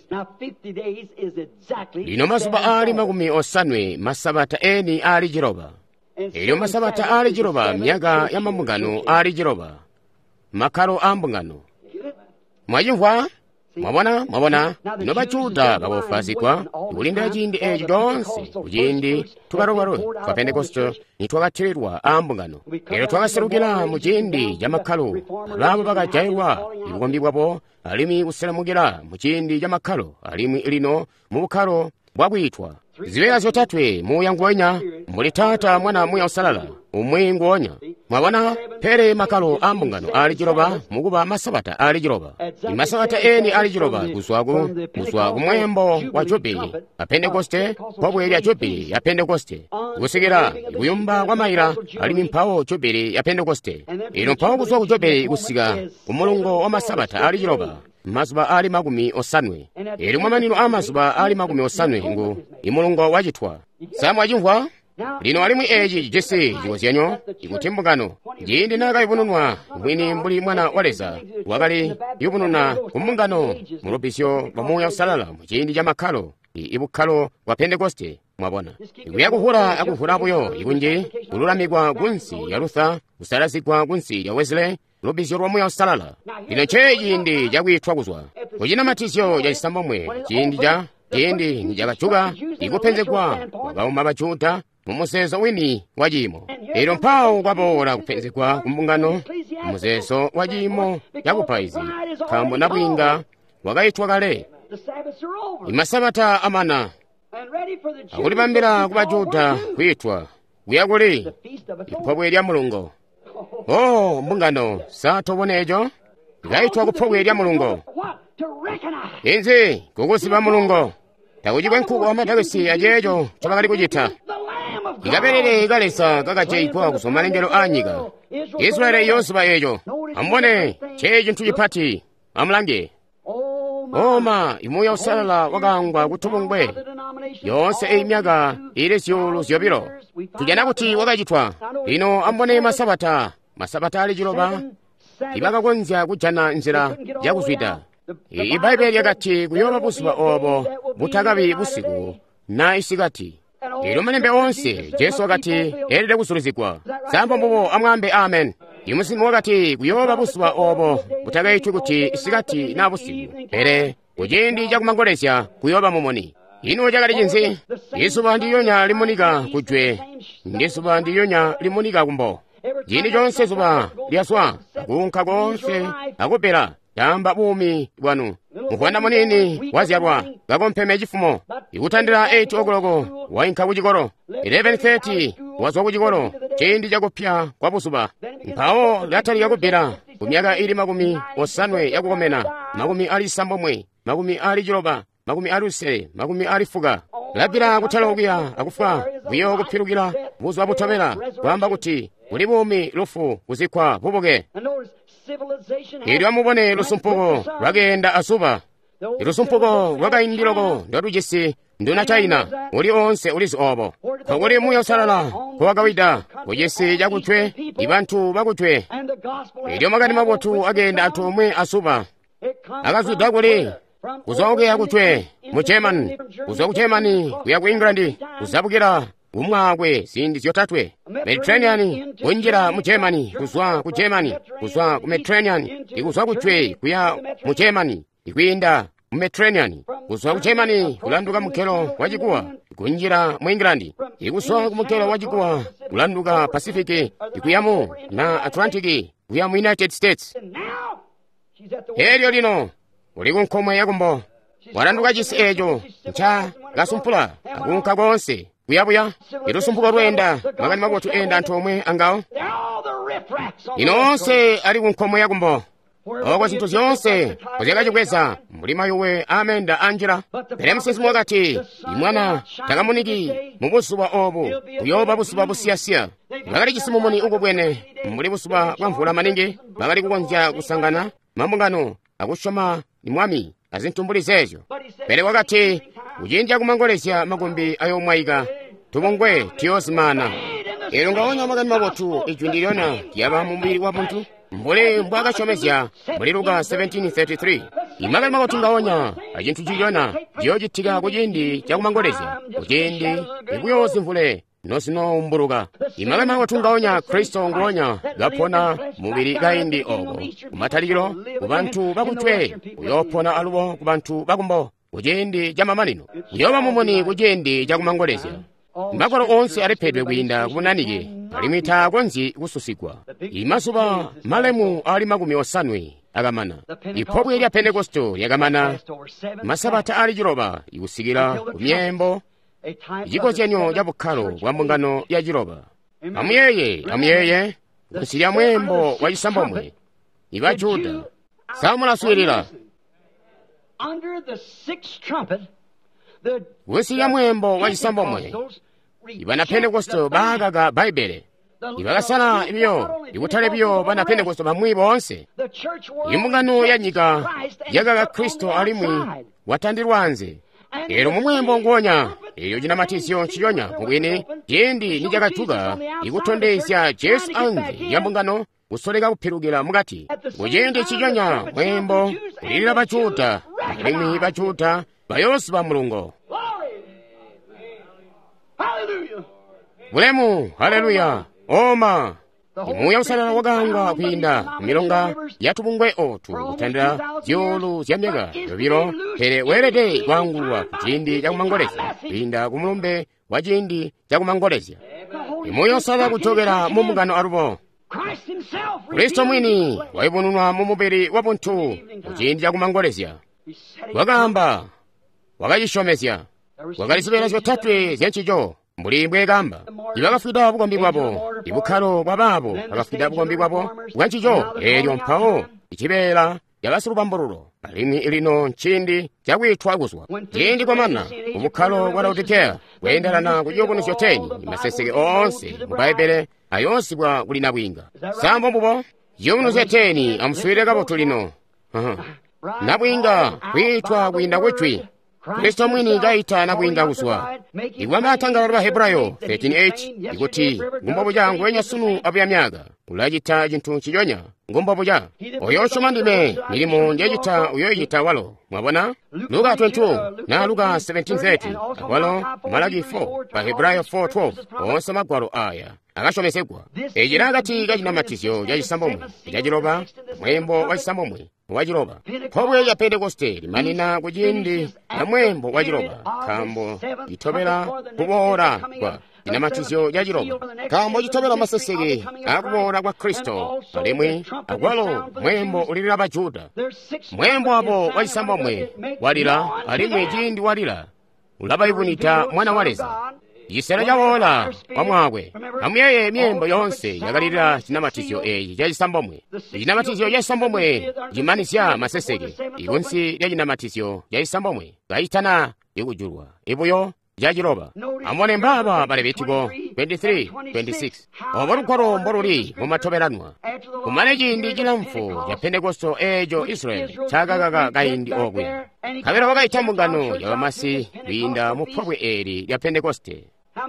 Lino mazuba ali makumi osanwe masabata eni ali ciloba. Elyo masabata ali ciloba myaka ya mambungano ali ciloba, makkalo a mbungano. Mwacimvwa? Mwabona, mwabona, lino Bajuda bakofazigwa kulindila ciindi eeci coonse kuciindi tukalokalo twa Pentekoste nitwakatililwa aa mbungano. Elyo twakaselukila mu ciindi ca makkalo, abaabo bakajailwa bukombi bwabo, alimwi kuselemukila mu ciindi ca makkalo, alimwi lino mu bukkalo bwakwiitwa. Zibeela zyotatwe muuya nguwenya, mbuli Taata, Mwana, Muuya Uusalala, umwi nguonya. Mwabona, pele makkalo a mbungano ali ciloba mukuba masabata ali ciloba. Imasabata eni ali ciloba kuzwa ku kuzwa ku mweembo wa Jubili a Pentekoste, pobwe lya Jubili ya Pentekoste, kusikila kuyumba kwa maila, alimwi mpawo Jubili ya Pentekoste. Ino mpawo kuzwa ku Jubili kusika ku mulungo wa masabata ali ciloba, mazuba ali makumi osanwe. Elyo mamanino a mazuba ali makumi osanwe ngu imulungo wacitwa. Sa mwacimvwa? Lino alimwi eeci cijisi cikozyanyo ikuti mbungano ciindi naakayubununwa mwini mbuli Mwana wa Leza, wakali yubununa ku mbungano mu lubbizyo lwa Muuya Uusalala mu ciindi ca makkalo, ibukkalo bwa Pentekoste. Mwabona, ikuya kuhula akuhula buyo ikunji kululamikwa kunsi lya Luther, kusalazigwa kunsi lya Wesley, lubbizyo lwa Muuya Uusalala. Lino nce ciindi cakwiitwa kuzwa kucinamatizyo ca cisambomwe, ciindi ca ciindi nicakajuka ikupenzegwa kwakauma Bajuda mu muzeezo wini wa ciimo. Elyo mpawo kwaboola kupenzegwa ku mbungano mu muzeezo wa ciimo ca bupaizi, nkaambo nabwiinga wakaitwa kale. Imasabata amana akulibambila ku Bajuda kwiitwa kuya kuli ipobwe lya mulungo. Oh, mbungano, sa tobona eco? Likaitwa ku pobwe lya mulungo. Inzi kukuziba mulungo. Takucikwe nkuko amadakisi aceeco ncobakali kucita. Ikabelele ka Leza kakajaigwa kuzwa malengelo a nyika. Israeli iyooziba eco. Amubone, nce cintu cipati. Amulange. Oma, imuuya Uusalala wakaangwa kutubungwe yoonse eyi myaka ili zyuulu zyobilo. Tujana kuti wakacitwa. Lino amubone masabata, masabata ali ciloba, ibakakonzya kujana nzila yakuzwida. Ibbaibbele lyakati kuyooba buzuba oobo butakabi busiku na isikati. Elyo malembe oonse Jesu wakati eelede kuzulizigwa. Sambo mbubo amwaambe amen. Imusimu wakati kuyooba buzuba oobo butakaitwi kuti isikati na busiku, pele kuciindi cakumangolezya kuyooba mumuni. Ino cakali cinzi? Izuba ndilyonya limunika kujwe, ndizuba ndilyonya limunika kumbo. Ciindi coonse zuba lyazwa, akuunka koonse akupela, caamba buumi bwanu. Muvwanda munini wazyalwa kakompeme cifumo, ikutandila eight o'clock wainka kucikolo, eleven thirty wazwa kucikolo, ciindi cakupya kwa buzuba. Mpawo lyatalika kubbila ku myaka ili makumi osanwe yakukomena, makumi ali sambomwe, makumi ali ciloba, makumi ali lusele, makumi ali fuka. Labbila kutala okuya akufwa, buyo kupilukila buzuba butobela, kwaamba kuti kuli buumi, lufu, kuzikkwa, bubuke. Elyo amubone lusumpuko lwakeenda azuba. Ilusumpuko lwakaindi loko ndolujisi nduna China, uli oonse ulizi obo. Nkokuli Muuya Uusalala nkowakawida kucisi cakujwe, ibantu bakujwe. Elyo makani mabotu akeenda antoomwe azuba. Akazwida kuli kuzwa okuya kujwe mu Germany, kuzwa ku Germany kuya ku England, kuzabukila umwaakwe ziindi zyotatwe. Mediterranean kunjila mu Germany, kuzwa ku Germany, kuzwa ku Mediterranean, ikuzwa kujwe kuya mu Germany, ikwiinda mu Mediterranean, kuzwa ku Germany kulanduka mukelo wa chikuwa kunjila mu England, ikuzwa ku mukelo wa chikuwa kulanduka Pacific ikuyamu na Atlantic kuya mu United States. Elyo lino uli ku nkomwe yakumbo, walanduka cisi eco nca kasumpula akuunka koonse. Kuyabuya ilusumpuko lweenda, makani mabotu enda antoomwe angawo. Lino onse ali ku nkomo yakumbo, oko zinthu zyoonse zyakacibweza mbuli mayuwe amenda anjira. Pele musinsimi wakati, imwana takamuniki mu buzuba obu, buyooba buzuba busiyasiya. Bakali jisi mumuni ukubwene mbuli buzuba bwa mvula maningi, bakali kukonzya kusangana mambungano akusyoma mwami azintu mbuli zeezyo. Pele wakati, kuciindi cakumangolezya makumbi ayoomwaika, tubungwe tuyoozimana. Eelyo ngaonya makani mabotu, ijwi ndilyona lyaba mu mubili wa muntu mbuli mbwaakasyomezya muli Luka seventeen thirty-three. Imakani mabotu ngaonya acintu cilyona ciyoocitika kuciindi cakumangolezya, kuciindi ikuyoozimvule nozinoombuluka. Imakani mabotu ngaonya Kristo nguonya kapona mubili kaindi oko kumatalikilo kubantu bakutwe, uyoopona alubo kubantu bakumbo kuciindi camamanino, uyooba mumuni kuciindi cakumangolezya. Magwalo oonse alipedwe kwiinda kubunanike, alimwi taakonzyi kususigwa. Imazuba malemu ali makumi osanwe akamana. Ipobwe lya Pentekosto lyakamana masabata ali ciloba ikusikila ku myeembo, icikozyanyo ca bukkalo bwa mbungano ya ciloba. Amuyeeye, amuyeeye, kunsi lya mweembo wa cisambomwe, iba Juda. Samulaswiilila. Kunsi lya mweembo wa cisambomwe, ibana Pentekosto baakaka Bbaibbele. Ibakasala biyo, ikutali biyo bana Pentekosto bamwi boonse. Imbungano ya nyika yakaka Kristo alimwi watandilwa anze. Eelyo mumweembo nguonya, eelyo cinamatizyo nciconya mubwini, ciindi nicakatuka ikutondezya Jesu anze lya mbungano kusoleka kupilukila mukati. Kuciindi nciconya mweembo kulilila Bajuda, alimwi Bajuda bayoosiba mulungo. Bulemu, haleluya, oma! Imuuya Uusalala wakaangwa kwiinda kumilonga ya tubungwe otu kutandila zyuulu zya myaka yobilo, pele weelede kwaangulwa kuciindi cakumangolezya kwiinda ku mulumbe wa ciindi cakumangolezya. Imuuya Uusalala kujokela mu mbungano alubo. Kristo mwini wayubununwa mu mubili wa buntu kuciindi cakumangolezya. Wakaamba, wakacisyomezya. Kwakali zibeela zyotatwe zyancico mbuli mbweekamba. Ibakafwida bukombi bwabo, ibukkalo bwa baabo bakafwida bukombi bwabo bwancico. Eelyo mpawo icibeela cabasilubambululo, alimwi lino nciindi cakwiitwa kuzwa. Ciindi kwamana kubukkalo bwa Laodikea kweendelana ku ciyubunuzyo teni, maseseke oonse mu Bbaibbele ayoosibwa kuli nabwiinga. Sambo mbubo ciyubunuzyo teni, amuswiilile kabotu lino. Nabwiinga kwiitwa kwiinda kujwi. Kristo mwini kaita nabwiinga kuzwa. Ikwamba atangalo lwa Hebrayo thirteen eight ikuti ngumbobuca nguwenya sunu abuya myaka ulacita cintu nciconya ngumbobuca. Oyo usyoma ndime, milimo njecita uyoicita walo. Mwabona? Luka twenty-two na Luka seventeen thirty akwalo Malaki four pa Hebrayo four twelve onse magwalo aya akasyomezegwa. Eci akati ka cinamatizyo ca cisambomwe ca ciloba, mwembo wa cisambomwe wa ciloba. Pobwe lya Pentekoste limanina ku ciindi ca mwembo wa ciloba, nkaambo citobela kuboola kwa cinamatizyo ca ciloba, nkaambo citobela maseseke akuboola kwa Kristo, alimwi akwalo mwembo ulilila Bajuda. Mwembo wabo wa cisambomwe walila, alimwi ciindi walila ulabayubunita Mwana wa Leza. Cisela cawoola kwa mwakwe. Amuyeeye myembo yoonse yakalilila cinamatizyo eeci ca cisambomwe. Cinamatizyo ca cisambomwe cimanizya maseseke ikunsi lya cinamatizyo ca cisambomwe kacitana ikujulwa ibuyo ca ciloba. Amubone mbaaba ba Levitiko twenty-three twenty-six. Obo lugwalo mboluli mumatobelanwa. Kumane ciindi cilamfu ca Pentekosto eeco Israeli cakakaka kaindi okuya. Nkabela wakaita mbungano ya bamasi kwiinda mu pobwe eeli lya Pentekoste.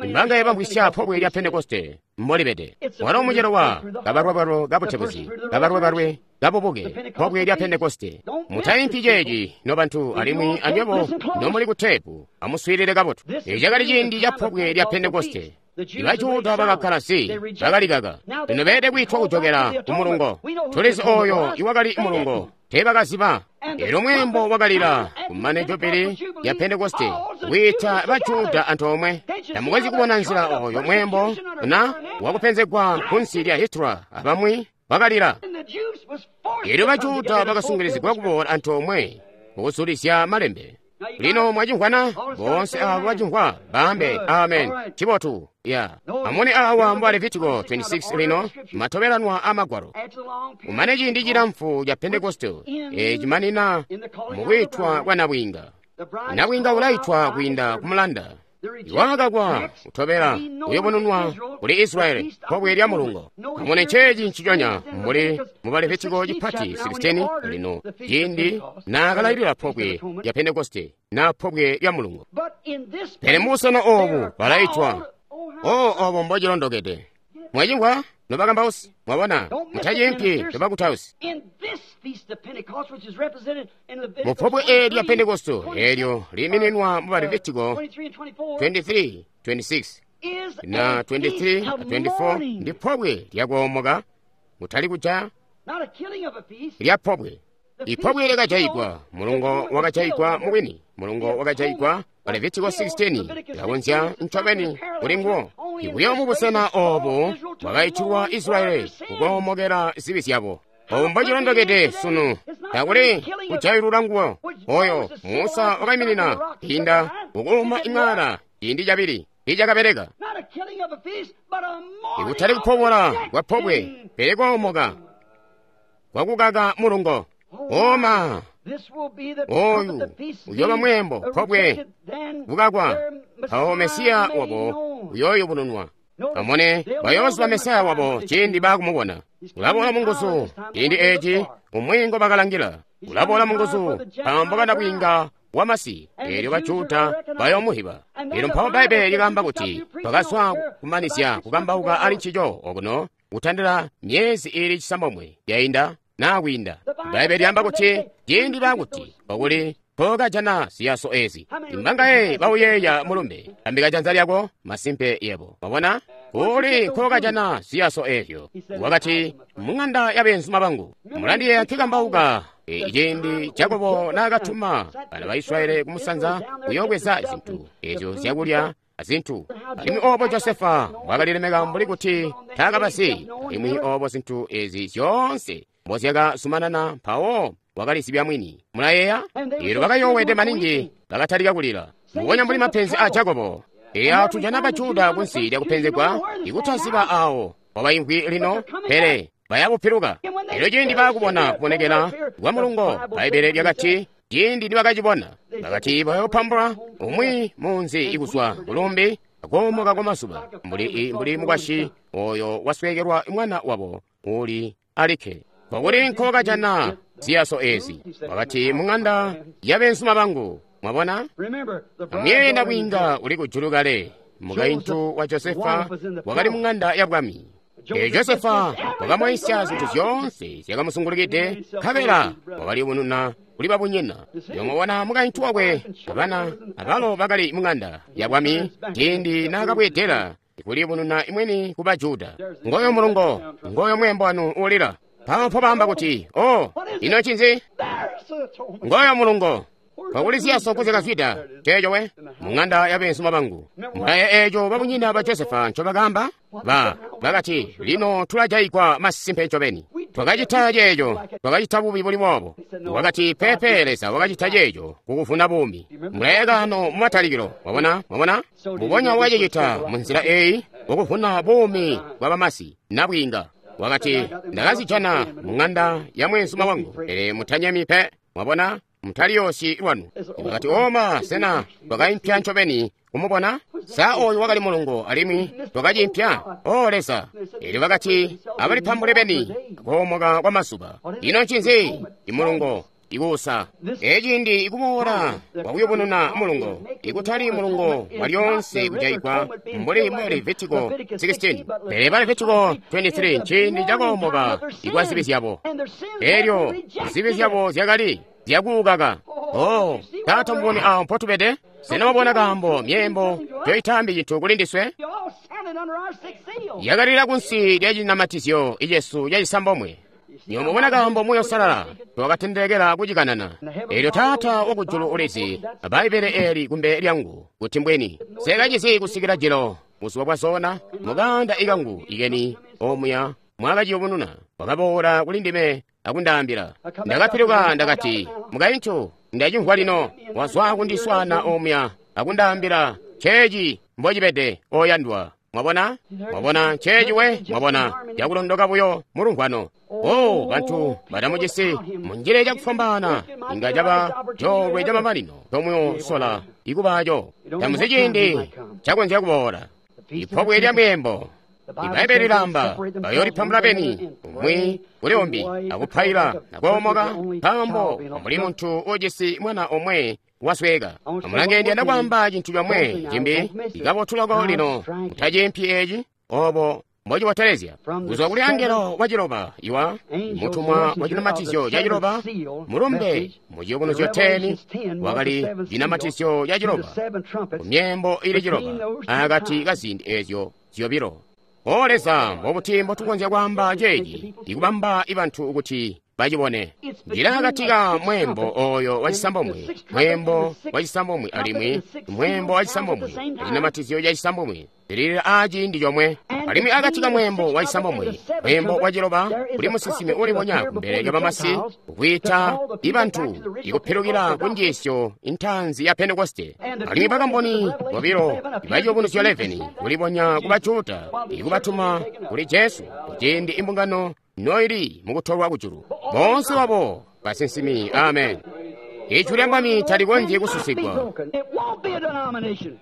Imbanga yabambwisya pobwe lya Pentekoste mbolibede. Walo mucelo wa kabalwebalwe kabutebuzi, kabalwebalwe kabubuke, pobwe lya Pentekoste. Mutaimpi ceeci nobantu alimwi anywebo nomuli ku teepu, amuswiilile kabotu. Eeci cakali ciindi ca pobwe lya Pentekoste. Ibajuda bakakkala si, bakalikaka. Lino beelede kwiitwa kujokela ku mulungo. Tulizi oyo iwakali mulungo, teebakaziba. Eelyo mweembo wakalila kumane jubili ya Pentekoste kwiita Bajuda antoomwe. Tamukonzyi kubona nzila oyo mweembo na wakupenzegwa kunsi lya Hitler abamwi bakalila. Eelyo Bajuda bakasungilizigwa kuboola antoomwe mukuzulizya malembe. Lino mwacimvwana boonse abo bacimvwa baambe amen. Cibotu ya amune awa mu Levitiko twenty-six lino matobelanwa a magwalo. Umane ciindi cilamfu ca Pentekoste ecimanina mukwitwa kwa nabwiinga. Nabwiinga ulaitwa kwiinda kumulanda. Iwakakwa kutobela uyobonunwa kuli Israeli pobwe lya mulungo. Amune ceeci nciconya mbuli mu Levitiko cipati sixteen lino ciindi naakalailila pobwe lya Pentekoste na pobwe lya mulungo. Pele mubusena obu balaitwa. O obo mbocilondokede. Mwacimvwa nobakambausi, mwabona mutaciimpi nobakutausi. Mu pobwe eli lya Pentekoste elyo liimininwa mu Levitiko twenty-three twenty-six na twenty-three twenty-four ndi pobwe lyakoomoka kutali kuja lya pobwe. Ipobwe lyakajayigwa, mulungo wakajayigwa mubwini, mulungo wakajayigwa pa Levitiko sixteen lakonzya ncobeni kuli nguwo. Ibuyo mubusena obu bwakaitilwa Israeli kukoomokera zibi zyabo. Obu mbocilondokede sunu takuli kujailula nguwo. Oyo Musa wakaiminina inda kukuuma imwala ciindi cabili icakabeleka. Ikutali kupobola kwa pobwe pele koomoka kwakukaka mulungo. Oma oyu uyoba mwembo pobwe kukakwa awo Mesiya wabo uyoyubununwa. Amone bayooziba Mesiya wabo ciindi baakumubona. Ulaboola munguzu ciindi eci umwi ngobakalangila. Ulaboola munguzu pambo kanabwiinga wamasi eelyo Bajuda bayoomuhiba. Eelyo mpawo Bbaibbele likaamba kuti twakazwa kumanizya kukambauka ali ncico okuno kutandila myezi iili cisambomwe yainda naa kwiinda. Bbaibbele lyaamba kuti ciindi baakuti okuli nkokajana ziyaso ezi. Imbangaye bauyeeya mulumbe ambika janza lyako masimpe yebo. Wabona? Kuli nkokajana ziyaso ezyo. Wakati mung'anda ya beenzuma bangu. Mulandiyeeya nkikambauka ciindi Jakobo naakatuma bana ba Israeli kumusanza kuyoobweza zintu ezyo zyakulya azintu. Alimwi obo Josefa wakalilemeka mbuli kuti taakabasi. Alimwi obo zintu ezi zyoonse mbozyakazumanana mpawo wakalizibya mwini. Mulayeeya? Eelyo bakayoowede maningi bakatalika kulila. Mbubonya mbuli mapenzi a Jakobo. Eya tujana Bajuda kunsi lyakupenzegwa ikutaziba awo wabaimvwi lino pele bayabupiluka. Eelyo ciindi baakubona kubonekela kwa mulungo, Bbaibbele lyakati ciindi nibakacibona bakati bayoopambula umwi munzi ikuzwa kulumbi akoomoka kwa mazuba mbuli mbuli mukwasyi oyo wasweekelwa mwana wabo uli alikke. Kokuli nkokajana ziyaso ezi. Wakati mung'anda ya beenzuma bangu. Mwabona? Amuyeye nabwiinga uli kujulu kale. Mukaintu wa Josefa wakali mung'anda ya bwami. Eelyo Josefa wakamwaisya zintu zyoonse zyakamusungulukide, nkabela wakaliyubununa kuli babunyina. Yomubona mukaintu wakwe abana abalo bakali mung'anda ya bwami ciindi naakabweedela kuliyubununa imweni ku Bajuda. Ngoyo mulungo, ngoyo mwembo wanu uulila. Mpawo mpo kuti, o, ino ncinzi? Ngoyo mulungo. Pakuli ziyaso kuzyakazwida ceeco we mung'anda ya beenzuma bangu. Mulaye eeco babunyina ba Josefa ncobakaamba? Ba bakati lino tulajayigwa masimpe ncobeni. Twakacita ceeco, twakacita bubi buli boobo. Wakati pepe Leza wakacita ceeco kukuvuna buumi. Mulaye kano mumatalikilo, wabona, wabona? Mbubonya wakacicita munzila eeyi wakuvuna buumi bwa bamasi nabwiinga. Wakati ndakazijana mung'anda ya mweenzuma wangu, pele mutanyemi pe. Mwabona? Mutaliyoosyi lwanu. Wakati oma sena twakaimpya ncobeni kumubona? Sa oyu wakali mulungo alimwi twakacimpya? O Leza! Eelyo bakati abalipambule beni koomoka kwa mazuba. Ino ncinzi? Imulungo ikuusa. Eciindi ikuboola kwakuyubununa mulungo, ikutali mulungo walyoonse kujaigwa mbuli mu Levitiko sixteen, pele ba Levitiko twenty-three nciindi cakoomoka ikwa zibi zyabo. Eelyo zibi zyabo zyakali zyakuukaka. Oh, taata muboni awo mpotubede? Sena wabona kaambo myeembo toyitambi cintu kuli ndiswe? Yakalila kunsi lya cinamatizyo icesu cacisambomwe. Nyomubona kaambo Muuya Uusalala twakatendekela kucikanana. Eelyo Taata wakujulu ulizi Bbaibbele eli kumbe lyangu kuti mbweni sekacizi kusikila jilo buzuba bwa zona mukanda ikangu ikeni omuya mwakaciyubununa wakaboola kuli ndime akundaambila. Ndakapiluka ndakati, mukaintu Ndacimvwa lino. Wazwa kundiswaana omuya akundaambila ceeci mbocibede, oyandwa. Mwabona? Mwabona nceeci we? Mwabona, cakulondoka buyo mulumvwano. Oh, bantu batamucisi munjile cakufwambaana, inga caba coolwe camamanino tomuyosola ikubaco. Tamuzi ciindi cakonzya kuboola. Ipobwe lya mweembo. Ibaibbele lilaamba bayoolipambula beni umwi kuli umbi akupaila nakoomoka, nkaambo mbuli muntu ujisi mwana omwe wasweka. Amulange, ndiyanda kwaamba cintu comwe cimbi ikabotu loko lino, mutaciimpi eci obo mbocibotelezya. Kuzwa kuli angelo waciloba iwa mutumwa wa cinamatizyo ca ciloba, mulumbe mu Ciyubunuzyo khumi wakali cinamatizyo ca ciloba ku myembo ili ciloba akati ka ziindi ezyo zyobilo. O Leza, mbobuti mbotukonzya kwaamba ceeci ikubamba ibantu kuti bacibone? Njila akati ka mweembo oyo wacisambomwe, mweembo wacisambomwe alimwi mweembo wacisambomwe, acinamatizyo ca cisambomwe zililila aaciindi comwe. Alimwi akati ka mweembo wacisambomwe, mweembo waciloba, kuli musinsimi ulibonya kumbele lya bamasi kwiita ibantu ikupilukila ku njiisyo intaanzi ya Pentekoste. Alimwi bakamboni bobilo iba Ciyubunuzyo khumi kulibonya ku Bajuda ikubatuma kuli Jesu kuciindi imbungano noili mukutolwa kujulu. Boonse babo basinsimi. Amen. Ijwi lya Mwami talikonzyi kususigwa,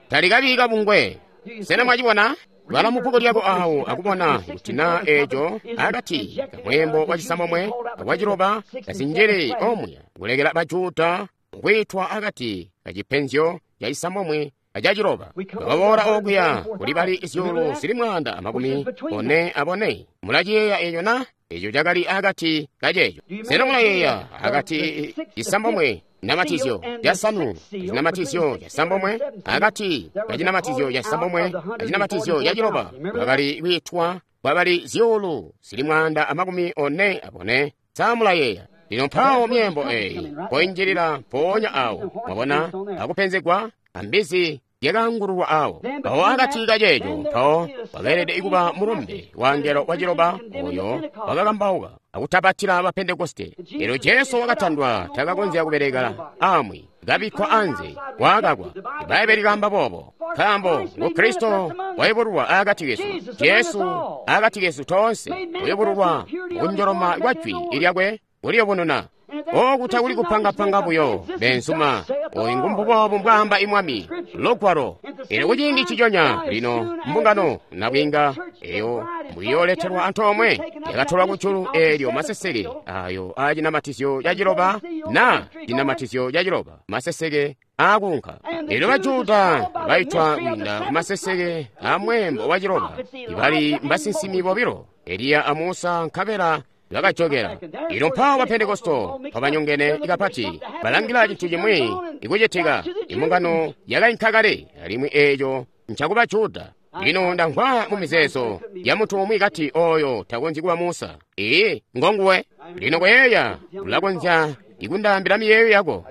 talikabi kabungwe. Sena mwacibona? Bala mu bbuku lyako awo akubona kuti na eco akati kamweembo wacisambomwe akwaciloba kazinjili omuya kulekela Bajuda kwiitwa akati kacipenzyo ca cisambomwe acaciloba. Bakaboola okuya kuli bali zyuulu zili mwaanda amakumi one abone. Mulaciyeeya eco na? Eco cakali akati kaceeco. Sena mulayeeya akati cisambomwe cinamatizyo casanu acinamatizyo casambomwe, akati kacinamatizyo casambomwe acinamatizyo caciloba bakali kwiitwa kwabali zyuulu zili mwaanda amakumi one abone. Samulayeeya? Lino mpawo myembo eyi poinjilila mpoonya awo, mwabona, akupenzegwa ambizi yakangululwa awo. Mpawo akati kaceeco mpawo wakeelede kuba mulumbe wa ngelo waciloba oyo wakakambauka akutapatila ba Pentekoste. Elyo Jesu wakatandwa, takakonzya kubeleka amwi, kabikkwa anze, wakakwa. Ibaibbele likaamba boobo, nkaambo ngu Kristo wayubululwa akati kesu, Jesu akati kesu toonse, uyubululwa mukunjoloma kwa jwi lyakwe kuliyubununa. Oku takuli kupangapanga buyo, benzuma. Oyu ngumbuboobu mbwaamba imwami lugwalo. Elyo kuciindi ciconya lino mbungano nabwiinga eyo mbwiyooletelwa antoomwe yakatolwa kujulu, eelyo maseseke ayo aacinamatizyo ca ciloba na cinamatizyo ca ciloba maseseke aakunka. Elyo Bajuda baitwa kwiinda ku maseseke a mweembo wa ciloba ibali mbasinsimi bobilo, Eliya a Musa, nkabela bakajokela. Ilo mpawo ba Pentekosto pabanyongene kapati balangila cintu cimwi ikucitika. Imbungano yakainka kale, alimwi eeco ncakuba Juda. Lino ndamvwa mu mizeezo ya muntu umwi kati oyo takonzyi kuba Musa. Ee, ngonguwe. Lino koyeeya, ulakonzya ikundaambila miyeeyo yako.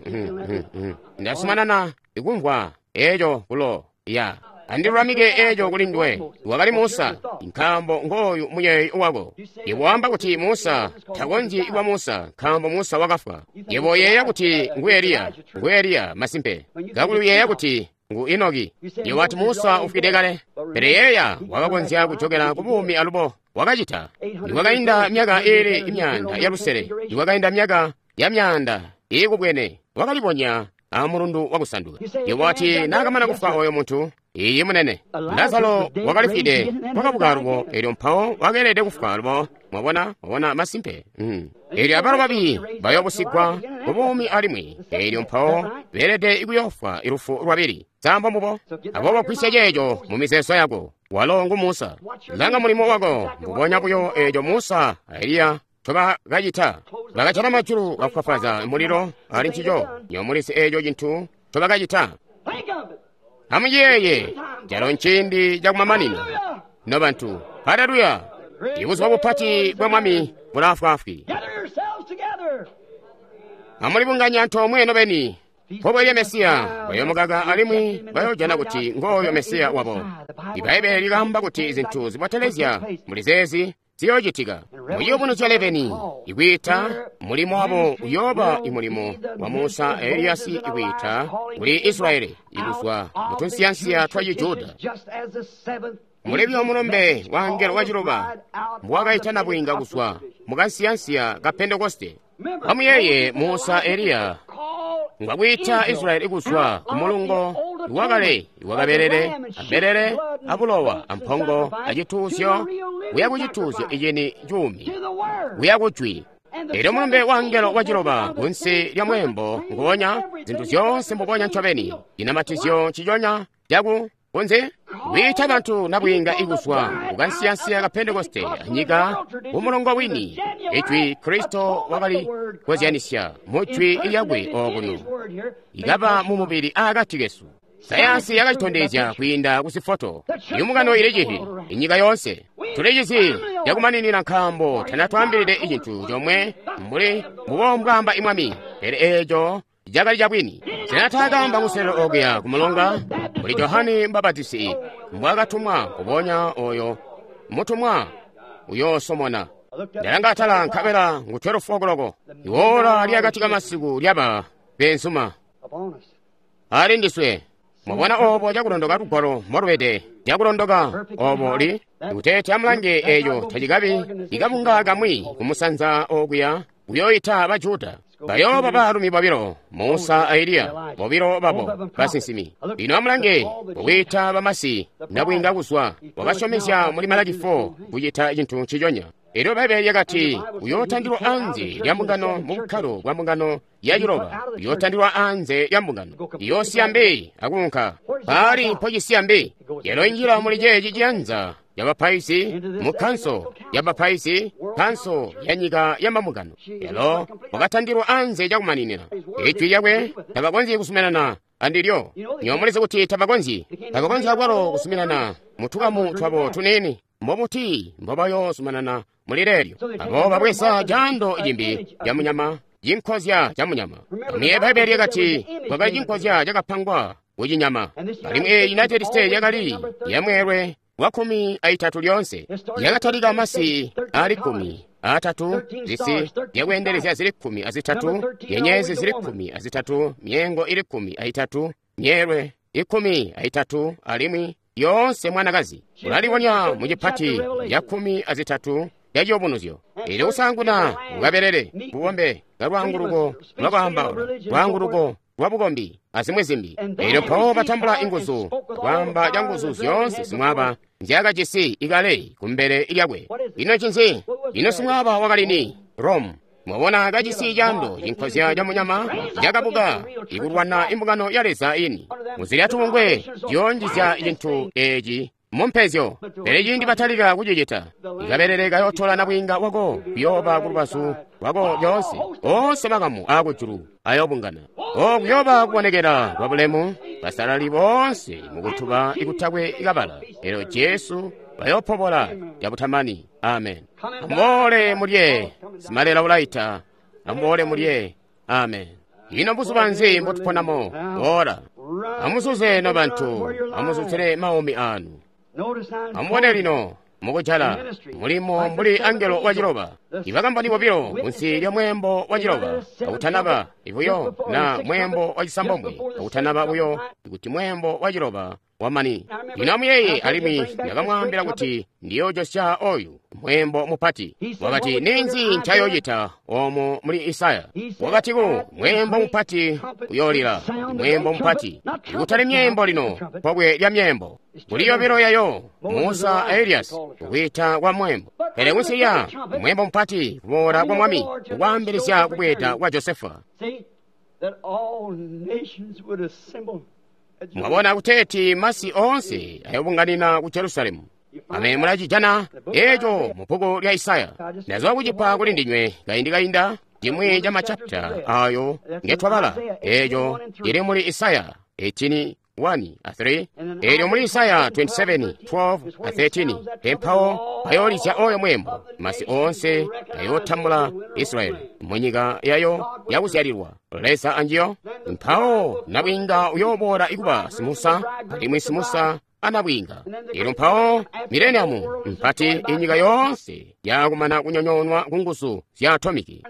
Ndasumanana ikumvwa eeco kulo ya. Andilulamike eeco kuli nduwe. Wakali Musa, nkaambo ngooyu muyeeyo wako. Yebo wamba kuti Musa takonzyi kuba Musa, nkaambo Musa wakafwa. Yebo uyeeya kuti ngu Eliya, ngu Eliya masimpe. Kakuli uyeeya kuti ngu Enoki. Yebo wati Musa ufwide kale. Pele yeeya wakakonzya kujokela ku buumi alubo. Wakacita. Nikwakainda myaka iili imyaanda ya lusele, nikwakainda myaka ya myaanda iikubwene, wakalibonya amulundu wakusanduka. Yebo wati naakamana kufwa oyo muntu, iyi munene, Lazaro wakalifwide, wakabuka alubo, elyo mpawo wakeelede kufwa alubo. Mwabona, mwabona masimpe. Mm. Elyo abalo babi bayobusigwa ku buumi alimwi, elyo mpawo beelede kuyoofwa ilufu lwabili. Sambo mbubo. Aboobo gwisya ceeco mu mizeezo yako. Walo ngu Musa. Langa mulimo wako, mbubonya buyo eeco Musa a Eliya ncobakacita. Bakajala majulu bakufwafwaza mulilo ali ncico. Nyomulisi eeco cintu ncobakacita. Amuyeeye, calo nciindi cakumamanino. Nobantu, haleluya! Ibuzuba bupati bwa Mwami bulaafwaafwi. Amulibunganye antoomwe nobeni. Pobwe lya Mesiya bayomukaka alimwi bayojana kuti ngooyo Mesiya wabo. Ibaibbele likaamba kuti zintu zibotelezya muli zeezi Ziyoocitika. Mu Ciyubunuzyo eleveni, ikwiita mulimo wabo uyooba imulimo wa Musa a Eliyasi ikwiita kuli Israyeli ikuzwa mu tunsiyansiya twa Cijuda. Mulebyo mulombe wa angelo waciloba mbwakaita nabwiinga kuzwa mu kansiyansiya ka Pentekoste. Amuyeye Musa Eliya ngwakwiita Israyeli kuzwa ku mulungo wakale wakabelele ambelele abulowa ampongo acituuzyo kuya ku cituuzyo icini cuumi kuya ku jwi. Elyo mulumbe wa angelo waciloba kunsi lya mweembo nguwonya zintu zyoonse mbubonya ncobeni cinamatizyo nciconya caku kunzi kwiita bantu nabwiinga ikuzwa kukansiyansiya ka Pentekoste anyika kumulongo wini ijwi Kristo wakali kozyanisya mu jwi lyakwe okuno ikaba mu mubili akati kesu. Sayansi yakacitondezya kwiinda ku zifoto. Imbungano ili cihi inyika yoonse tulicizi cakumaninina nkaambo tanatwaambilide icintu comwe mbuli mbubo mbwaamba imwami, pele eeco cakali cabwini. Sinataakamba kuselelo okuya kumulonga kuli Johane Mbapatisi mbwakatumwa kubonya oyo mutumwa uyoosomona. Ndalanga atala nkabela ngu twelve o'clock. Iwola lyakati kamasiku lyaba benzuma ali ndiswe. Mwabona obo cakulondoka lugwalo mbolubede cakulondoka obo li ikuteeti amulange eeco tacikabi ikabunga kamwi kumusanza okuya kuyoyita ba Juda. Bayooba baalumi bobilo, Musa a Eliya, bobilo babo basinsimi. Lino amulange kukwiita bamasi nabwiinga kuzwa wakasyomezya muli Malaki four kucita cintu nciconya. Elyo Bbaibbele lyakati uyootandilwa anze lya mbungano mu bukkalo bwa mbungano ya ciloba, uyootandilwa anze lya mbungano iyoosiya mbi akuunka paali mpocisiya mbi. Yalo injila muli ceeci ciyanza yabapaizi mu kanso yabapaizi, kanso ya nyika ya mambungano. Yalo wakatandilwa anze cakumaninina. Ijwi lyakwe tabakonzyi kusuminana andilyo. Nywebo mulizi kuti tabakonzyi, tabakonzyi akwalo kusuminana mu tukamu twabo tuniini. Mbobuti mbobayoozumanana muli leelyo? Abo babweza caando cimbi ca munyama, cinkozya ca munyama. Amuyeeye Bbaibbele lyakati kwakali cinkozya cakapangwa kucinyama. Alimwi eeyi United States yakali yamweelwe wa kkumi aitatu lyoonse. Yakatalika masi aali kkumi aatatu, zisi zyakweendelezya zili kkumi azitatu, nyenyezi zili kkumi azitatu, myeengo ili kkumi aitatu, myeelwe ikkumi aitatu, alimwi yoonse mwanakazi. Ulalibonya mu cipati ya kkumi azitatu ya Ciyubunuzyo. Elyo kusaanguna kukabelele, bubombe, kalwaanguluko lwakwaambaula, lwaanguluko lwa bukombi, azimwi zimbi. Elyo mpawo batambula inguzu, kwaamba canguzu zyoonse simwaaba nzyaakajisi ikale kumbele lyakwe. Ino ncinzi? Ino simwaaba wakali ni? Rome. Mwabona kajisi caando cinkozya ca munyama cakabuka ikulwana imbungano ya Leza ini. Muzilya tubungwe ziyoonjizya cintu eeci mumpezyo. Pele ciindi batalika kucicita, ikabelele kayootola nabwiinga wako kuyooba kulubazu lwako lyoonse. Oonse makamu aakujulu ayoobungana. O kuyooba kubonekela kwa bulemu, basalali boonse mukutuba ikutakwe kabala. Elyo Jesu bayoopobola cabutamani. Amen. Amuboole mulye, simalela ulaita. Amuboole mulye. Amen. Ino buzuba nzi mbotuponamo? Ora. Amuzuze no bantu, amuzuzire maumi anu. Amubone lino mukujala mulimo mbuli angelo wa ciloba. Ibakamboni bobilo kunsi lya mweembo wa ciloba akutanaba buyo na mweembo wa cisambombwe akutanaba buyo kuti mweembo wa ciloba wamani. Lino amuyeeye, alimwi ndakamwaambila kuti ndiyoojosya oyu mweembo mupati. Wakati ninzi ncayoocita omo muli Isaya? Wakati ku mweembo mupati uyoolila, mweembo mupati ikutali myeembo lino, pobwe lya myeembo. Kuli yobilo yayo Musa a Elias kukwiita kwa mweembo, pele kunsi lya mweembo mupati kuboola kwa mwami kukwaambilizya kubweeda kwa Josefa. Mwabona kuteeti masi oonse ayobunganina ku Jerusalemu. Amene mulacijana eco mu bbuku lya Isaya. Ndazowa kucipa kuli ndinywe kaindi kainda chimwi cha machapita ayo ngetwabala eco chili muli Isaya eighteen one a three, elyo muli Isaya twenty-seven twelve a thirteen. Empawo ayoolizya oyo mweembo, masi oonse ayootambula Israeli munyika yayo yakuzyalilwa Leza anjiyo. Mpawo nabwiinga uyooboola ikuba simusa, alimwi simusa anabwiinga. Elyo mpawo mileniamu mpati inyika yoonse yakumana kunyonyoonwa ku nguzu zya atomiki.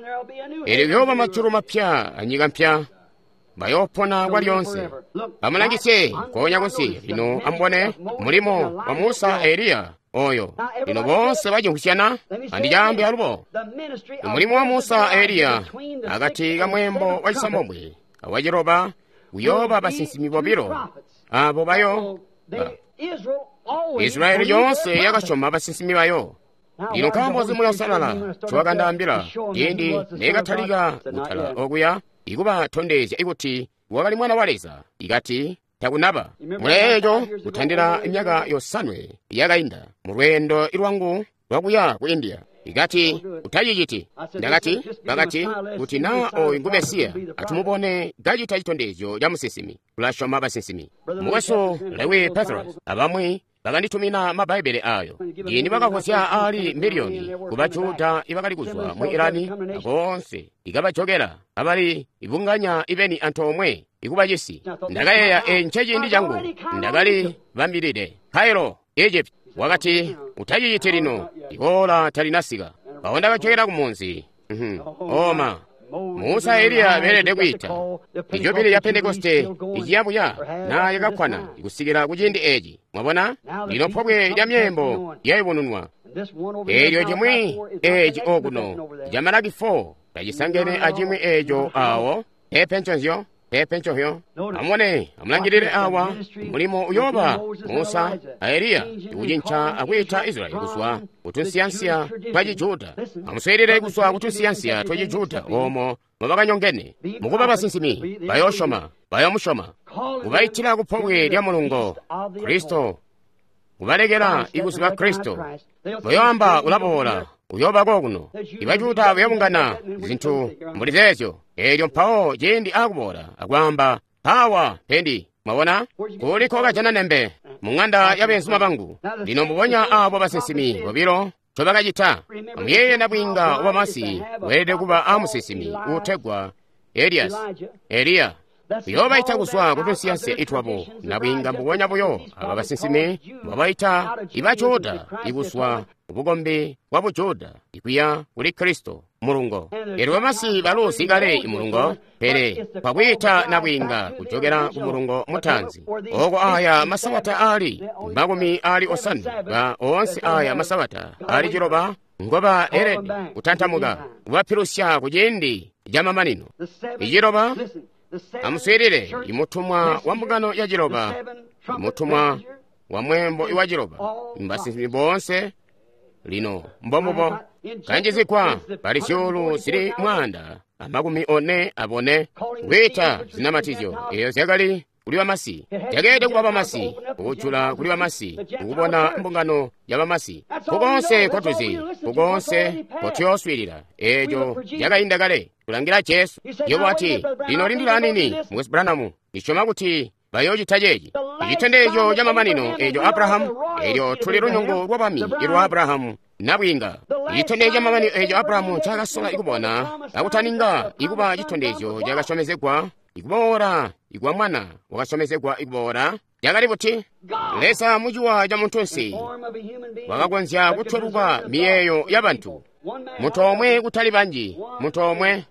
Elyo kuyooba majulu mapya anyika mpya, bayoopona kwalyonse. Amulangisye nkoonya kunsi lino, amubone mulimo wa Musa a Eliya oyo. Lino boonse bacimvwisyana, andicaambe alubo. Mulimo wa Musa a Eliya akati ka mweembo wa cisambombwe awaciloba kuyooba basinsimi bobilo abo bayo ba. Israyeli yoonse yakasyoma basinsimi bayo. Lino nkaambo nzi Muuya Uusalala ncowakandaambila ciindi neekatalika kutala okuya ikubatondezya ikuti wakali Mwana wa Leza, ikati takunaba muleeco kutandila myaka yosanwe yakainda mu lweendo lwangu lwakuya ku India. Ikati utaciciti. Ndakati bakati kuti naa oyu ngu Mesiya, atumubone kacita citondezyo ca musinsimi. Tulasyoma basinsimi. Mukwesu Lewi Pethrus abamwi bakanditumina mabbaibele ayo. Ciindi bakavozya aali miliyoni ku Bajuda ibakali kuzwa mu Irani akoonse ikabajokela abali ibunganya ibeni antoomwe ikuba cisi. Ndakayeeya eeci nceciindi changu ndakali bambilide. Cairo, Egypt. Wakati utaciciti lino, ikoola talinasika. Mpawo ndakajokela kumunzi. Oma Musa Eliya beelede kwiita ijubili ya Pentekoste iciyabuya na yakakkwana kusikila ku ciindi eeci. Mwabona lino pobwe lya myeembo lyayubununwa. Eelyo cimwi eeci okuno ca Malaki four tacisangene acimwi eeco awo. Pepe nconzyo, pepe nconzyo. Amubone, amulangilile awa mulimo uyooba Musa a Eliya ikucinca akwiita Israyeli kuzwa kutunsiyansiya twa Cijuda. Amuswiilile kuzwa kutunsiyansiya twa Cijuda oomo mubakanyongene. Mukuba basinsimi bayoosyoma, bayoomusyoma. Kubaitila kupobwe lya mulungo Kristo, kubalekela ikuziba Kristo. Bayoamba ulaboola, uyooba kokuno. Ibajuda bayobungana zintu mbuli zeezyo. Eelyo mpawo ciindi akuboola akwaamba pawa pendi. Mwabona kuliko kajana nembe mu ng'anda ya beenzuma bangu. Lino mbubonya abo basinsimi bobilo ncobakacita. Amuyeeye nabwiinga wamasi weelede kuba amusinsimi uutegwa Elias, Eliya. Uyoobaita kuzwa kutunsiyansiya itwabo nabwiinga mbubonya buyo aba basinsimi mbabaita ibajuda ikuzwa kubukombi bwa bujuda ikuya kuli Kristo mulungo. Elyo bamasi baluzi kale imulungo, pele kwakwiita nabwiinga kujokela ku mulungo mutaanzi. Oko aya masabata aali makumi aali osanwe ba oonse aya masabata aali ciloba ngoba elede kutantamuka kubapilusya ku ciindi camamanino. Iciloba. Amuswiilile imutumwa wa mbungano ya ciloba, imutumwa wa mweembo iwa ciloba, mbasinsimi boonse lino mbombubo kanjizigwa bali zyuulu zili mwaanda amakumi one abone kwiita zinamatizyo eyo zyakali kuli bamasi, zyakeelede kuba bamasi, kujula kuli bamasi, kukubona mbungano ya bamasi. Kukoonse kotuzi, kukoonse kotuyooswiilila, eeco cakainda kale. Kulangila Jesu. Yobo ati lino lindila anini, Mukwesu Branham, ndisyoma kuti bayoocita ceeci. Icitondezyo camamanino eeco Abrahamu, eelyo tuli lunyungu lwa bami ilwa Abrahamu nabwiinga. Icitondezyo camamanino eeco Abrahamu ncaakasola ikubona akutaninga ikuba citondezyo cakasyomezegwa ikuboola ikwa mwana wakasyomezegwa ikuboola yakali buti? Leza muciwa ca muntunsi wakakonzya kutweluka miyeeyo ya bantu. Muntu omwe kutali banji, muntu omwe.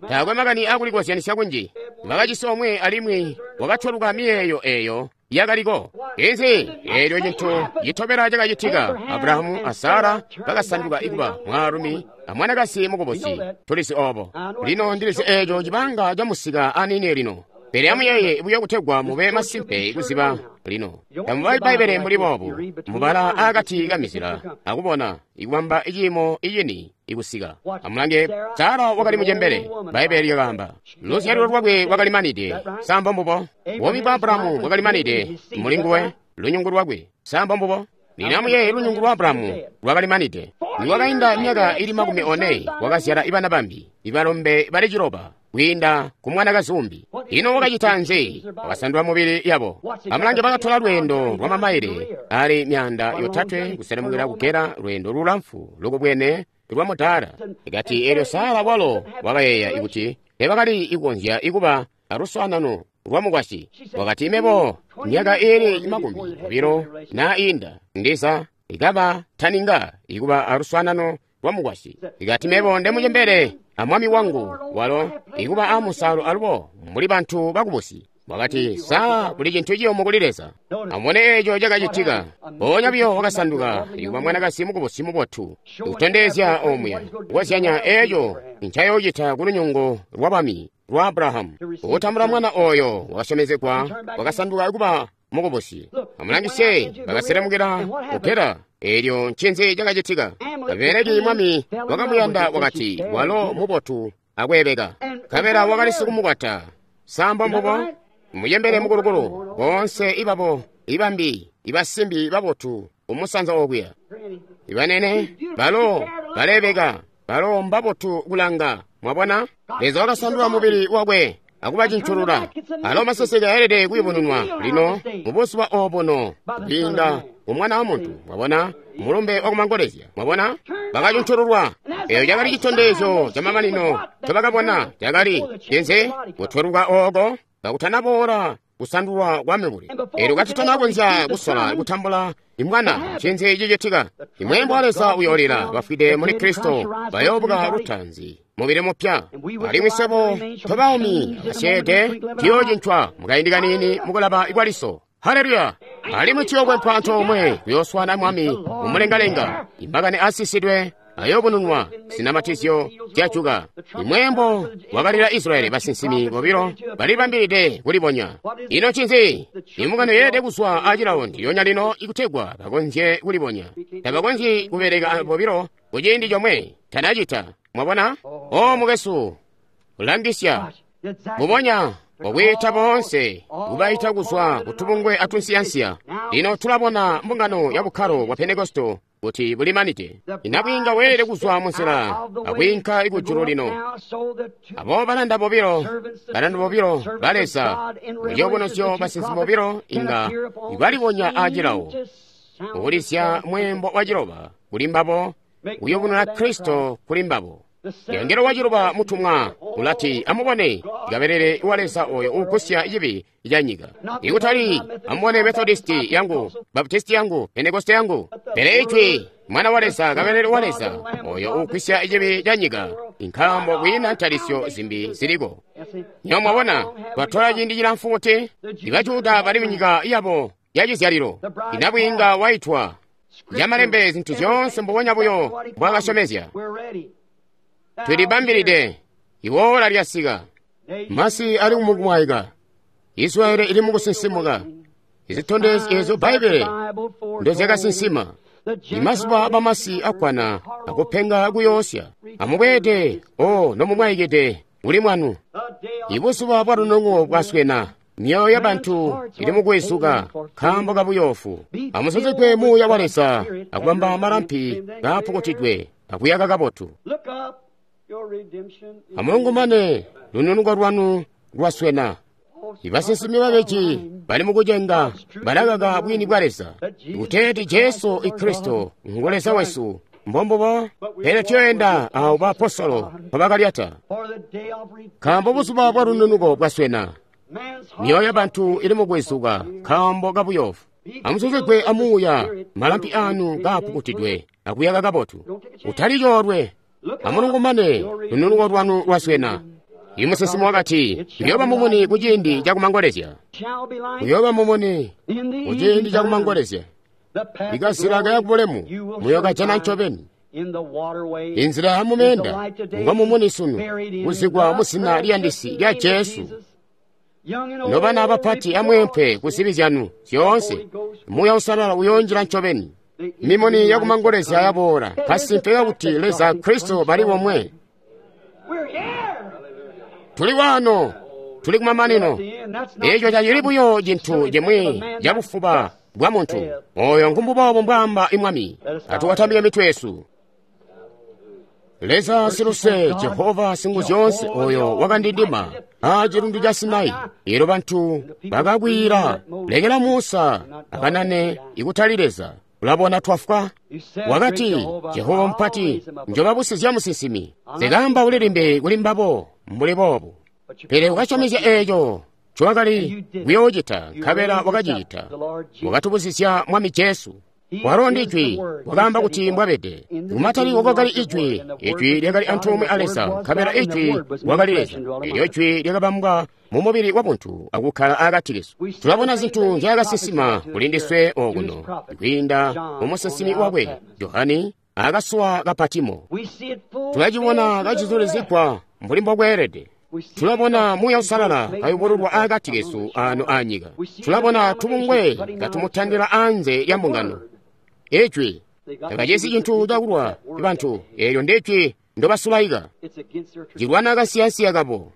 Taakwe makani akulikozyanisya kunji. Bakajisi omwe alimwi wakatweluka miyeeyo eeyo yakaliko. Inzi eelyo cintu citobela cakacitika, Abrahamu a Sara bakasanduka ikuba mwaalumi amwanakazi mukubusi. Tulizi obo. Lino ndilizi eeco cibanga camusika anini lino. Pele amuyeeye buyo kutegwa mube masimpe kuziba lino. Tamubali Bbaibbele mbuli boobu, mubala akati kamizila akubona ikubamba iciimo icini ikusika. Amulange, Sara wakali mucembele, Bbaibbele lyakaamba. Luzyalo lwakwe lwakali manide, sambo mbubo. Buumi bwa Abrahamu bwakali manide muli nguwe, lunyungu lwakwe, sambo mbubo. Lino amuyeeye lunyungu lwa Abrahamu lwakali manide. Nikwakainda myaka ili makumi one wakazyala ibana bambi, ibalombe bali ciloba kwiinda ku mwanakazi umbi. Ino wakacita nzi? Wakasandula mubili yabo. Amulange bakatola lweendo lwa mamaile ali myaanda yotatwe kuselemukira kugera lweendo lulamfu lukubwene lwa mudaala. Ikati eelyo Sara walo wakayeeya ikuti teebakali ikukonzya ikuba aluswaanano lwa mukwasyi. Wakati mebo Myaka iili makumi obilo na inda ndiza ikaba taninga ikuba aluswaanano lwa mukwasyi. Ikati mebo ndemucembele amwami wangu walo ikuba amusalo alubo mbuli bantu bakubusi. Wakati sa kuli cintu ciyumu kuli Leza. Amubone eeco cakacitika. Mpoonya biyo wakasanduka ikuba mwanakazi mukubusi mubotu, kutondezya omuya kukozyanya eeco ncayoocita ku lunyungu lwa bami lwa Abrahamu. Kutambula mwana oyo wakasyomezegwa wakasanduka kuba mukubusi. Amulangisye, bakaselemukila ku Gera. Eelyo ncinzi cakacitika? Abimeleki mwami wakamuyanda wakati walo mubotu akweebeka. Nkabela wakali sikumukwata. Samba mbubo? Muyembele mukulukulu boonse ibabo ibambi ibasimbi babotu umusanza okuya. Ibanene balo balebeka, balo mbabotu kulanga. Mwabona? Leza wakasandula mubili wakwe akuba cinculula. Alo maseseke ayelede kuyubununwa lino mubuzuba obuno kwiinda ku Mwana wa Muntu. Mwabona? Mulumbe wakumangolezya. Mwabona? Bakacuncululwa. Eyo cakali citondezyo camamanino ncobakabona. Cakali cinzi? Kutweluka ooko kakutanaboola kusandulwa kwa mibuli. Eelyo katutanakonzya kusola kutambula imwana, ncinzi cicitika? Imweembo wa Leza uyoolila, bafwide muli Kristo bayoobuka lutanzi mubili mupya. Alimwi swebo tobaumi abasyeede tuyoocincwa mukaindi kaniini mukulaba kwaliso. Haleluya! Alimwi tuyookwempwa antoomwe kuyooswaana Mwami mumulengalenga. Imakani aasisidwe ayoobununwa, zinamatizyo zyajuka. Imweembo wakalila Israyeli, basinsimi bobilo balibambilide kulibonya. Ino ncinzi? Imbungano yeelede kuzwa acilawo ndilyonya lino ikutegwa bakonzye kulibonya. Tabakonzyi kubeleka bobilo kuciindi comwe. Tanacita. Mwabona? O mukwesu, langisya. Mubonya wakwiita boonse kubaita kuzwa kutubungwe atunsiyansiya. Lino tulabona mbungano ya bukkalo bwa Pentekosto kuti bulimanide. Inabwiinga weelede kuzwa munzila akwiinka kujulu lino. Abo balanda bobilo, balanda bobilo ba Leza, muciyubunuzyo basinsimi bobilo inga balibonya acilawo. Kukulisya mweembo wa ciloba kuli mbabo, kuyubununa Kristo kuli mbabo. Yangelo wa ciloba mutumwa ulati, amubone kabelele wa Leza oyo uugusya cibi ca nyika. Ikutali amubone Methodisti yangu, Baptisti yangu, Pentekoste yangu, pele ijwi Mwana wa Leza, kabelele wa Leza oyo uugusya cibi ca nyika. Nkaambo kwiina ntalisyo zimbi ziliko. Nyo mwabona, twatola ciindi cilamfu kuti ibajuda bali munyika yabo ya cizyalilo. Inabwiinga waitwa yamalembe zintu zyoonse mbubonya buyo mbwakasyomezya. Tulibambilide, iwoola lyasika. Masi ali mukumwaika, Israeli ili mukusinsimuka. Izitondezyo ezo Bbaibele ndozyakasinsima. Imazuba bamasi akkwana akupenga kuyoosya. Amubweede, o nomumwaikide uli mwanu. Ibuzuba bwa lunungo bwaswena. Myoyo yabantu ili mukwizuka nkaambo kabuyoofu. Amusozegwe Muuya wa Leza akubamba malampi kaapukutidwe akuyaka kabotu. Amulungumane, lununuko lwanu lwaswena. Ibasinsimi babeji bali mukucenga balakaka bwini bwa Leza. Kuteeti Jesu Kristo ngu Leza wesu. Mbombubo, pele tuyoenda awo baapostolo mpobakalyata. Nkaambo buzuba bwa lununuko bwaswena. Myoyo yabantu ili mukwizuka nkaambo kabuyoofu. Amusozegwe amuuya, malampi anu kaapukutidwe akuyaka kabotu. Utali coolwe. Amulungumane, lununuko lwanu lwaswena. Imusinsimi wakati, kuyooba mumuni kuciindi cakumangolezya. Kuyooba mumuni kuciindi cakumangolezya. Ikazila kaya kubulemu muyookajana ncobeni. Inzila yamumeenda ngo mumuni sunu kuzikwa muzina liyandisi lya Jesu. Nobana abapati amweempwe ku zibi zyanu zyoonse, Muuya Uusalala uyoonjila ncobeni. Mimuni yakumangolezya yaboola, kasimpe kakuti Leza Kristo bali bomwe. Tuli waano, tuli kumamanino. Eeco tacili buyo cintu cimwi cabufuba bwa muntu. Oyo ngumbuboobo mbwaamba Mwami. Atuwatambike mitwe yesu. Leza siluse, Jehova Singuzyoonse, oyo wakandindima a cilundu ca Sinai. Eelyo bantu bakakwiila, lekela Musa akanane ikutali Leza. Ulabona twafwa. Wakati, Jehova mupati, njobabusizya musinsimi. Zikaamba ulilimbi kuli mbabo mbuli boobu. Pele ukasyomezya eeco ncowakali kuyoocita, nkabela wakacicita. Wakatubuzizya Mwami Jesu. Walo ndi Ijwi, wakaamba kuti mbwabede. Kumatalikilo kwakali Ijwi, Ijwi lyakali antoomwe a Leza, nkabela Ijwi wakali Leza. Elyo Ijwi lyakabambwa mu mubili wabuntu akukkala akati kesu. Tulabona zintu nzyaakasinsima kuli ndiswe okuno, kwiinda mu musinsimi wakwe Johani akasuwa ka Patimo. Tulacibona kacizulizigwa mbuli mbokweelede. Tulabona Muuya Uusalala kayubululwa akati kesu ano anyika. Tulabona tubungwe katumutandila anze lya mbungano. Ijwi takacisi cintu cakulwa bantu, eelyo ndi Ijwi ndobasulaika. Cilwana kansiyansiya kabo.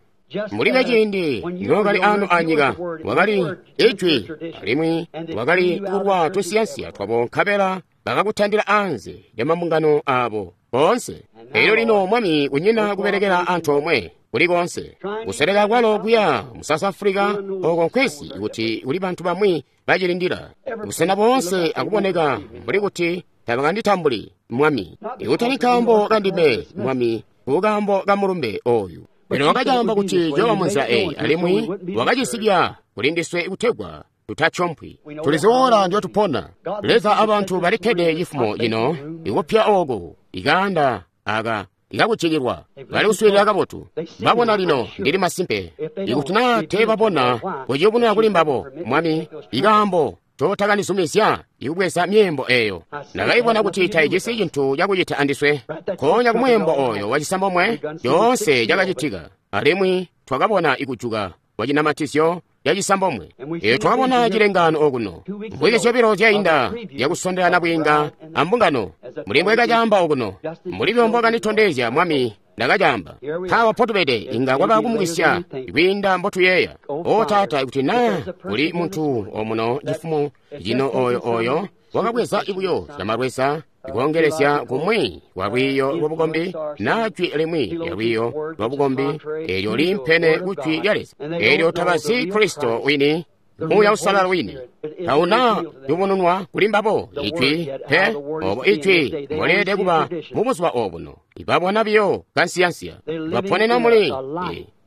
Mbuli kaciindi nookali ano anyika, wakali Ijwi, alimwi wakali kulwa tunsiyansiya twabo, nkabela bakakutandila anze lya mambungano abo boonse. Elyo lino Mwami kunyina kubelekela antoomwe kuli konse kuseleka kwalo kuya mu South Africa oko nkwesi kuti kuli bantu bamwi bacilindila busena boonse akuboneka mbuli kuti tabakanditambuli Mwami, ikutali nkaambo kandime Mwami, kukaambo kamulumbe oyu. Lino wakacamba kuti cooba munzila eyi, alimwi wakacisibya kuli ndiswe kutegwa tutatyompwi. Tuliziwola ndyotupona. Leza abantu balikkede cifumo cino ikupya oku ikaanda aka ikakujikilwa bali kuswiilila kabotu. Babona lino ndili masimpe ikuti naa teebabona kuciyubununa kuli mbabo Mwami ikaambo totakanizumizya ikubweza myeembo eyo. Ndakaibona kuti taijisi cintu cakucita andiswe. Konya kumweembo oyo wacisambomwe coonse cakacitika, alimwi twakabona ikujuka kwa cinamatizyo cacisambomwe. Eyo twakabona cilengano okuno mvwiki zyobilo zyainda zyakusondelana bwiinga ambungano. Muli mbwekacaamba okuno, muli byombo kanditondezya Mwami ndakacaamba. Mpawa potubede inga kwaba kumukisya kwiinda mbotuyeeya. O Taata, ikuti naa kuli muntu omuno cifumo cino oyo oyo wakabweza ibuyo zyamalweza ikoongelezya kumwi kwa lwiiyo lwabukombi naa jwi limwi lya lwiiyo lwabukombi eelyo liimpene ku jwi lya Leza, eelyo tabazi Kristo wini, Muuya Uusalala wini, tauna yubununwa kuli mbabo ijwi pe obo ijwi mboleelede kuba mu buzuba obuno. Ibabona biyo kansiyansiya, baponena muli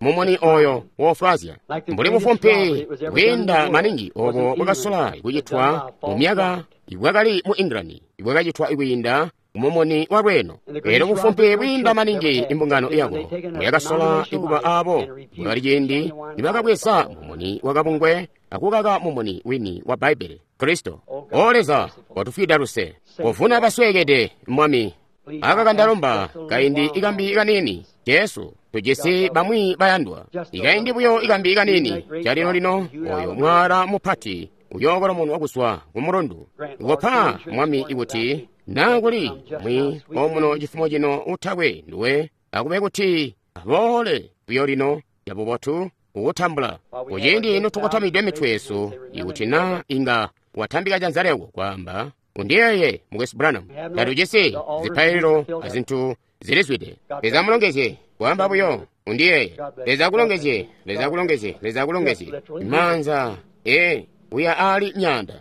mumuni oyo wofwazya mbuli bufumpi bwiinda maningi obo bwakasola kucitwa mu myaka ibwakali mu England, ibwakacitwa kwiinda mumuni wa lweno. Elyo bufumpi bwiinda maningi imbungano yako mbuyakasola ikuba abo bwakali ciindi nibakabweza mumuni wakabungwe akukaka mumuni wini wa Bbaibbele, Kristo. O Leza, watufwida luse, kovuna basweekede Mwami. Aka kandalomba kaindi ikambi kanini Jesu, tujisi bamwi bayandwa. Ikaindi buyo ikambi kanini calino-lino oyo mwala mupati uyookolomonwa kuzwa ku mulundu. Kopa Mwami ikuti naa kuli mwi omuno cifumo cino utakwe nduwe, akube kuti aboole buyo lino cabubotu kukutambula. Kuciindi notukotamide mitwe yesu, ikuti naa inga watambika janza lyako kwaamba, undiyeeye Mukwesu Branham, tatujisi zipaililo azintu zilizwide. Leza amulongezye, kwaamba buyo undiyeeye. Leza akulongezye, Leza akulongezye, Leza akulongezye. Maanza ee uya ali nyanda.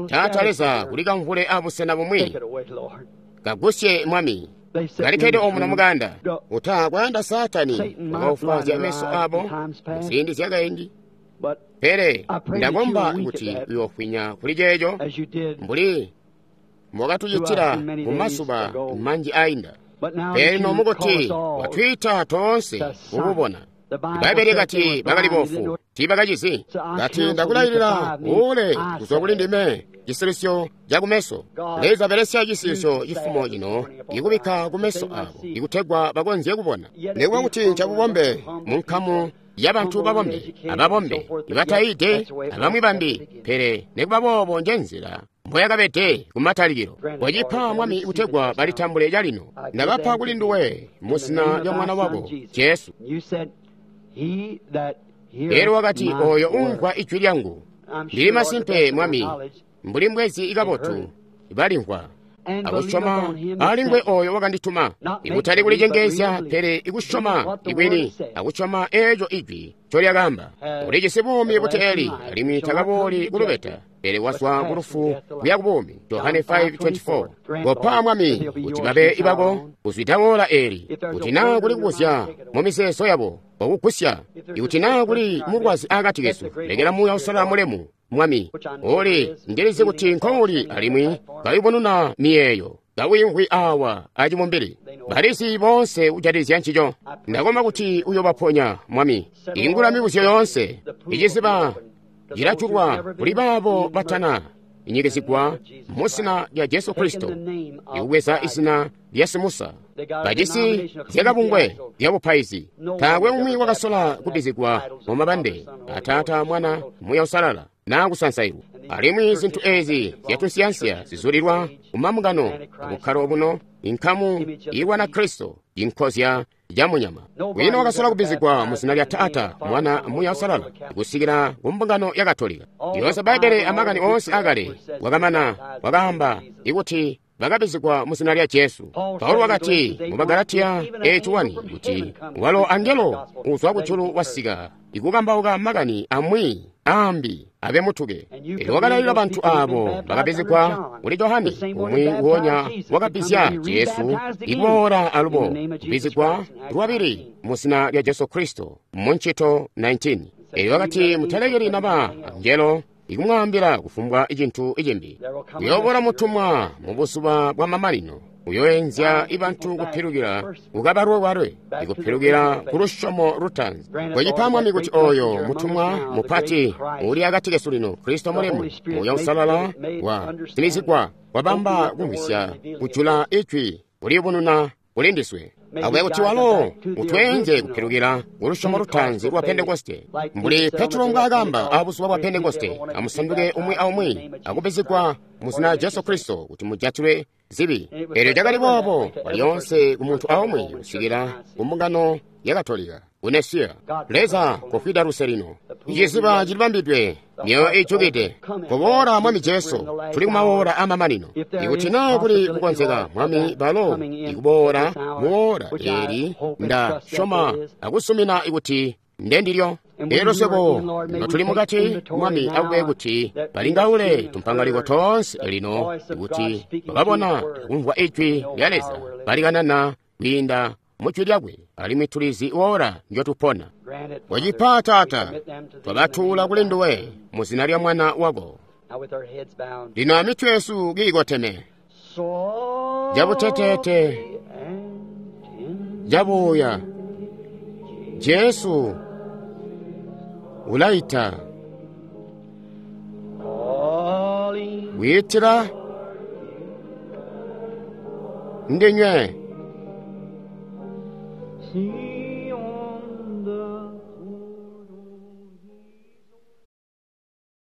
Taata Leza, kuli kamvule abusena bumwi, kagusye Mwami. Kalikkede omuno muganda uta kwayanda Saatani wakaufwazya meso abo muziindi zyakaindi. Pele ndakomba kuti uyoofwinya kuli ceeco mbuli mbwakatucitila mu mazuba manji ainda. Pele nomukuti watwiita toonse kukubona. Bbaibbele kati bakali bofu, tiibakacizi. Kati ndakulailila ule kuzwa kuli ndime cisilisyo cakumeso. Leza belesya cisilisyo cifumo cino ikubikka kumeso abo ikutegwa bakonzye kubona. Nikuba kuti ncabubombe mu nkamu yabantu babombe, ababombe ibatayide abamwi bambi, pele nikuba boobo njenzila mboyakabede kumatalikilo. Wacipa Mwami kutegwa balitambule calino. Ndabapa kuli nduwe mu zina lya mwana wako Jesu. Elyo wakati, oyo umvwa ijwi lyangu. Ndili masimpe Mwami, mbuli mbwezi ikabotu balimvwa akusyoma alingwe oyo wakandituma, ikutali kulicengeezya, pele ikusyoma ikwini akusyoma eeco ijwi ncolyakaamba. Ulijisi buumi buteeli, alimwi takabooli kulubeta, Pele wazwa ku lufu kuya ku buumi. Johane five twenty-four. Kopa Mwami kuti babe ibako kuzwida woola eeli, kuti naa kuli kubuzya mu mizeezo yabo okugusya, ikuti naa kuli mulwazi akati kesu, lekela Muuya Uusalala mulemu, Mwami, uli ndilizi kuti nkouli alimwi kayubununa miyeeyo, kawiimvwi awa acibumbili. Balizi boonse kujatikizya ncico. Ndakomba kuti uyobaponya, Mwami. Ingula mibuzyo yoonse. Iciziba cilajulwa kuli baabo batana inyikizigwa mu zina lya Jesu Kristo, ikubweza izina lya Simusa. Bajisi zyakabungwe lya bupaizi. Taakwe umwi wakasola kubbizigwa mu mabande a Taata, Mwana, Muuya Uusalala, naa kusansailwa. Alimwi zintu ezi zyatunsiyansiya zizulilwa kumambungano abukkalo obuno, inkamu ilwana Kristo, inkozya ya munyama. Kwiina wakasola kubbizigwa mu zina lya Taata, Mwana, Muuya Uusalala, kusikila ku mbungano ya Katolika. Yoonse Bbaibbele amakani oonse akale wakamana wakaamba ikuti bakabbizigwa mu zina lya Jesu. Paulo wakati mu Bagalatiya eight one kuti walo angelo uzwa kujulu wasika ikukambauka makani amwi ambi abe mutuke. Elyo wakalailila bantu aabo bakabbizigwa kuli Johane, umwi nguonya wakabbizya Jesu, ikuboola alubo kubbizigwa lwabili mu zina lya Jesu Kristo mu ncito nineteen. Elyo wakati mutalekeli naba angelo ikumwaambila kufumbwa cintu cimbi. Uyooboola mutumwa mu buzuba bwa mamanino, uyoenzya ibantu kupilukila kukabalwe-walwe, ikupilukila ku lusyomo lutaanzi. Kwecipa Mwami kuti oyo mutumwa mupati uli akati kesu lino, Kristo mulemu, Muuya Uusalala wa simizigwa, wabamba kumvwisya, kujula ijwi, kuliyubununa kuli ndiswe. Akuya kuti walo utweenze kupilukila ku lusyomo lutaanzi lwa Pentekoste, mbuli Petro mbwaakamba abuzuba bwa Pentekoste, amusanduke umwi aumwi akubbizigwa mu zina lya Jesu Kristo kuti mujatilwe zibi. Elyo cakali boobo lyoonse ku muntu aumwi kusikila ku mbungano ya Katolika ku Nesiya. Leza kofwida luse lino. Iciziba cilibambidwe, myoyo ijukide. Koboola Mwami Jesu, tuli kumawoola amamanino. Ikuti naa kuli kukonzeka, Mwami, balo ikuboola muwoola eeli, nda syoma akusumina ikuti ndendilyo. Elyo swebo notuli mukati, Mwami, akube kuti balingaule tumpangaliko toonse lino, kuti bakabona kumvwa ijwi lya Leza balikanana kwiinda mu jwi lyakwe, alimwi tulizi woola njotupona. Wacipa Taata, twabatuula kuli nduwe mu zina lya Mwana wako. Lino amitwe yesu kiikoteme, cabuteteete, cabuuya, Jesu ulaita, wiitila ndinywe.